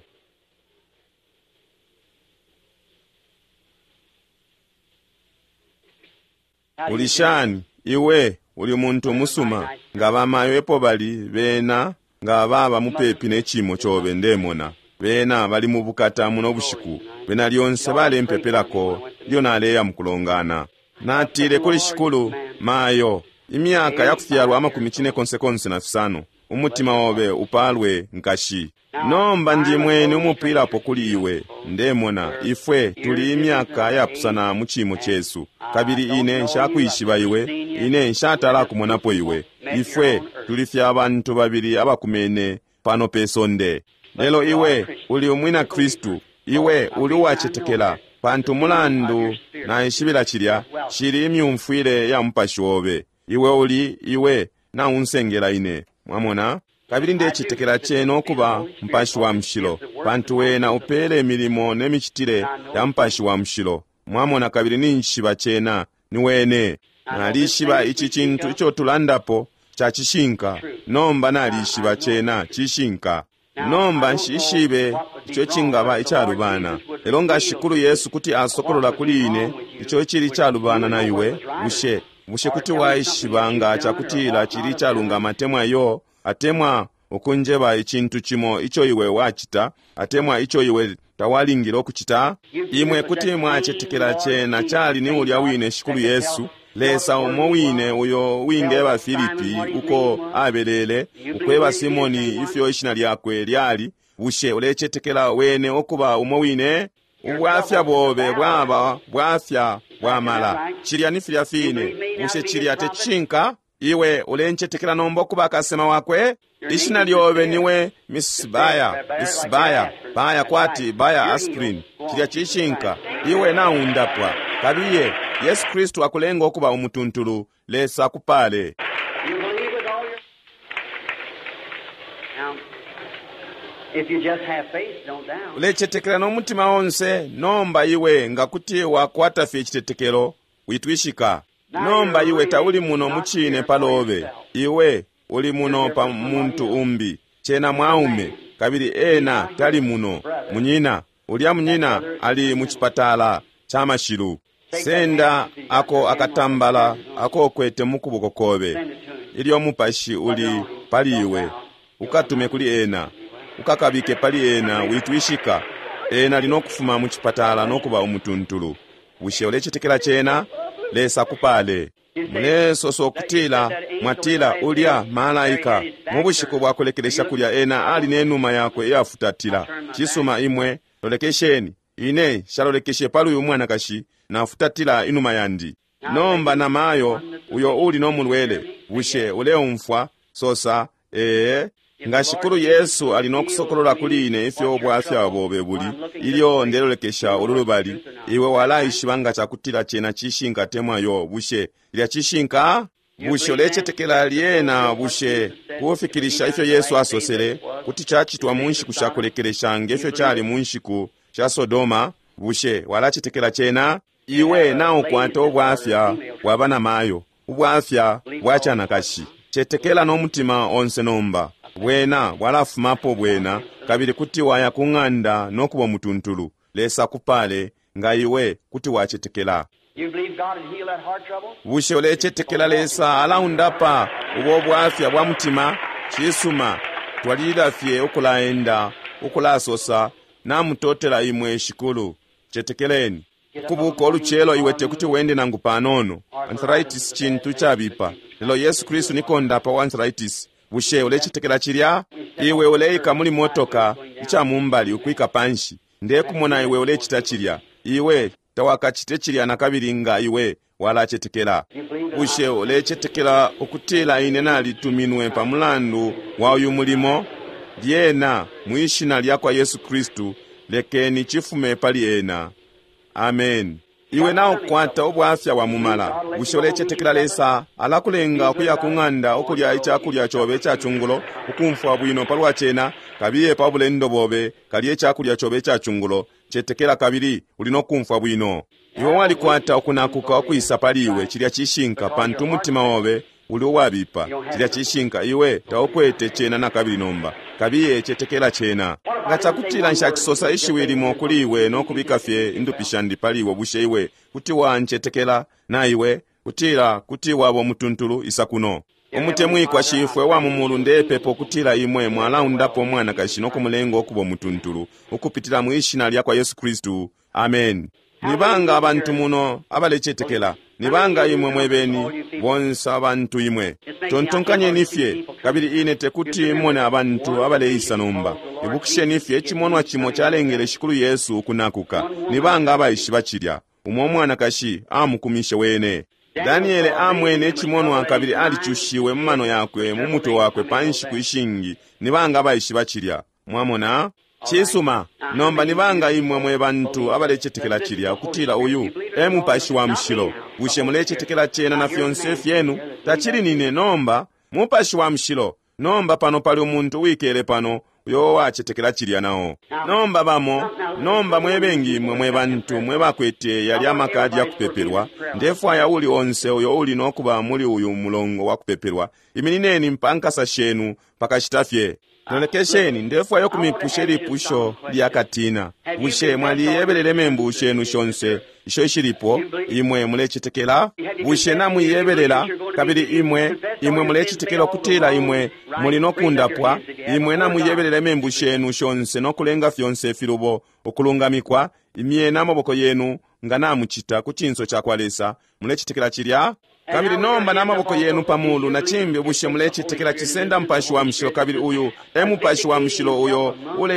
Uli shani iwe uli muntu umusuma? Nga bamayo epo bali, bena nga baba mupepi ne cimo cobe, ndemona bena bali mu bukata muno bushiku. Bena lyonse balempepelako ilyo naleya mukulongana. Natile kuli Shikulu, mayo imyaka yakufyalwa amakumi cine konse konse na fisano, Umutima obe upalwe, nkashi. Nomba ndimweni umupwilapo kuli iwe. Ndemona ifwe tuli imyaka yapusana mu chimo chesu, kabili ine nshakwishiba iwe, ine nshatala kumonapo iwe. Ifwe tuli fye abantu babili abakumene pano pe sonde. Lelo iwe uli umwina Kristu, iwe uli uwacetekela, pantu mulandu naishibila cilya cili imyumfwile ya mupashi obe. Iwe uli iwe naunsengela ine, mwamona? Kabili ndecetekela cena ukuba Mupashi wa Mushilo, pantu wena upele imilimo ne micitile ya Mupashi wa Mushilo, mwamona? Kabili ninjishiba cena ni wene. Nalishiba ici cintu ico tulandapo ca cishinka. Nomba nalishiba cena cishinka. Nomba nshishibe ico cingaba icalubana, lelo nga Shikulu Yesu kuti asokolola kuli ine ico icili icalubana na iwe, bushe bushe kuti waishiba nga cakutila cili icalungama atemwa iyo, atemwa ukunjeba icintu cimo ico iwe wacita atemwa ico iwe tawalingile ukucita? Imwe kuti mwacetekela cena cali ni ulya wine Shikulu Yesu, Lesa umo wine uyo wingeba Filipi uko abelele, ukweba Simoni ifyo ishina lyakwe lyali. Bushe ulecetekela wene ukuba umo wine? Ubwafya bobe bwaba bwafya bwamala. Cilya ni filya fine. Bushe cilya tecishinka? Iwe ulencetekela nomba ukuba kasema wakwe? Ishina lyobe niwe Missus Baya, Missus Baya, Baya kwati Baya aspirin. Cilya cishinka. Iwe naundapwa. Kabiye, Yesu Kristu akulenga ukuba umutuntulu. Lesa akupale. You believe with all your... Now, if you just have faith, don't doubt. Ulecetekela n'omutima onse. Nomba iwe nga kuti wakwata fye icitetekelo, witwishika. Nomba iwe tauli muno mucine palobe, iwe uli muno pa muntu umbi, cena mwaume, kabili ena tali muno. Munyina, ulya munyina ali mucipatala ca mashilu. Senda ako akatambala ako ukwete mu kuboko kobe, ilyo mupashi uli pali iwe, ukatume kuli ena, ukakabike pali ena, witwishika. Ena ali nokufuma mu cipatala nokuba umutuntulu. Bushe ulecetekela cena? Lesa akupale. Mulesosa ukutila mwatila ulya malaika mu bushiku bwa kulekelesha kulya ena ali nenuma yakwe iyafutatila. Cisuma, imwe lolekesheni. Ine nshalolekeshe pali uyu mwanakashi, nafutatila inuma yandi. Nomba namayo uyo uli nomulwele, bushe uleumfwa? Sosa ee. Nga Shikulu Yesu ali nokusokolola kuli ine ifyo ubwafya bobe buli, ilyo ndelolekesha ulu lubali, iwe walaishiba nga cakutila cena cishinka temwa yo. Bushe lilya cishinka? Bushe ulecetekela lyena? Bushe kufikilisha ifyo Yesu asosele kuti cacitwa mu nshiku sha kulekelesha ngefyo cali mu nshiku sha Sodoma? Bushe walacetekela cena? Iwe naukwata ubwafya bwaba namayo, ubwafya bwa canakashi. Cetekela n'omutima onse nomba. Bwena bwalafumapo bwena, kabili kuti waya ku ng'anda nokuba umutuntulu. Lesa akupale nga iwe kuti wacetekela. You believe God will heal that heart trouble? Bushe ulecetekela Lesa alaundapa ubo bwafya bwa mutima? Cisuma, twalilila fye ukulaenda, ukulasosa, namutotela imwe Shikulu. Cetekeleni. Kubuka olucelo iwe tekuti wende nangu panono. Arthritis cintu cabipa, lelo Yesu Kristu ni kondapa wa arthritis. Bushe ulecetekela cilya? Iwe uleika muli motoka ica mumbali ukwika panshi. Ndekumona iwe ulecita cilya. Iwe tawakacite cilya nakabili nga iwe walacetekela. Bushe ulecetekela ukutila ine nalituminwe pa mulandu wa uyu mulimo? Lyena mwishina lya kwa Yesu Kristu, lekeni cifume pali ena. Amen. Iwe naukwata ubwafya bwa mumala. Bushe ulecetekela Lesa alakulenga ukuya ku ng'anda ukulya icakulya cobe ica cungulo, ukumfwa bwino palwa cena? Kabiye pa bulendo bobe, kalye icakulya cobe ica cungulo. Cetekela kabili uli nokumfwa bwino. Iwe walikwata ukunakuka ukwisa pali iwe, cilya cishinka, pantu umutima obe uli uwabipa. Cilya cishinka, iwe taukwete cena nakabili nomba. Kabiye cetekela cena. Nga cakutila nshacisosa ishiwi limo kuli iwe nokubika fye indupi shandi pali iwe, bushe iwe kuti wancetekela na iwe kutila kuti waba umutuntulu? Isa kuno. Umutemwikwa Shifwe wa mu mulu, ndepepa ukutila imwe mwalaundapo umwanakashi nokumulenga ukuba umutuntulu ukupitila mwi shina lya kwa Yesu Kristu. Amen. Ni banga abantu muno abalecetekela? Nibanga imwe mwebeni bonse abantu imwe. Tontonkanyeni fye, kabili ine tekuti mone abantu abaleisa nomba. Ibukisheni fye icimonwa cimo calengele Shikulu Yesu ukunakuka. Nibanga abaishiba cilya? Umo mwanakashi amukumishe wene. Daniele amwene icimonwa kabili alicushiwe mu mano yakwe mu mutwe wakwe pa nshiku ishingi. Nibanga abaishiba cilya? Mwamona? Cisuma. Nomba nibanga imwe mwe bantu abalecetekela cilya ukutila uyu e Mupashi wa Mushilo? Bushe mulecetekela cena na fyonse fyenu? Tacili nine nomba, Mupashi wa Mushilo. Nomba pano pali umuntu wikele pano uyo wacetekela cilya nao. Nomba bamo, nomba mwebengi imwe mwe bantu mwe bakwete yali amakadi ya kupepelwa. Ndefwaya uli onse uyo uli nokuba muli uyu mulongo wa kupepelwa. Iminineni mpankasa shenu pakashita fye. Lolekesheni, ndefwaya ukumipusha ilipusho lya katina. Bushe mwaliyebelele membu shenu shonse isho ishilipo? Imwe mulecetekela? Bushe namuiyebelela? Kabili imwe imwe mulecetekela ukutila imwe muli nokundapwa? Imwe namuiyebelela membu shenu shonse nokulenga fyonse filubo ukulungamikwa? Imyeni amaboko yenu nga namucita ku cinso ca kwa Lesa. Mulecetekela cilya? Kabili nomba n'amaboko yenu pamulu na cimbi, bushe mulecetekela cisenda Mupashi wa Mushilo? Kabili uyu e Mupashi wa Mushilo uyo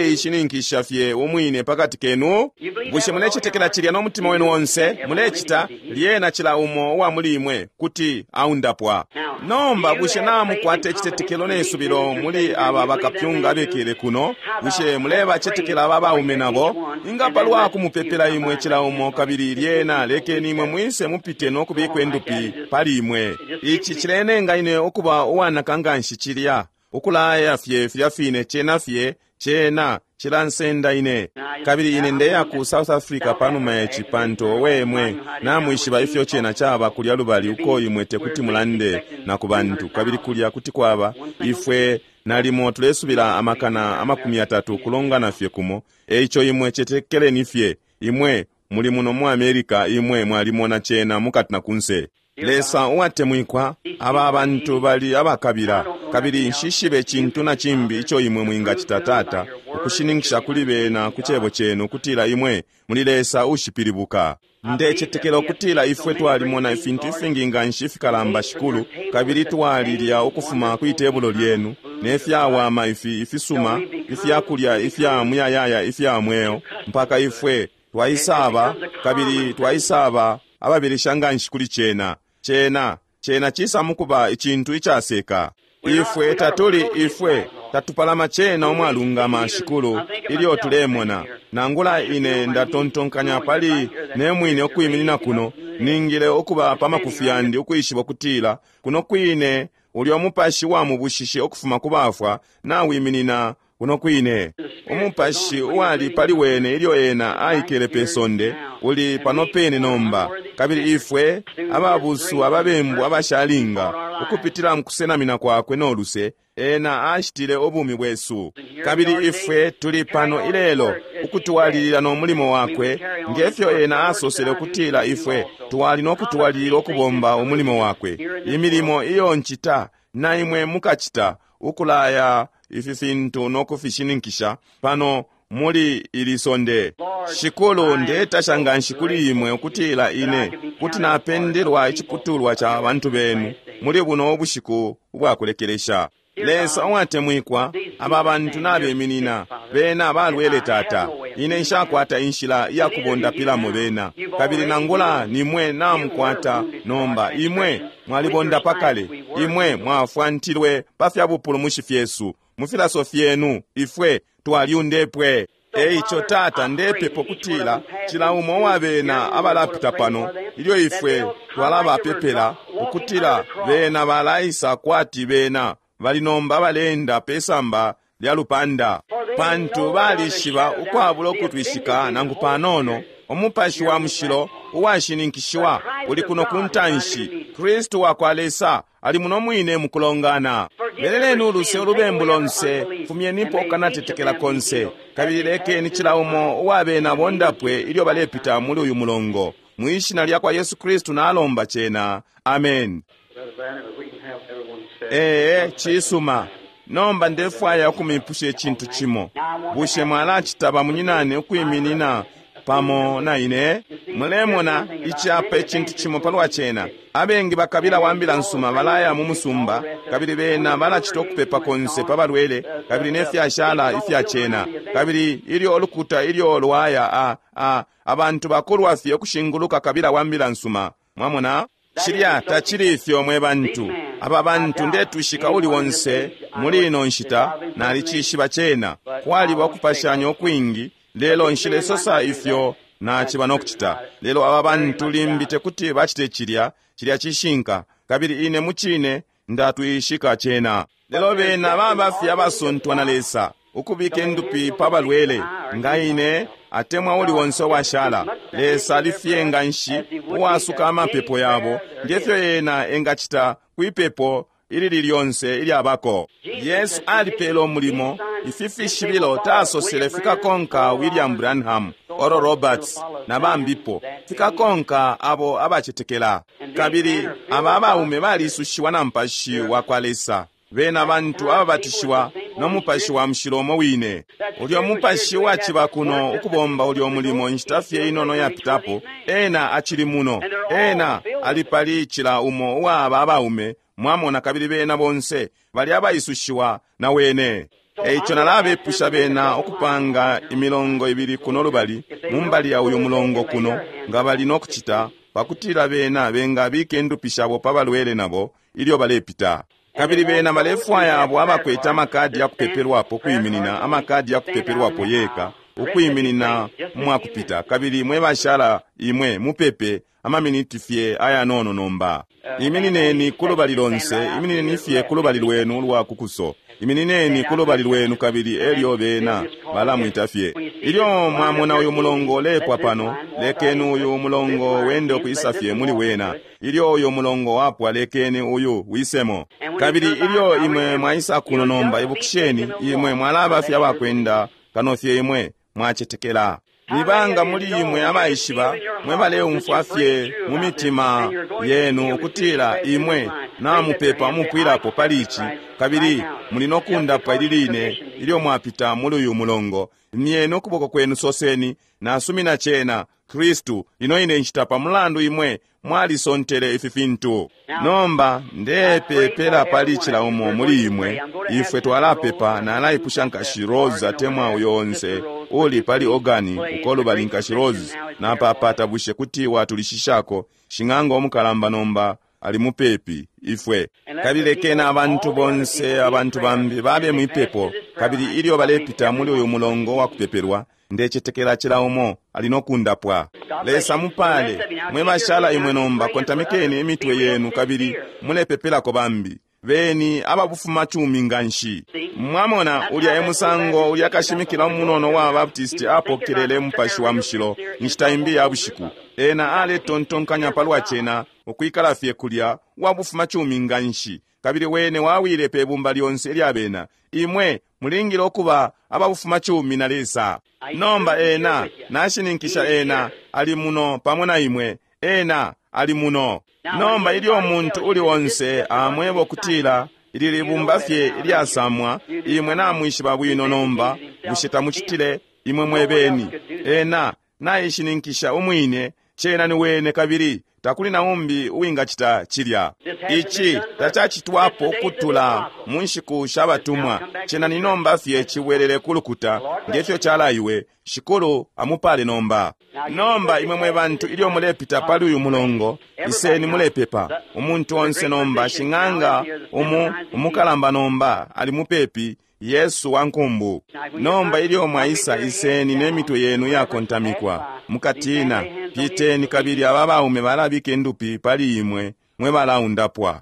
uleishininkisha fye umwine pakati kenu. Bushe mulecetekela cilya no mutima wenu onse? Mulecita lyena cila umo uwa muli imwe kuti aundapwa. Nomba bushe namukwata icitetekelo ne subilo muli aba bakapyunga abekele kuno? Bushe mulebacetekela aba baume nabo? Ingapalwa kumupepela imwe cila umo, kabili lyena lekeni imwe mwise mupite no kubikwa endupi pali imwe. Ici cilenenga ine ukuba uwanaka nganshi cilya ukulaya fye filya fine cena fye cena cilansenda ine. Kabili ine ndeya ku South Africa panuma ya ici pantu wemwe namwishiba ifyo cena caba kulya lubali uko imwe tekuti mulande na ku bantu. Kabili kulya kuti kwaba ifwe nalimo tulesubila amakana amakumi atatu kulongana fye kumo. Eico imwe cetekeleni fye. Imwe muli muno mu America, imwe mwalimona cena mukati na kunse. Lesa uwatemwikwa, aba abantu bali abakabila, kabili nshishibe cintu na cimbi ico imwe mwingacita Tata ukushininkisha kuli bena ku cebo cenu kutila imwe muli Lesa ushipilibuka. Ndecetekela ukutila ifwe twalimona ifintu ifingi nganshi ifikalamba Shikulu, kabili twalilya ukufuma kwi tebulo lyenu ne fyawama ifi ifisuma ifyakulya ifya muyayaya ifya mweo, mpaka ifwe twaisaba kabili twaisaba ababilisha nganshi kuli cena. Cena cena cisa mukuba icintu icaseka. Ifwe tatuli ifwe tatupalama cena umwalungama Shikulu ilyo tulemona. Nangula ine ndatontonkanya pali ne mwine ukwiminina kuno, ningile ukuba pa makufi yandi ukwishiba ukutila kuno kwine ulyo mupashi wa mubushishe ukufuma ku bafwa nawiminina kuno kwine. Umupashi uwali pali wene ilyo ena aikele pe sonde uli pano pene nomba. Kabili ifwe ababusu ababembu abashalinga ukupitila mukusenamina kwakwe no luse ena ashitile ubumi bwesu. Kabili ifwe tuli pano ilelo ukutwalilila no mulimo wakwe ngefyo ena asosele ukutila ifwe twali no kutwalilila ukubomba umulimo wakwe. Imilimo iyo ncita na imwe mukacita ukulaya ifi fintu no kufishininkisha pano muli ili sonde. Shikulu, ndetasha nganshi kuli imwe ukutila ine kuti napendelwa iciputulwa ca bantu benu muli buno ubushiku ubwakulekelesha. Lesa uwatemwikwa, aba bantu nabeminina bena balwele Tata. Ine nshakwata inshila iya kubondapilamo bena, kabili nangula nimwe namukwata nomba. Imwe mwalibonda pakale, imwe mwafwantilwe pa fya bupulumushi fyesu mu filaso fyenu ifwe twalyundepwe. Eico Tata, ndepepo kutila cila umo wabena abalapita pano ilyo ifwe twalabapepela ukutila bena balaisa kwati bena bali nomba balenda pesamba lya lupanda, pantu balishiba ukwabula ukutwishika nangu panono Umupashi wa Mushilo uwashininkishiwa uli kuno ku ntanshi. Kristu wa kwa Lesa ali muno mwine mukulongana. Beleleni uluse ulubembu lonse, fumyenipo ukanatetekela konse, kabili lekeni cila umo uwabena bondapwe ilyo balepita muli uyu mulongo. Mwishina lya kwa Yesu Kristu nalomba cena. Amen. Ee, cisuma. Nomba ndefwaya ukumipusha icintu cimo. Bushe mwalacita bamunyinane ukwiminina pamo na ine? Mulemona icapa icintu cimo palwa cena. Abengi bakabila wa mbila nsuma balaya mu musumba, kabili bena balacita ukupepa konse pa balwele, kabili nefyashala ifya cena. Kabili ilyo ulukuta ilyo lwaya a, a, abantu bakulwa fye ukushinguluka kabila wa mbila nsuma. Mwamona? Cilya tacili ifyo mwe bantu. Aba bantu ndetwishika uli wonse muli ino nshita nalicishiba cena. Kwaliba ukupashanya ukwingi, lelo nshilesosa ifyo naciba nokucita. Lelo aba bantu limbi tekuti bacite cilya, cilya cishinka, kabili ine mucine ndatwishika cena. Lelo bena baba fye abasontwa na Lesa, ukubika indupi pa balwele, nga ine atemwa uli wonse washala. Lesa alifye nga nshi uwasuka amapepo yabo, ngefyo ena engacita kwipepo ilili lyonse ilyabako. Yesu alipele umulimo, ifi fishibilo tasosele fikakonka William Branham, Oral Roberts na bambipo, fikakonka abo abacetekela. Kabili aba abaume balisushiwa na Mupashi wa kwa Lesa. Bena bantu ababatishiwa no Mupashi wa Mushilo umo wine. Ulyo Mupashi waciba kuno ukubomba ulyo mulimo nshita fye inono yapitapo, ena acili muno. Ena ali pali cila umo uwa aba abaume, mwamona, kabili bena bonse bali abaisushiwa na wene. Eico nalabepusha bena ukupanga imilongo ibili kuno lubali, mumbali ya uyu mulongo kuno, nga bali nokucita, pakutila bena bengabika indupi shabo pa balwele nabo ilyo balepita. Kabili bena balefwaya abo abakwete amakadi ya kupepelwapo kwiminina, amakadi ya kupepelwapo yeka, ukwiminina mwakupita. Kabili mwe bashala imwe mupepe amaminiti fye ayanono nomba. Iminineni kulubali lonse, iminineni fye kulubali lwenu lwa kukuso. Iminineni kulubali lwenu kabili elyo bena balamwita fye. Ilyo mwamona uyu mulongo lepwa pano, lekeni uyu mulongo wende ukwisa fye muli wena. Ilyo uyu mulongo wapwa, lekeni uyu wisemo. Kabili ilyo imwe mwaisa kuno nomba, ibukisheni imwe mwalaba fye abakwenda kano fye imwe mwacetekela. Nibanga muli imwe abaishiba, mwe baleumfwa fye mu mitima yenu ukutila imwe namupepa umupwilapo pali ici, kabili muli nokundapwa ili line ilyo mwapita muli uyu mulongo. Imyeni ukuboko kwenu, soseni, nasumina cena Kristu, ino ine nshita pa mulandu imwe mwalisontele ifi fintu. Nomba ndepepela pali cila umo muli imwe. Ifwe twalapepa. Nalaipusha nkashi Rose atemwa uyo onse uli pali organi uko lubali nkashi Rose napapata, bushe kuti watulishishako shing'anga omukalamba nomba ali mupepi ifwe. Kabili lekeni abantu bonse abantu bambi babe mwipepo, kabili ilyo balepita muli uyu mulongo wa kupepelwa, ndecetekela cila umo ali nokundapwa. Lesa mupale mwe bashala imwe nomba, kontamikeni imitwe yenu kabili mulepepelako bambi. Beni ababufuma chumi nganshi. Mwamona ulya emusango ulya kashimikila umunono wa Baptist apokelele Mupashi wa Mushilo nshita imbi ya bushiku. Ena aletontonkanya palwa cena ukwikala fye kulya wabufuma chumi nganshi, kabili wene wawile pe bumba lyonse ilya bena. Imwe mulingile okuba ababufuma chumi na Lesa. Nomba ena nashininkisha ena ali muno pamo na imwe. Ena ali muno. Nomba ilyo umuntu uli onse amweba okutila ili libumba fye ilyasamwa, imwe namwishiba bwino nomba, bushe tamucitile imwe mwebeni? Ena naishininkisha umwine, cena ni wene, kabili takuli na umbi uwingacita cilya. Ici tacacitwapo ukutula mu nshiku sha batumwa. Cena ni nomba fye cibwelele ku lukuta ngefyo calaiwe. Shikulu amupale nomba. Nomba imwe mwe bantu ilyo mulepita pali uyu mulongo, iseni mulepepa. Umuntu onse nomba shing'anga umu umukalamba nomba ali mupepi, Yesu wa nkumbu. Nomba ilyo mwaisa, iseni ne mitwe yenu yakontamikwa mukatina. Piteni kabili aba baume balabika indupi pali imwe mwe balaundapwa.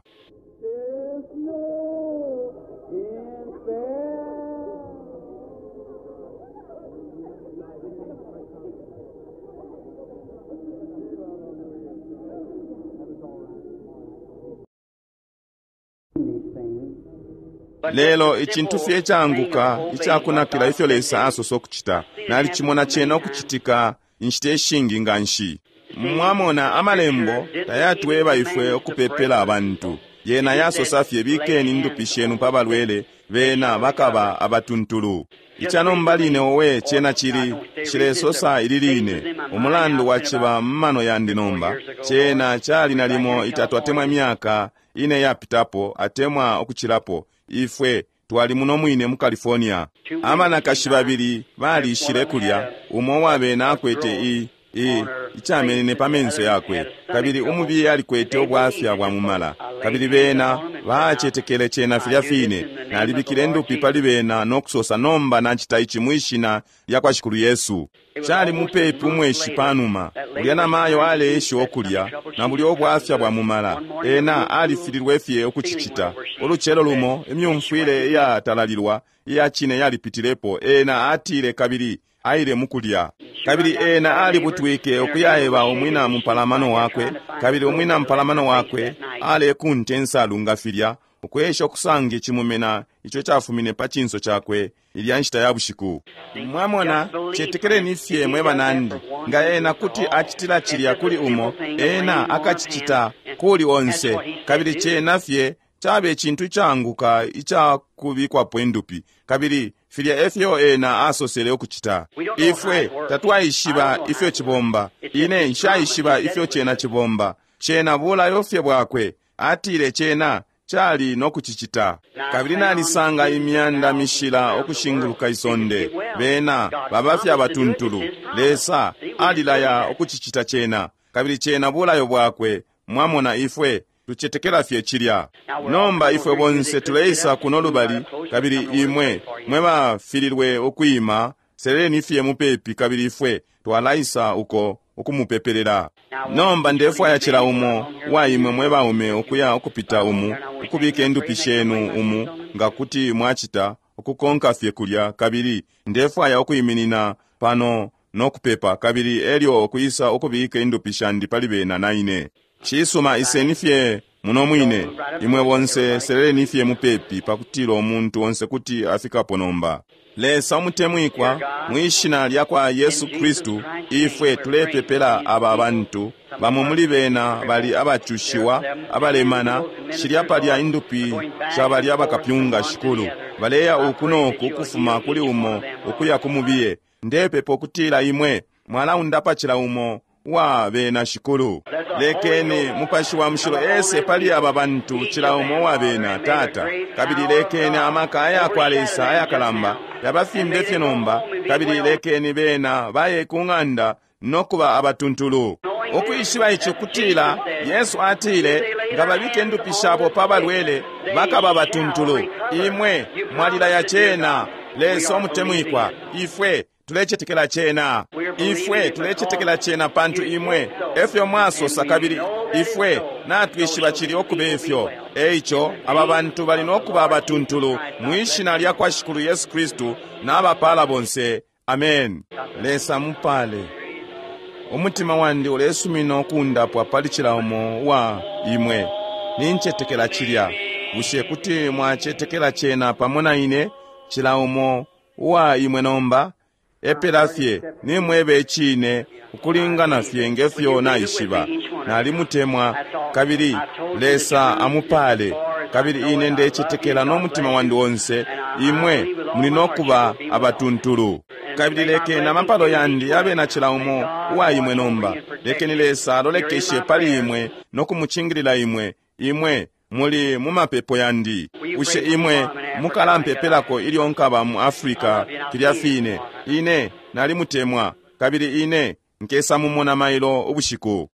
Lelo icintu fye canguka icakunakila ifyo Lesa asosa okucita, nalicimona cena okucitika inshita ishingi nganshi. Mwamona amalembo tayatweba ifwe ukupepela abantu. Yena yasosa fye bikeni indupi shenu pa balwele, bena bakaba abatuntulu. Ica nomba line owe cena cili cilesosa ili line umulandu waciba mmano yandi nomba. Cena cali nalimo itatu atemwa imyaka ine yapitapo atemwa ukucilapo. Ifwe twali muno mwine mu California. Abanakashi babili balishile kulya, umo wabena akwete i i icamenene pa menso yakwe, kabili umubiye alikwete ubwafya bwa mumala, kabili bena bacetekele cena filya fine. Nalibikile ndupi pali bena no kusosa, nomba nacita ici mwishina lya kwa Shikulu Yesu. Cali mupepi umweshi panuma, ulya namayo aleesha ukulya na bulya ubwafya bwa mumala. Ena alifililwe fye ukucicita. Ulucelo lumo imyumfwile iyatalalilwa iya cine yalipitilepo. Ena atile kabili aile mukulya, kabili ena alibutwike ukuyaeba umwina mupalamano wakwe, kabili umwina mupalamano wakwe alekunta insalu nga filya ukwesha ukusanga icimumena ico cafumine pa cinso cakwe ilya nshita ya bushiku. Mwamona, cetekeleni fye mwe banandi. Nga ena kuti acitila cilya kuli umo, ena akacicita kuli onse. Kabili cena fye cabe cintu icaanguka icakubikwapo indupi, kabili filya efyo ena asosele ukucita. Ifwe tatwaishiba ifyo cibomba. Ine nshaishiba ifyo cena cibomba. Cena bulayo fye bwakwe, atile cena cali no kucicita. Kabili nalisanga imyanda mishila ukushinguluka isonde, bena baba fye abatuntulu. Lesa alilaya ukucicita cena, kabili cena bulayo bwakwe. Mwamona, ifwe tucetekela fye cilya. Nomba ifwe bonse tuleisa kuno lubali, kabili imwe mwe bafililwe ukwima, seleni fye mupepi, kabili ifwe twalaisa uko ukumupepelela. Nomba ndefwaya cila umo wa imwe mwe baume ukuya ukupita umu, ukubika indupi shenu umu nga kuti mwacita, ukukonka fye kulya, kabili ndefwaya ukwiminina pano no kupepa, kabili elyo ukwisa ukubika indupi shandi pali bena na ine. Cisuma, iseni fye muno mwine. Imwe bonse seleleni fye mupepi pakutila umuntu onse kuti afikapo nomba. Lesa umutemwikwa, mwishina lya kwa Yesu Kristu, ifwe tulepepela aba bantu. Bamo muli bena bali abacushiwa, abalemana. Shilya palya indupi sha balya bakapyunga, Shikulu, baleya uku noku ukufuma kuli umo ukuya ku mubiye. Ndepepa ukutila imwe mwalaundapa cila umo wa bena, Shikulu. Lekeni Mupashi wa Mushilo ese pali aba bantu, cila umo wa bena, Tata, kabili lekeni amaka aya kwa Lesa ayakalamba yabafimbe fye nomba, kabili lekeni bena baye ku ng'anda no kuba abatuntulu, ukwishiba ici kutila Yesu atile nga babike ndupi shabo pa balwele bakaba batuntulu. Imwe mwalilaya cena, Lesa umutemwikwa. Ifwe tulecetekela cena. Ifwe tulecetekela cena pantu imwe efyo mwasosa, kabili ifwe natwishiba cili okuba ifyo. Eico aba bantu bali nokuba abatuntulu mwishina lya kwa Shikulu Yesu Kristu. N'abapala bonse. Amen. Lesa mupale. Umutima wandi ulesumina ukundapwa pali cila umo wa imwe. Nincetekela cilya. Bushe kuti mwacetekela cena pamo na ine, cila umo uwa imwe nomba? Epela fye nimwebe icine ukulingana fye ngefyo naishiba. Nalimutemwa, kabili Lesa amupale. Kabili ine ndecetekela no mutima wandi onse imwe muli nokuba abatuntulu. Kabili lekeni amapalo yandi yabe na cila umo uwa imwe nomba. Lekeni Lesa alolekeshe pali imwe no kumucingilila imwe. Imwe muli mu mapepo yandi. Bushe imwe mukalampepelako ilyo nkaba mu Africa filya fine? Ine nalimutemwa, kabili ine nkesa mumona mailo ubushiku.